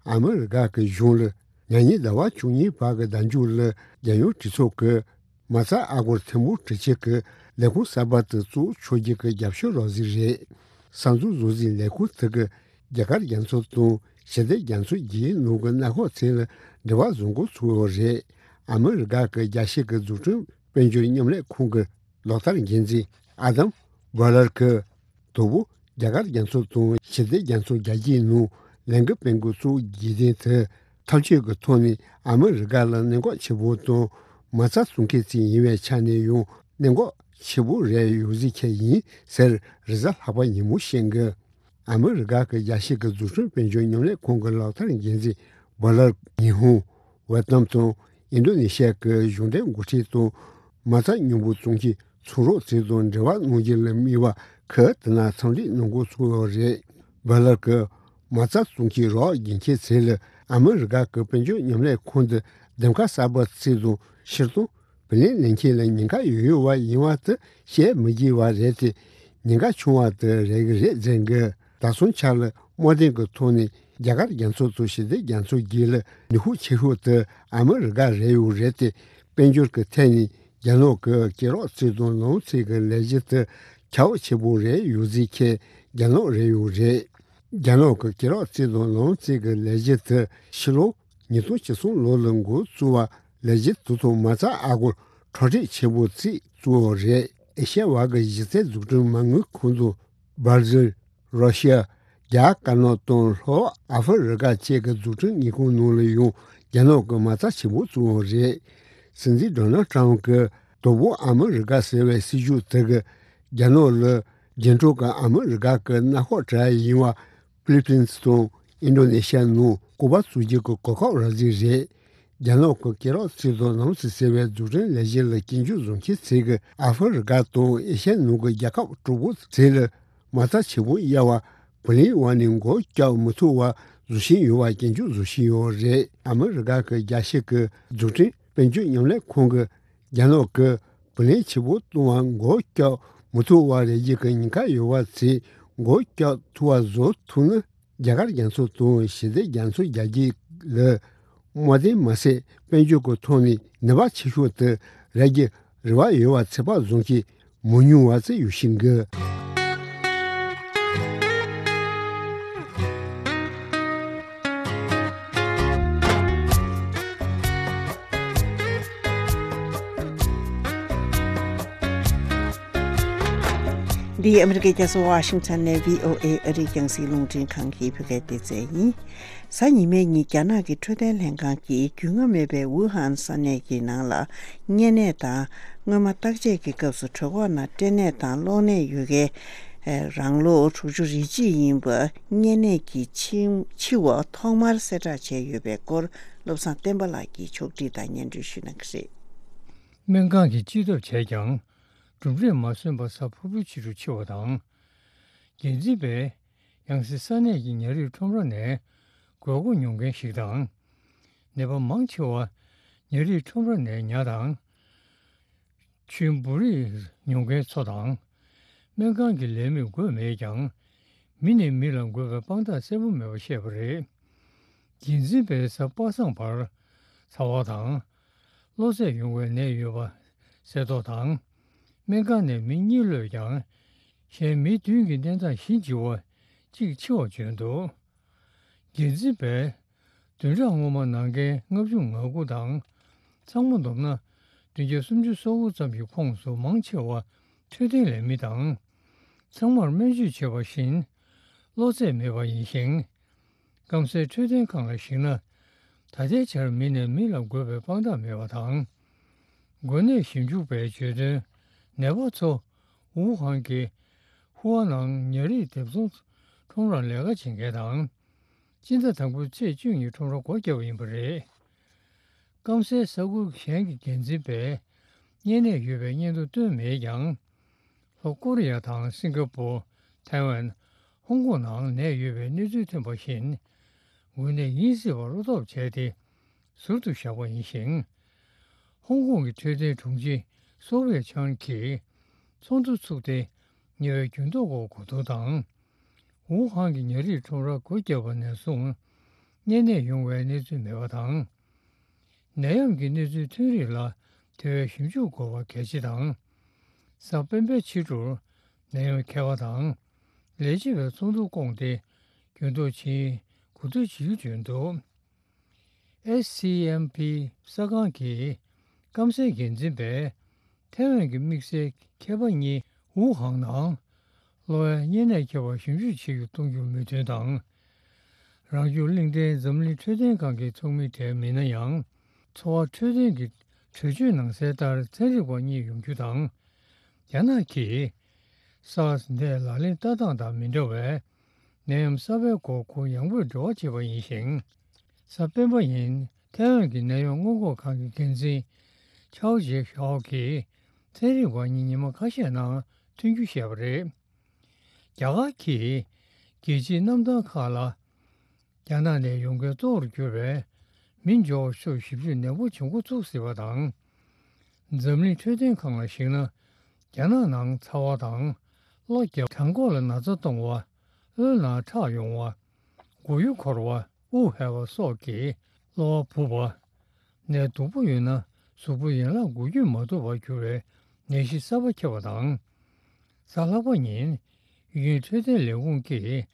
ཨ་མི་རི་ཀ་གི་གཞུང་ལ་ཉེ་ཉིན་ཟླ་བ་བཅུ་གཉིས་བར་གྱི་ཟླ་མཇུག་ལ་རྒྱལ་ཡོངས་གྲོས་ཚོགས་ཀྱི་མ་རྩ་ཨ་སྒོར་ཐེར་འབུམ་དྲུག་ཅུ་གི་ལས་ཁུངས་གསར་པ་དེ་བཙུགས་ཆོག་རྒྱུ་གི་རྒྱབ་སྐྱོར་རོགས་ཟིན་རེད། གསར་འཛུགས་བཟོ་རྩིས་ལས་ཁུངས་དེ་གིས་རྒྱ་གར་རྒྱ་མཚོ་དང་ཞི་བདེ་རྒྱ་མཚོ་བརྒྱུད་ནང་གི་གནམ་འོག་ཚད་ལ་འབྲེལ་བ་བཟོ་འགོ་ཚུགས་ཡོད་རེད། ཨ་མི་རི་ཀ་གི་རྒྱལ་སྤྱི་གི་འཛུགས་སྐྲུན་དཔལ་འབྱོར་མཉམ་ལས་ཁང་གི་ལག་བསྟར་འགན་འཛིན་ཨ་དམ་བྷ་ལར་གྱིས། དང་པོ། རྒྱ་གར་རྒྱ་མཚོ་དང་ཞི་བདེ་རྒྱ་མཚོ་རྒྱ་སྐྱེད་ནང་ལས་འགུལ་སྤེལ་འགོ་བཙུགས་རྒྱུ་དེ། འཐབ་ཇུས་ཀྱི་ཐོག་ནས་ཨ་མི་རི་ཀ་ལ་གནད་འགག་ཆེ་པོ་དང་མ་རྩ་བཙུགས་མཁན་ཞིག་ཡིན་པའི་ཆ་ནས་ཡང་གནད་འགག་ཆེ་པོ་རེད་ཡོད་ཟེར་མཁན་ཡིན་ཟེར། རེས་གཟའ་ལྷག་པ་ཉིན་མོ་བཤད་འགོ། ཨ་མི་རི་ཀ་གི་རྒྱལ་སྤྱི་གི་འཛུགས་སྐྲུན་དཔལ་འབྱོར་མཉམ་ལས་ཁང་གི་ལག་བསྟར་འགན་འཛིན་བྷ་ལར་ཉི་ཧོང་། ཝེ་ཏི་ནམ་དང་ཨིན་ཌོ་ནེ་ཤི་ཡ་གི་གཞུང་འབྲེལ་འགོ་ཁྲིད་དང་མ་རྩ་མཉམ་པོ་བཙུགས་མཁན་ཚོང་རོགས་ཚོ་དང་འབྲེལ་བ་གནང་རྒྱུ་ལ་དམིགས་པ་ཁག་དེ་ན་འཚམས་འདྲི་གནང་འགོ་ཚུགས་ཡོད་རེད། བྷ་ལར་གྱིས་མ་རྩ་བཙུགས་མཁན་རོགས་རྒྱག་མཁན་ཚོ་ལ་ཨ་མི་རི་ཀ་གི་དཔལ་འབྱོར་མཉམ་ལས་ཁང་དེ་འདེམས་ཀ་གསར་པ་ཚོ་དང་ཕྱིར་གཏོང་བུ་ལོན་ལེན་མཁན་ལ་ཉེན་ཁ་ཡོད་ཡོད་པ་ཡིན་པ་དེ་བཤད་མི་དགོས་པ་རེད་དེ། ཉེན་ཁ་ཆུང་བ་དེ་རེད་ཀྱི་རེད་ཟེར་གི། ད་སོང་ཆ་ལ་དམག་དོན་གྱི་ཐོག་ནས་རྒྱ་གར་རྒྱ་མཚོ་དང་ཞི་བདེ་རྒྱ་མཚོ་བརྒྱུད་ལ་ནུས་ཤུགས་ཆེ་ཤོས་དེ་ཨ་མི་རི་ཀ་རེད་ཡོད་རེད་དེ། དཔལ་འབྱོར་གྱི་ཐད་ནས་རྒྱ་ནག་གི་སྐེད་རགས་རྩེ་དང་ལོངས་རྩེ་གི་ལས་གཞི་དེ་ཁྱབ་ཆེ་པོ་རེད་ཡོད་ཟེར་མཁན་རྒྱ་ནག་རེད་ཡོད་རེད། རྒྱ་ནག་གི་སྐེད་རགས་རྩེ་དང་ལོངས་རྩེ་གི་ལས་གཞི་དེ་ཕྱི་ལོ་ཉིས་སྟོང་བཅུ་གསུམ་ལོ་ལ་འགོ་བཙུགས་པ་ལས་གཞི་དེ་ཚོ་མ་རྩ་ཨ་སྒོར་ཁྲོ་ཁྲེག་ཆེ་པོ་ཅིག་བཙུགས་ཡོད་རེད། ཨེ་ཤ་ཡ་བར་གྱི་གཞི་རྩའི་འཛུགས་སྐྲུན་མ་དངུལ་ཁང་དང་། སྦར་ཟིལ། རོ་ཤི་ཡ། རྒྱ་དཀར་ནག་དང་ལྷོ་ཨ་ཧྥེ་རི་ཀ་བཅས་ཀྱི་འཛུགས་སྐྲུན་དངུལ་ཁང་ནང་ལ་ཡང་རྒྱ་ནག་གི་མ་རྩ་ཆེན་པོ་བཙུགས་ཡོད་རེད། སྲིད་འཛིན་ཌོ་ནལ་ཊམ་གྱིས་དང་པོ་ཨ་མི་རི་ཀ་ཟེར་བའི་སྲིད་ཇུས་དེ་གིས་རྒྱ་ནག་ལ་རྒྱན་དྲུག་གི་ཨ་མི་རི་ཀ་གི་མནའ་ཤོག་གྲས་ཡིན་པ་ཕི་ལི་པིན་སི་དང་ཨིན་ཌོ་ནེ་ཤི་ཡ་ནང་ཀོ་པ་བཙུགས་རྒྱུ་གི་གོ་སྐབས་རག་རྩིས་རེད། རྒྱ་ནག་གི་སྐེད་རགས་རྩེ་དང་ལོངས་རྩེ་ཟེར་བའི་འཛུགས་སྐྲུན་ལས་གཞི་ལ་སྐྱོན་བརྗོད་བཟོ་མཁན་ཚོ་གིས་ཨ་ཧྥེ་རི་ཀ་དང་ཨེ་ཤ་ཡའི་ནང་གི་རྒྱལ་ཁབ་དྲུག་པོ་ཚོ་ལ་མ་རྩ་ཆེན་པོ་གཡར་བ་བུ་ལོན་འོག་ནས་མགོ་བཀྱག་མི་ཐུབ་པ་བཟོ་བཞིན་ཡོད་པ་སྐྱོན་བརྗོད་བཟོ་བཞིན་ཡོད་རེད། ཨ་མི་རི་ཀ་གི་རྒྱལ་སྤྱི་གི་འཛུགས་སྐྲུན་དཔལ་འབྱོར་མཉམ་ལས་ཁང་གིས་རྒྱ་ནག་གིས་བུ་ལོན་ཆེན་པོ་གཏོང་བ་མགོ་བཀྱག་མི་ཐུབ་པ་རེད་རྒྱུ་གི་ཉེན་ཁ་ཡོད་པ་ཚོ་མགོ་བཀྱག་ཐུབ་པ་བཟོ་ཐུབ་ན། རྒྱ་གར་རྒྱ་མཚོ་དང་ཞི་བདེ་རྒྱ་མཚོ་རྒྱ་སྐྱེད་ལ་དམག་དོན་མ་ཟད་དཔལ་འབྱོར་གྱི་ཐོག་ནས་ནུས་པ་ཆེ་ཤོས་དེ་རག་རྒྱུ་རེ་བ་ཡོད་པ་ཚོད་དཔག་བཟོ་མཁན་མི་ཉུང་བ་ཞིག་ཡོད་བཞིན་གི། འདི་ཨ་མི་རི་ཀའི་རྒྱལ་ས་ཝ་ཤིང་ཊོན་ནས་བྷི་ཨོ་ཨེ་ཨ་རིའི་རྒྱང་སྲིང་རླུང་འཕྲིན་ཁང་གི་བོད་སྐད་སྡེ་ཚན་ཡིན། གཟའ་ཉི་མའི་ཉིན་རྒྱ་ནག་གི་འཕྲོད་བསྟེན་ལྷན་ཁང་གིས་རྒྱུས་མངའ་མེད་པའི་ཝུ་ཧན་ས་གནས་ཀྱི་ནང་ལ་གཉན་ནད་དང་། སྔོན་མ་བརྟག་དཔྱད་ཀྱི་སྐབས་སུ་གྲོད་ཁོག་ནང་སྐྲན་ནད་དང་གློ་ནད་ཡོད་མཁན་རང་ལོ་དྲུག་ཅུ་རེ་གཅིག་ཡིན་པ་གཉན་ནད་ཀྱིས་འཆི་འཆི་བ་ཐོག་མར་གསལ་བསྒྲགས་བྱས་ཡོད་པའི་སྐོར། བློ་བཟང་བསྟན་པ་ལགས་ཀྱིས་ཕྱོགས་བསྒྲིགས་དང་སྙན་སྒྲོན་ཞུ་གནང་གི་རེད། སྨན་ཁང་གིས་དཔྱད་ཞིབ་བྱས་ཀྱང་། གྲུབ་འབྲས་མ་སོན་པར་གཟའ་ཕུར་བུའི་ཕྱི་དྲོ་འཆི་བ་དང་། འགན་འཛིན་པས་ཡང་སྲིད་ས་གནས་ཀྱི་ཉ་རིགས་ཁྲོམ་ར་ནས་དགོས་མཁོ་ཉོ་མཁན་ཞིག་དང་། ནད་པ་མང་ཆེ་བ་ཉ་རིགས་ཁྲོམ་ར་ནས་ཉ་དང་། ཆུའི་འབུ་རིགས་ཉོ་མཁན་ཚོ་དང་། སྨན་ཁང་གི་ལས་མིས་འགོས་མེད་ཀྱང་། མི་ནས་མི་ལ་འགོས་པའི་དཔང་རྟགས་གསལ་པོ་མེད་པ་བཤད་པ་རེད། འགན་འཛིན་པས་གཟའ་པ་སངས་བར་ཚ་བ་དང་། གློ་ཚད་ཡོང་བའི་ནད་ཡོད་པ་གསལ་ཐོ་དང་། སྨན་ཁང་ནས་མི་གཉིས་གློད་ཀྱང་། གཞན་མི་བདུན་གྱི་གནས་སྟངས་གཞི་འགྱུར་བ་གཅིག་འཆི་བ་བྱོན་འདུག་འགན་འཛིན་པས་ བདུན་ཕྲག་སྔོན་མ་ནང་འཁན་ལྔ་བཅུ་ང་དགུ་དང་། ཚང་མ་བསྡོམས་ན་བདུན་བརྒྱ་སུམ་ཅུ་སོ་དགུ་ཙམ་གྱི་ཁོངས་སུ་མང་ཆེ་བ་འཕྲོད་བསྟེན་ལས་མི་དང་། ཚང་མར་སྨན་བཅོས་བྱས་པ་བཞིན་གློ་ཚད་མེད་པ་ཡིན་ཞིང་། སྐམ་སའི་འཕྲོད་བསྟེན་ཁང་ལ་གཞིགས་ན། ད་ལྟའི་ཆར་མི་ནས་མི་ལ་འགོས་པའི་དཔང་རྟགས་མེད་པ་དང་། འགོས་ནད་ཞིབ་འཇུག་པས་བརྗོད་དོན། ནད་པ་ཚོ་ཝུ་ཧན་གྱི་ཧུའ་ནང་ཉ་རིགས་སྡེབ་ཚོང་ཁྲོམ་རར་ལས་ཀ་བྱེད་མཁན་དང་། སྤྱི་ཟླ་དང་པོའི་ཚེས་བཅུ་གཉིས་ཁྲོམ་ར་སྒོ་བརྒྱབ་པ་ཡིན་པ་རེད། སྐམ་སའི་ས་ཁུལ་གཞན་གྱི་འགན་འཛིན་པས་གཉན་ནད་ཡོད་པའི་སྙན་ཐོ་བཏོན་མེད་ཀྱང་། ལྷོ་ཀོ་རི་ཡ་དང་སིང་ག་པུར། ཐའེ་ཝན། ཧོང་ཀོང་ནང་ནད་ཡོད་པའི་གནས་ཚུལ་ཐོན་པ་བཞིན། འགོས་ནད་ཡིན་སྲིད་པ་བློ་སྟོབས་བྱས་ཏེ་ཟུར་དུ་བཞག་པ་ཡིན་ཞིང་། ཧོང་ཀོང་གི་འཕྲོད་བསྟེན་དྲུང་ཆེ་སོ་ཝེ་ཆང་གིས་ཚོགས་འདུ་ཚུགས་ཏེ། ཉེ་བའི་འགྱུར་ལྡོག་སྐོར་གོ་བསྡུར་དང་། ཝུ་ཧན་གྱི་ཉ་རིགས་ཁྲོམ་ར་སྒོ་བརྒྱབ་པ་ནས་བཟུང་གཉན་ནད་ཡོང་བའི་གནས་ཚུལ་མེད་པ་དང་། ནད་ཡམས་ཀྱི་གནས་ཚུལ་ཐོན་རིགས་ལ་དེ་བས་ཞིབ་འཇུག་དགོས་པ་གལ་ཆེ་དང་། གཟའ་སྤེན་པའི་ཕྱི་དྲོར་ནད་ཡམས་མཁས་པ་དང་ལས་བྱེད་པའི་ཚོགས་འདུ་བསྐོངས་ཏེ་འགྱུར་ལྡོག་ཕྱིན་གོ་བསྡུར་བྱེད་རྒྱུ་བརྗོད་འདུག། ཨེ་སི་ཨེམ་པི་གསར་ཁང་གི་སྐམ་སའི་འགན་འཛིན་པས་ཐའེ་ཝན་གྱི་དམིགས་བསལ་མཁས་པ་གཉིས་ཝུ་ཧན་ནང་གློ་བའི་གཉན་ནད་ཁྱབ་པར་ཞིབ་འཇུག་བྱེད་རྒྱུ་གཏོང་རྒྱུར་མོས་མཐུན་དང་། རང་སྐྱོང་གླིང་ཕྲན་འཛམ་གླིང་འཕྲོད་བསྟེན་ཁང་གི་ཚོགས་མི་གྲས་མིན་ན་ཡང་། འཚོ་བ་འཕྲོད་བསྟེན་གྱི་གྲོས་ཆོད་ནང་གསལ་ལྟར་ཚན་རིག་པ་གཉིས་ཡོང་རྒྱུ་དང་། རྒྱ་ནག་གིས་སཱར་སི་ནད་ལག་ལེན་ལྟ་སྟངས་དང་མི་འདྲ་བའི་ནད་ཡམས་གསར་པའི་སྐོར་གུ་ཡངས་པོས་འབྲེལ་བ་བྱས་པ་ཡིན་ཞིང་། གཟའ་སྤེན་པ་ཉིན་ཐའེ་ཝན་གྱི་ནད་ཡམས་སྔོན་འགོག་ཁང་གི་འགན་འཛིན་ཆའོ་ཇེ་ཞའོ་གིས་ཚན་རིག་པ་གཉིས་ཉི་མ་ཁ་ཤས་ནང་ཐོན་རྒྱུ་བཤད་པ་རེད། རྒྱ་གར་གྱིས་རྒྱལ་སྤྱིའི་གནམ་ཐང་ཁག་ལ་རྒྱ་ནག་ནས་ཡོང་མཁན་གཙོ་བོར་གྱུར་པའི་མི་འབྱོར་བ་ཤོག་ཞིབ་དཔྱོད་ནན་པོ་བྱེད་འགོ་ཚུགས་སྲིད་པ་དང་། འཛམ་གླིང་འཕྲོད་བསྟེན་ཁང་ལ་གཞིགས་ན། རྒྱ་ནག་ནང་ཚ་བ་དང་། གློ་རྒྱག་བྲང་ཁོག་ལ་ན་ཚ་གཏོང་བ། དབུལ་ནང་ཁྲག་ཡོང་བ། མགོ་ཡུ་འཁོར་བ། དབུགས་ཧལ་བ་སོགས་ཀྱིས་གློ་བ་བུབ་པ། ནད་སྡུག་པོ་ཡོད་ན་གཟུགས་པོ་ཡན་ལག་འགུལ་སྐྱོད་མ་ཐུབ་པར་གྱུར་བའི་ནད་གཞི་གསར་པ་ཁྱབ་པ་དང་། གཟའ་ལྷག་པ་ཉིན་ཡུན་འཕྲོད་བསྟེན་ལས་ཁུངས་ཀྱིས་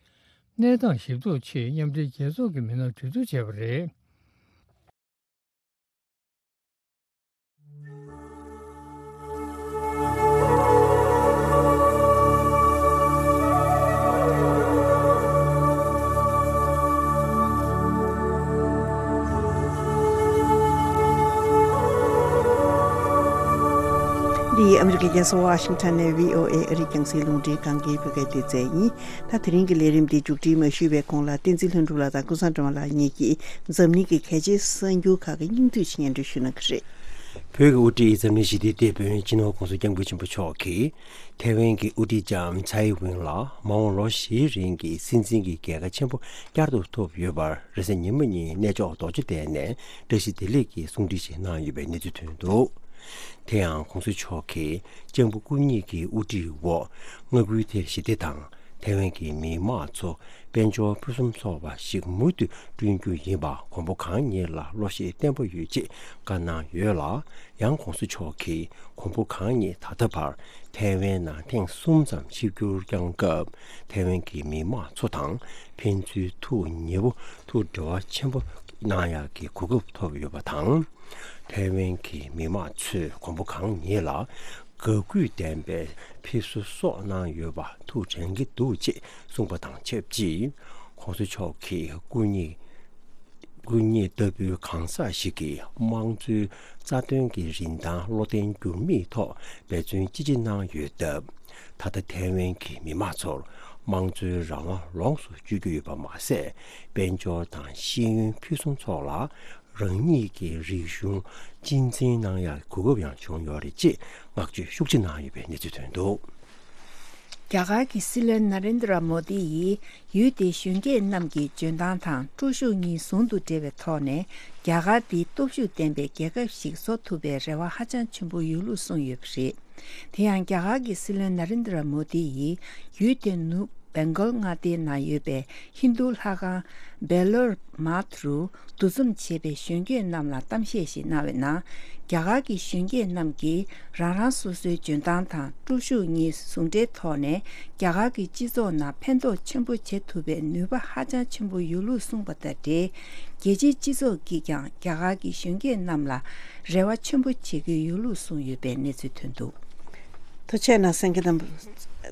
གནས་སྟངས་ཞིབ་ཐོ་ཆེད་མཉམ་འབྲེལ་རྒྱལ་ཚོགས་ཀྱི་མི་སྣར་གྲོས་བསྡུར་བྱས་པ་རེད། འདི་ཨ་མི་རི་ཀའི་རྒྱལ་ས་ཝ་ཤིང་ཊོན་ནས་བྷི་ཨོ་ཨེ་ཨ་རིའི་རྒྱང་སྲིང་རླུང་འཕྲིན་ཁང་གི་བོད་སྐད་སྡེ་ཚན་ཡིན། ད་དེ་རིང་གི་ལས་རིམ་འདི་མཇུག་སྒྲིལ་མ་ཞུས་པའི་གོང་ལ་བསྟན་འཛིན་ལྷུན་གྲུབ་ལགས་དང་ཀུན་བཟང་སྒྲོལ་མ་ལགས་གཉིས་ཀྱིས་འཛམ་གླིང་གི་གལ་ཆེའི་གསར་འགྱུར་ཁག་གི་སྙིང་བསྡུས་ཤིག་སྙན་སྒྲོན་ཞུ་གནང་གི་རེད། བོད་ཀྱི་དབུ་ཁྲིད་འཛམ་གླིང་ཞི་བདེའི་དེད་དཔོན་སྤྱི་ནོར་༸གོང་ས་༸སྐྱབས་མགོན་ཆེན་པོ་མཆོག་གིས་ཐའེ་ཝན་གྱི་དབུ་ཁྲིད་ལྕམ་ཚའེ་ཝེན་ལ་མ་འོངས་ལོ་བཞིའི་རིང་གི་སྲིད་འཛིན་གྱི་རྒྱལ་ཁ་ཆེན་པོ་བསྐྱར་དུ་ཐོབ་ཡོད་པར་རེས་གཟའ་ཉི་མ་ཉིན་གནས་མཆོག་རྡོ་རྗེ་གདན་ནས་བཀྲ་ཤིས་བདེ་ལེགས་ཀྱི་གསུང་འཕྲིན་ཞིག་གནང་ཡོད་པའི་གནས་ཚུལ་ཐོན་འདུག། དེ་ཡང་༸གོང་ས་མཆོག་གིས་ལྕམ་པོ་སྐུ་ཉིད་ཀྱི་དབུ་ཁྲིད་འོག་མངའ་ཁུལ་དེར་ཞི་བདེ་དང་ཐའེ་ཝན་གྱི་མི་དམངས་ཚོ་དཔལ་འབྱོར་ཕུན་སུམ་ཚོགས་པ་ཞིག་མུ་མཐུད་བསྐྲུན་རྒྱུ་ཡིན་པ་མགོན་པོ་གང་ཉིད་ལ་བློ་ཤེད་བརྟན་པོ་ཡོད་ཅེས་བཀའ་གནང་ཡོད་ལ། ཡང་༸གོང་ས་མཆོག་གིས་མགོན་པོ་གང་ཉིད་ད་ལྟ་བར་ཐའེ་ཝན་ནང་ཐེངས་གསུམ་ཙམ་ཆིབས་བསྒྱུར་བསྐྱངས་སྐབས་ཐའེ་ཝན་གྱི་མི་དམངས་ཚོ་དང་ཕན་ཚུན་ཐུགས་ཉེ་པོ་ཐུགས་འབྲེལ་བ་ཆེན་པོ་གནང་ཡག་གི་གོ་སྐབས་ཐོབ་ཡོད་པ་དང་། ཐའེ་ཝན་གྱི་མི་དམངས་ཚོས་མགོན་པོ་གང་ཉིད་ལ་དགའ་གུས་ལྡན་པའི་ཕེབས་བསུ་སོགས་གནང་ཡོད་པ་ཐུགས་དྲན་གྱི་འདུག་ཅེས་གསུངས་པ་དང་ཆབས་ཅིག། ༸གོང་ས་མཆོག་གིས་སྐུ་ཉིད་སྐུ་ཉིད་ལྟ་བུའི་གང་ཟག་ཞིག་གིས་དམངས་གཙོའི་རྩ་དོན་གྱི་རིན་ཐང་བློ་བརྟན་འགྱུར་མེད་ཐོག་འབད་བརྩོན་ཅི་ཆེ་གནང་ཡོད་སྟབས། ད་ལྟ་ཐའེ་ཝན་གྱི་མི་དམངས་ཚོར་དམངས་གཙོའི་རང་དབང་ལོངས་སུ་སྤྱོད་རྒྱུ་ཡོད་པ་མ་ཟད། དཔལ་འབྱོར་དང་ཤེས་ཡོན་ཕུན་སུམ་ཚོགས་ལ་རང་ཉིད་ཀྱི་རིག་གཞུང་གཅེས་འཛིན་གནང་ཡག་གོ་སྐབས་ཡང་བྱུང་ཡོད་རེད་ཅེས་བསྔགས་བརྗོད་ཤུགས་ཆེ་གནང་ཡོད་པའི་གནས་ཚུལ་ཐོན་འདུག། རྒྱ་གར་གྱི་སྲིད་བློན་ན་རེན་དྲ་མོ་དི་ཡིས་ཡུལ་དེའི་གཞོན་སྐྱེས་རྣམས་ཀྱི་འཇོན་ཐང་དང་སྤྲོ་ཤུགས་གཉིས་ཟུང་དུ་འབྲེལ་བའི་ཐོག་ནས་རྒྱ་གར་འདི་སྟོབས་ཤུགས་ལྡན་པའི་རྒྱལ་ཁབ་ཞིག་བཟོ་ཐུབ་པའི་རེ་བ་ཧ་ཅང་ཆེན་པོ་ཡོད་ལུགས་གསུངས་ཡོད་པ་རེད། དེ་ཡང་རྒྱ་གར་གྱི་སྲིད་བློན་ན་རེན་དྲ་མོ་དི་ཡིས་ཡུལ་དེའི་ནུབ་ སྦེང་གོལ་མངའ་སྡེའི་ནང་ཡོད་པའི་ཧིན་རྡུ་ལྷ་ཁང་བེ་ལོར་མཱཐ་རུ་འདུ་འཛོམས་བྱས་པའི་གཞོན་སྐྱེས་རྣམས་ལ་གཏམ་བཤད་ཞིག་གནང་བའི་ནང་། རྒྱ་གར་གྱི་གཞོན་སྐྱེས་རྣམས་ཀྱིས་རང་རང་སོ་སོའི་འཇོན་ཐང་དང་སྤྲོ་ཤུགས་གཉིས་ཟུང་འབྲེལ་ཐོག་ནས་རྒྱ་གར་གྱི་སྤྱི་ཚོགས་ནང་ཕན་ཐོགས་ཆེན་པོ་བྱེད་ཐུབ་པའི་ནུས་པ་ཧ་ཅང་ཆེན་པོ་ཡོད་ལུགས་གསུངས་པ་དང་འབྲེལ། རྒྱལ་སྤྱིའི་སྤྱི་ཚོགས་ཀྱིས་ཀྱང་རྒྱ་གར་གྱི་གཞོན་སྐྱེས་རྣམས་ལ་རེ་བ་ཆེན་པོ་བྱེད་ཀྱི་ཡོད་ལུགས་གསུངས་ཡོད་པའི་གནས་ཚུལ་ཐོན་འདུག། ཐུགས་རྗེ་གནང་གསན་མཁན་རྣམ་པ།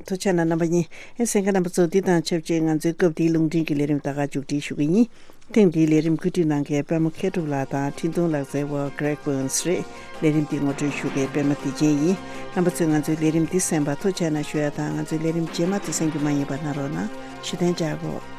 ཐུགས་རྗེ་གནང་རྣམ་པ་གཉིས། ཨེ་གསན་མཁན་རྣམ་པ་ཚོ། འདི་དང་ཆབས་ཅིག་ང་ཚོའི་སྐབས་འདིའི་རླུང་འཕྲིན་གྱི་ལས་རིམ་ད་ག་མཇུག་སྒྲིལ་ཞུ་གི་ཡིན། ཐེངས་འདིའི་ལས་རིམ་བཀོད་སྒྲིག་གནང་མཁན་པད་མ་མཁས་གྲུབ་ལགས་དང་འཕྲིན་གཏོང་ལག་རྩལ་བ་Greg Burns་རེད། ལས་རིམ་འདི་ངོ་སྤྲོད་ཞུ་མཁན་པད་མ་བདེ་ཆེན་ཡིན། རྣམ་པ་ཚོས་ང་ཚོའི་ལས་རིམ་འདི་གསན་པར་ཐུགས་རྗེ་གནང་ཞུ་ཡ་དང་། ང་ཚོའི་ལས་རིམ་རྗེས་མ་དེ་གསན་རྒྱུ་མ་ཡིན་པ་གནང་རོགས་གནང་། ཞུ་དོན་བྱ་དགོས།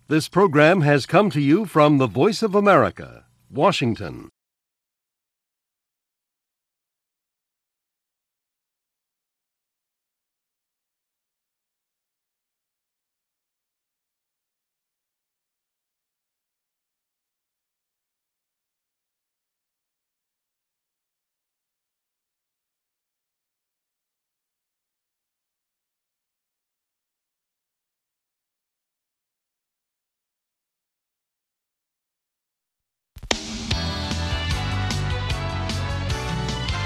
This program has come to you from the Voice of America, Washington.